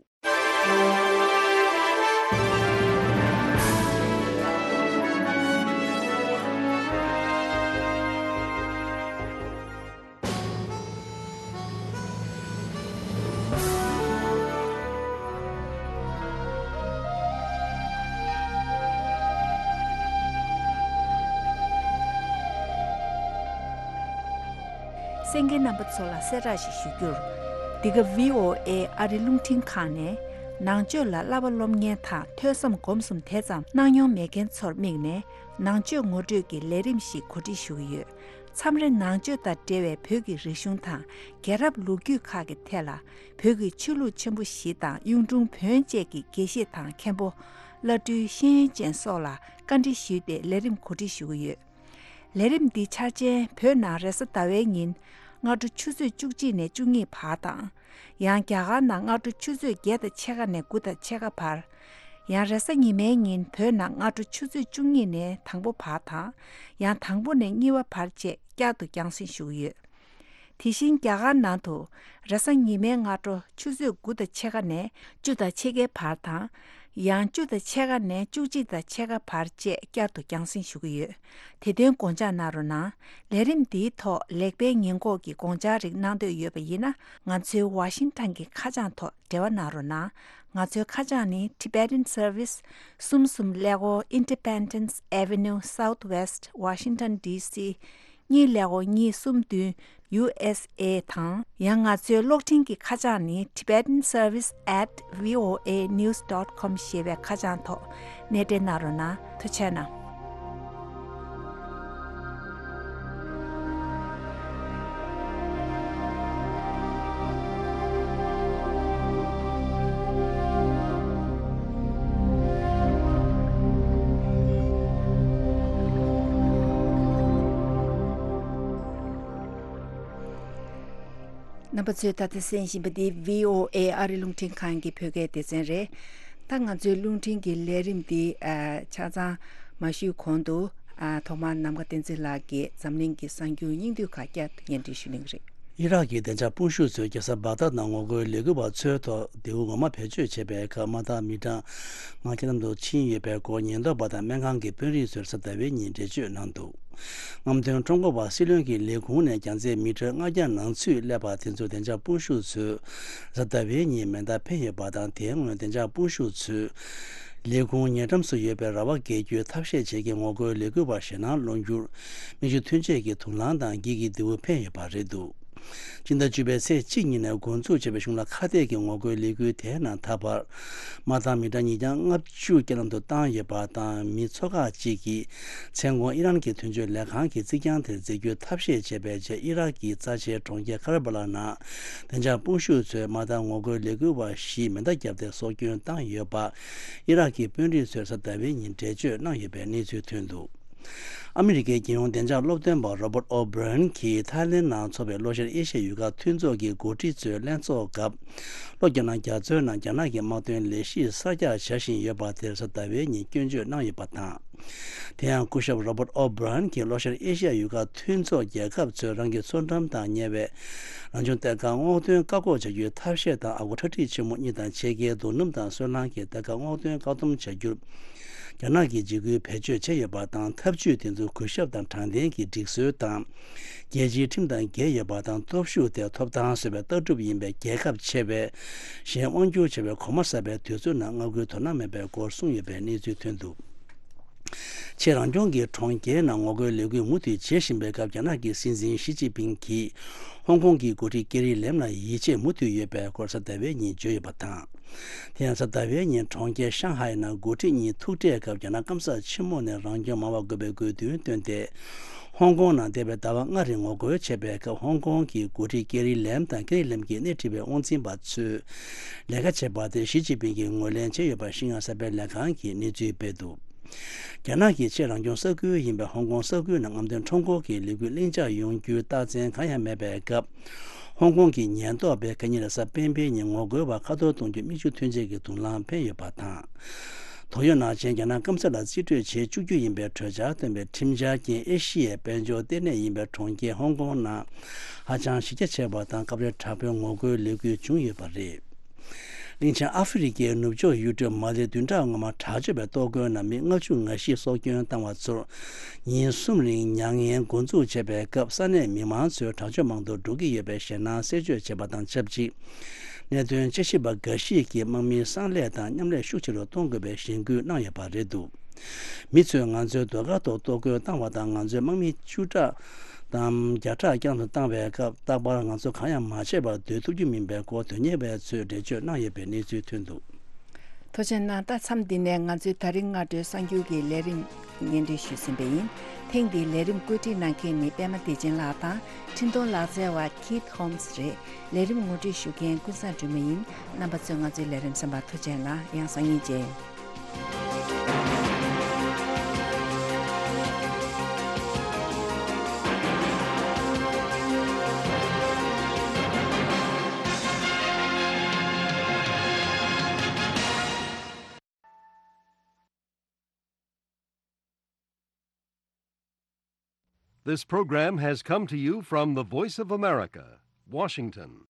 གསན་མཁན་རྣམ་པ་ཚོ་ལ་གསལ་བསྒྲགས་ཤིག་ཞུ་རྒྱུར། འདི་ག་ཝི་ཨོ་ཨེ་ཨ་རི་རླུང་འཕྲིན་ཁང་ནས་ནང་ཆོས་ལ་བསླབ་པ་སློབ་གཉེར་དང་ཐོས་བསམ་སྒོམ་གསུམ་དེ་ཙམ་གནང་མྱོང་མེད་མཁན་ཚོར་དམིགས་ནས་ནང་ཆོས་ངོ་སྤྲོད་ཀྱི་ལས་རིམ་ཞིག་གོ་སྒྲིག་ཞུ་གི་ཡོད། མཚམས་རེ་ནང་ཆོས་དང་འབྲེལ་བའི་བོད་ཀྱི་རིག་གཞུང་དང་རྒྱལ་རབས་ལོ་རྒྱུས་ཁག་གི་ཐད་ལ་བོད་ཀྱི་ཆོས་ལུགས་ཆེན་པོ་བཞི་དང་གཡུང་དྲུང་བོན་བཅས་ཀྱི་དགེ་བཤེས་དང་མཁན་པོ། བླ་སྤྲུལ་ཤེས་ཡོན་ཅན་སོགས་ལ་བཀའ་འདྲི་ཞུས་ཏེ་ལས་རིམ་གོ་སྒྲིག་ཞུ་གི་ཡོད། ལས་རིམ་འདི་འཆར་ཅན་བོད་ནང་རེས་གཟའ་ཟླ་བའི་ཉིན་སྔ་དྲོ་ཆུ་ཚོད་བཅུ་གཅིག་ནས་བཅུ་གཉིས་བར་དང་། ཡང་རྒྱ་གར་ནང་སྔ་དྲོ་ཆུ་ཚོད་བརྒྱད་དང་ཕྱེད་ཀ་ནས་དགུ་དང་ཕྱེད་ཀ་བར། ཡང་རེས་གཟའ་ཉི་མའི་ཉིན་བོད་ནང་སྔ་དྲོ་ཆུ་ཚོད་བཅུ་གཉིས་ནས་དང་པོ་བར་དང་། ཡང་དང་པོ་ནས་གཉིས་པ་བར་བཅས་བསྐྱར་དུ་རྒྱང་སྲིང་ཞུ་གི་ཡོད། དེ་བཞིན་རྒྱ་གར་ནང་དུ་རེས་གཟའ་ཉི་མའི་སྔ་དྲོ་ཆུ་ཚོད་དགུ་དང་ཕྱེད་ཀ་ནས་བཅུ་དང་ཕྱེད་ཀའི་བར་དང་། ཡང་བཅུ་དང་ཕྱེད་ཀ་ནས་བཅུ་གཅིག་དང་ཕྱེད་ཀ་བར་བཅས་བསྐྱར་དུ་རྒྱང་སྲིང་ཞུ་གི་ཡོད། དེ་དོན་དགོངས་འཇགས་གནང་རོགས་གནང་། ལས་རིམ་འདིའི་ཐོག་ལེགས་སྤེལ་ཉེས་འགོག་གི་དགོངས་འཆར་རིགས་གནང་འདོད་ཡོད་པ་ཡིན་ན། ང་ཚོའི་ཝ་ཤིང་ཊོན་གྱི་ཁ་བྱང་ཐོག་འབྲེལ་བ་གནང་རོགས་གནང་། ང་ཚོའི་ཁ་བྱང་ནི། Tibetan Service, གསུམ་གསུམ་ཀླད་ཀོར་Independence Avenue Southwest, Washington D C གཉིས་ཀླད་ཀོར་གཉིས་གསུམ་བདུན། U S A དང་། ཡང་ང་ཚོའི་གློག་འཕྲིན་གྱི་ཁ་བྱང་ནི། Tibetan Service at V O A news dot com ཞེས་པའི་ཁ་བྱང་ཐོག་གནས་འབྲེལ་གནང་རོགས་གནང་། ཐུགས་རྗེ་གནང་། རྣམ་པ་ཚོས་ད་ལྟ་གསན་བཞིན་པ་འདི་V O A ཨ་རི་རླུང་འཕྲིན་ཁང་གི་བོད་སྐད་སྡེ་ཚན་རེད། ད་ང་ཚོའི་རླུང་འཕྲིན་གྱི་ལས་རིམ་འདི་ཨ་ཆ་ཚང་མ་ཞུས་གོང་དུ། ཨ་ཐོག་མར་ནམ་མཁའ་བསྟན་འཛིན་ལགས་ཀྱིས་འཛམ་གླིང་གི་གསར་འགྱུར་སྙིང་བསྡུས་ཁག་བསྐྱར་དུ་སྙན་སྒྲོན་ཞུ་གནང་གི་རེད། ཨི་རག་གི་བདེ་འཇགས་དཔུང་ཤུགས་ཚོས་རྒྱལ་ས་བག་དྷ་ནང་ངོ་རྒོལ་ལས་འགུལ་བ་ཚོའི་ཐོག་མདེའུ་ངོ་མ་བེད་སྤྱོད་བྱས་པའི་ཁར་དམག་སྡེ་མི་གྲངས་ལྔ་བརྒྱ་ལམ་དུ་ཕྱིན་ཡོད་པའི་སྐོར་ཉེན་རྟོག་པ་དང་སྨན་ཁང་གི་དཔོན་རིགས་ཚོས་གཟའ་ཟླ་བའི་ཉིན་འགྲེལ་བརྗོད་གནང་འདུག་རྔམ་སྟོན་ཁྲོམ་སྐོར་བ་སྲིད་བློན་གྱི་ལས་ཁུངས་ནས་རྒྱང་ཚད་མི་ཊར་ལྔ་བརྒྱ་ནང་ཚུད་སླེབས་པ་དེ་ཚོ་བདེ་འཇགས་དཔུང་ཤུགས་ཚོས་གཟའ་ཟླ་བའི་ཉིན་མེ་མདའ་འཕེན་ཡོད་པ་དང་། དེའི་སྔོན་བདེ་འཇགས་དཔུང་ཤུགས་ཚོས་ལས་ཁུངས་ཉེ་འགྲམ་སུ་ཡོད་པའི་ར་བ་བརྒལ་རྒྱུའི་ཐབས་ཤེས་བྱེད་མཁན་ངོ་རྒོལ་ལས་འགུལ་བ་ཞེད་སྣང་སློང་རྒྱུར་མིག་ཆུ་ཐོན་ཆས་ཀྱི་དུག་རླངས་དང་འགྱིག་གི་མདེའུ་འཕེན་ཡོད་པ་རེད་འདུག་སྤྱི་ཟླ་བཅུ་པའི་ཚེས་གཅིག་ཉིན་ནས་འགོ་འཛུགས་བྱས་པའི་གཞུང་ལ་ཁ་གཏད་ཀྱི་ངོ་རྒོལ་ལས་འགུལ་དེའི་ནང་ད་བར་དམག་རྟགས་མི་གྲངས་ཉིས་བརྒྱ་ལྔ་བཅུ་བརྒྱ་ལམ་དུ་བཏང་ཡོད་པ་དང་། མི་ཚོ་ཁག་ཅིག་གིས་མཚན་གུང་ཨི་རན་གྱི་དོན་གཅོད་ལས་ཁང་གི་རྩིག་གྱང་དེར་འཛེགས་རྒྱུའི་ཐབས་ཤེས་བྱས་པའི་རྗེས། ཨི་རག་གི་རྩ་ཆེའི་གྲོང་ཁྱེར་ཁ་ར་བ་ལ་ནང་བདེ་འཇགས་དཔུང་ཤུགས་ཚོས་དམག་རྟགས་ངོ་རྒོལ་ལས་འགུལ་བ་བཞིས་མེ་མདའ་བརྒྱབ་སྟེ་སྲོག་སྐྱོན་བཏང་ཡོད་པ། ཨི་རག་གི་དཔོན་རིགས་ཚོས་གཟའ་ཟླ་བའི་ཉིན་འགྲེལ་བརྗོད་གནང་ཡོད་པའི་གནས་ཚུལ་ཐོན་འདུག་ཨ་མི་རི་ཀའི་རྒྱལ་ཡོངས་བདེ་འཇགས་སློབ་སྟོན་པ་Robert O'Brien གྱིས་ཐའི་ལེན་ནང་འཚོགས་པའི་ལྷོ་ཤར་ཨེ་ཤ་ཡའི་ཡུལ་ཁག་མཐུན་ཚོགས་ཀྱི་འགོ་ཁྲིད་ཚོའི་ལྷན་ཚོགས་སྐབས། ལྷོ་རྒྱ་ནག་རྒྱ་མཚོའི་ནང་རྒྱ་ནག་གི་དམག་དོན་ལས་གཞི་གསར་རྒྱག་བྱ་བཞིན་ཡོད་པ་དེར་གཟའ་ཟླ་བའི་ཉིན་སྐྱོན་བརྗོད་གནང་ཡོད་པ་དང་། དེ་ཡང་སྐུ་ཞབས་Robert O'Brien གྱིས་ལྷོ་ཤར་ཨེ་ཤ་ཡའི་ཡུལ་ཁག་མཐུན་ཚོགས་རྒྱལ་ཁབ་ཚོས་རང་གི་མཚོ་འགྲམ་དང་ཉེ་བའི་རང་བྱུང་གཏེར་ཁ་སྔོག་འདོན་བཀག་འགོག་བྱ་རྒྱུའི་ཐབས་ཤེས་དང་། ཨ་ཁུ་ཁྲ་ཁྲིག་ཆེན་མོ་གཉིས་དང་ཕྱེད་ཀའི་རྡོ་སྣུམ་དང་སོལ་རླངས་ཀྱི་གཏེར་ཁ་སྔོག་འདོན་བཀག་སྡོམ་བྱ་རྒྱུར་རྒྱ་ནག་གིས་འཇིགས་སྐུལ་བེད་སྤྱོད་བྱས་ཡོད་པ་དང་། ཐབས་ཇུས་དེ་ཚོ་གུས་ཞབས་དང་དྲང་བདེན་གྱི་སྒྲིག་སྲོལ་དང་། རྒྱལ་སྤྱིའི་ཁྲིམས་དང་འགལ་ཡོད་པ་དང་། སྟོབས་ཤུགས་དེ་ཐོབ་ཐང་བཟོ་བའི་ལྟ་གྲུབ་ཡིན་པས། རྒྱལ་ཁབ་ཆེ་བས་གཞན་དབང་བསྒྱུར་བྱ་བའི་གོམ་པ་གསར་པའི་དུས་ཚོད་ནང་མངའ་ཁུལ་དོ་སྣང་མེད་པའི་སྐོར་གསུངས་ཡོད་པའི་གནས་ཚུལ་ཐོན་འདུག་ཆེས་རང་སྐྱོང་གི་གྲོང་ཁྱེར་ནང་ངོ་རྒོལ་ལས་འགུལ་མུ་མཐུད་བྱེད་བཞིན་པའི་སྐབས། རྒྱ་ནག་གི་སྲིད་འཛིན་ཞི་ཅིན་ཕིང་གིས་ཧོང་ཀོང་གི་འགོ་ཁྲིད་ཀེ་རི་ལེམ་ལ་ཡིད་ཆེས་མུ་མཐུད་ཡོད་པའི་སྐོར་གཟའ་ཟླ་བའི་ཉིན་བརྗོད་ཡོད་པ་དང་། དེ་ཡང་གཟའ་ཟླ་བའི་ཉིན་གྲོང་ཁྱེར་ཤང་ཧའེ་ནང་འགོ་ཁྲིད་གཉིས་ཐུག་འཕྲད་སྐབས། རྒྱ་ནག་སྐམ་ས་ཆེན་མོ་ནས་རང་སྐྱོང་མང་བ་དགོས་པའི་དགོས་འདུན་བཏོན་ཏེ། ཧོང་ཀོང་ནང་འདས་པའི་ཟླ་བ་ལྔ་རིང་ངོ་རྒོལ་བྱས་པའི་སྐབས། ཧོང་ཀོང་གི་འགོ་ཁྲིད་ཀེ་རི་ལེམ་དང་། ཀེ་རི་ལེམ་གྱིས་སྣེ་ཁྲིད་པའི་དབང་འཛིན་པ་ཚོས་ལས་ཀ་བྱས་པ་དེ་ཞི་ཅིན་ཕིང་གིས་ངོས་ལེན་བྱས་ཡོད་པ་ཤིང་ཡང་གསར་པའི་ལས་ཁང་གིས་གནས་ཚུལ་སྤེལ་འདུག་རྒྱ་ནག་གི་ཆེས་རང་སྐྱོང་ས་ཁུལ་ཡིན་པའི་ཧོང་ཀོང་ས་ཁུལ་ནང་རྔམ་སྟོན་ཁྲོམ་སྐོར་གྱི་ལས་འགུལ་ལྷིང་འཇགས་ཡོང་རྒྱུའི་རྟགས་མཚན་གང་ཡང་མེད་པའི་སྐབས། ཧོང་ཀོང་གི་ཉེན་རྟོག་པས་ཁ་ཉིན་རེས་གཟའ་སྤེན་པའི་ཉིན་ངོ་རྒོལ་བ་ཁ་འཐོར་གཏོང་རྒྱུ་མིག་ཆུ་ཐོན་ཆས་ཀྱི་དུག་རླངས་འཕེན་ཡོད་པ་དང་། དོགས་ཡོད་ནང་བཞིན་རྒྱ་ནག་སྐམ་ས་ལ་རྩིས་སྤྲོད་བྱེད་བཅུག་རྒྱུ་ཡིན་པའི་གྲོས་འཆར་བཏོན་པའི་ཁྲིམས་འཆར་རྐྱེན་ཨེ་ཤི་ཡའི་དཔལ་འབྱོར་ལྟེ་གནས་ཡིན་པའི་གྲོང་ཁྱེར་ཧོང་ཀོང་ནང་ཧ་ཅང་གཞི་རྒྱ་ཆེ་བ་དང་སྐབས་རེ་དྲག་པོའི་ངོ་རྒོལ་ལས་འགུལ་བྱུང་ཡོད་པ་རེད། གླིང་ཆེན་ཨ་ཧྥེ་རི་ཁའི་ནུབ་ཕྱོགས་ཡུལ་གྲུ་མ་ལེ་བདུན་ཕྲག་སྔོན་མ་དྲག་སྤྱོད་པའི་གཏོར་རྒོལ་ནང་མི་ལྔ་བཅུ་ང་བཞི་སྲོག་སྐྱོན་བཏང་བ་ཚོར་ཉིན་གསུམ་རིང་མྱ་ངན་འགོ་འཛུགས་བྱས་པའི་སྐབས། ས་གནས་མི་མང་ཚོས་དྲག་སྤྱོད་མང་དུ་འགྲོ་གི་ཡོད་པའི་ཞེད་སྣང་གསལ་བརྗོད་བྱས་པ་དང་ཆབས་ཅིག་གནད་དོན་དཔྱད་ཞིབ་པ་འགའ་ཞིག་གིས་དམག་མིའི་གསང་ལས་དང་མཉམ་ལས་ཤུགས་ཆེ་རུ་གཏོང་དགོས་པའི་གཞེན་སྐུལ་གནང་ཡོད་པ་རེད་འདུག་མི་ཚོས་ང་ཚོའི་ཟློས་གར་ཐོག་གཏོར་རྒོལ་བཏང་བ་དང་། ང་ཚོའི་དམག་མི་བཅུ་ཕྲག་དང་བརྒྱ་ཕྲག་བསྐྱངས་སུ་བཏང་བའི་སྐབས། རྟག་པར་ང་ཚོ་གང་ཡང་མ་བྱས་པར་སྡོད་ཐུབ་རྒྱུ་མིན་པའི་སྐོར་དོན་གཉེར་བ་ཚོས་འགྲེལ་བརྗོད་གནང་ཡོད་པའི་གནས་ཚུལ་ཐོན་འདུག་ཐུགས་རྗེ་གནང་། ད་མཚམས་འདི་ནས་ང་ཚོའི་ད་རིང་སྔ་དྲོའི་གསར་འགྱུར་གྱི་ལས་རིམ་སྙན་སྒྲོན་ཞུས་ཟིན་པ་ཡིན། ཐེངས་འདིའི་ལས་རིམ་བཀོད་སྒྲིག་གནང་མཁན་ནི་པད་མ་བདེ་ཆེན་ལགས་དང་འཕྲིན་གཏོང་ལག་རྩལ་བ་Keith Holmes རེད། ལས་རིམ་ངོ་སྤྲོད་ཞུ་མཁན་ཀུན་བཟང་སྒྲོལ་མ་ཡིན། རྣམ་པ་ཚོས་ང་ཚོའི་ལས་རིམ་གསན་པར་ཐུགས་རྗེ་གནང་། ཡང་སང་ཉིན་མཇལ། This program has come to you from the Voice of America, Washington.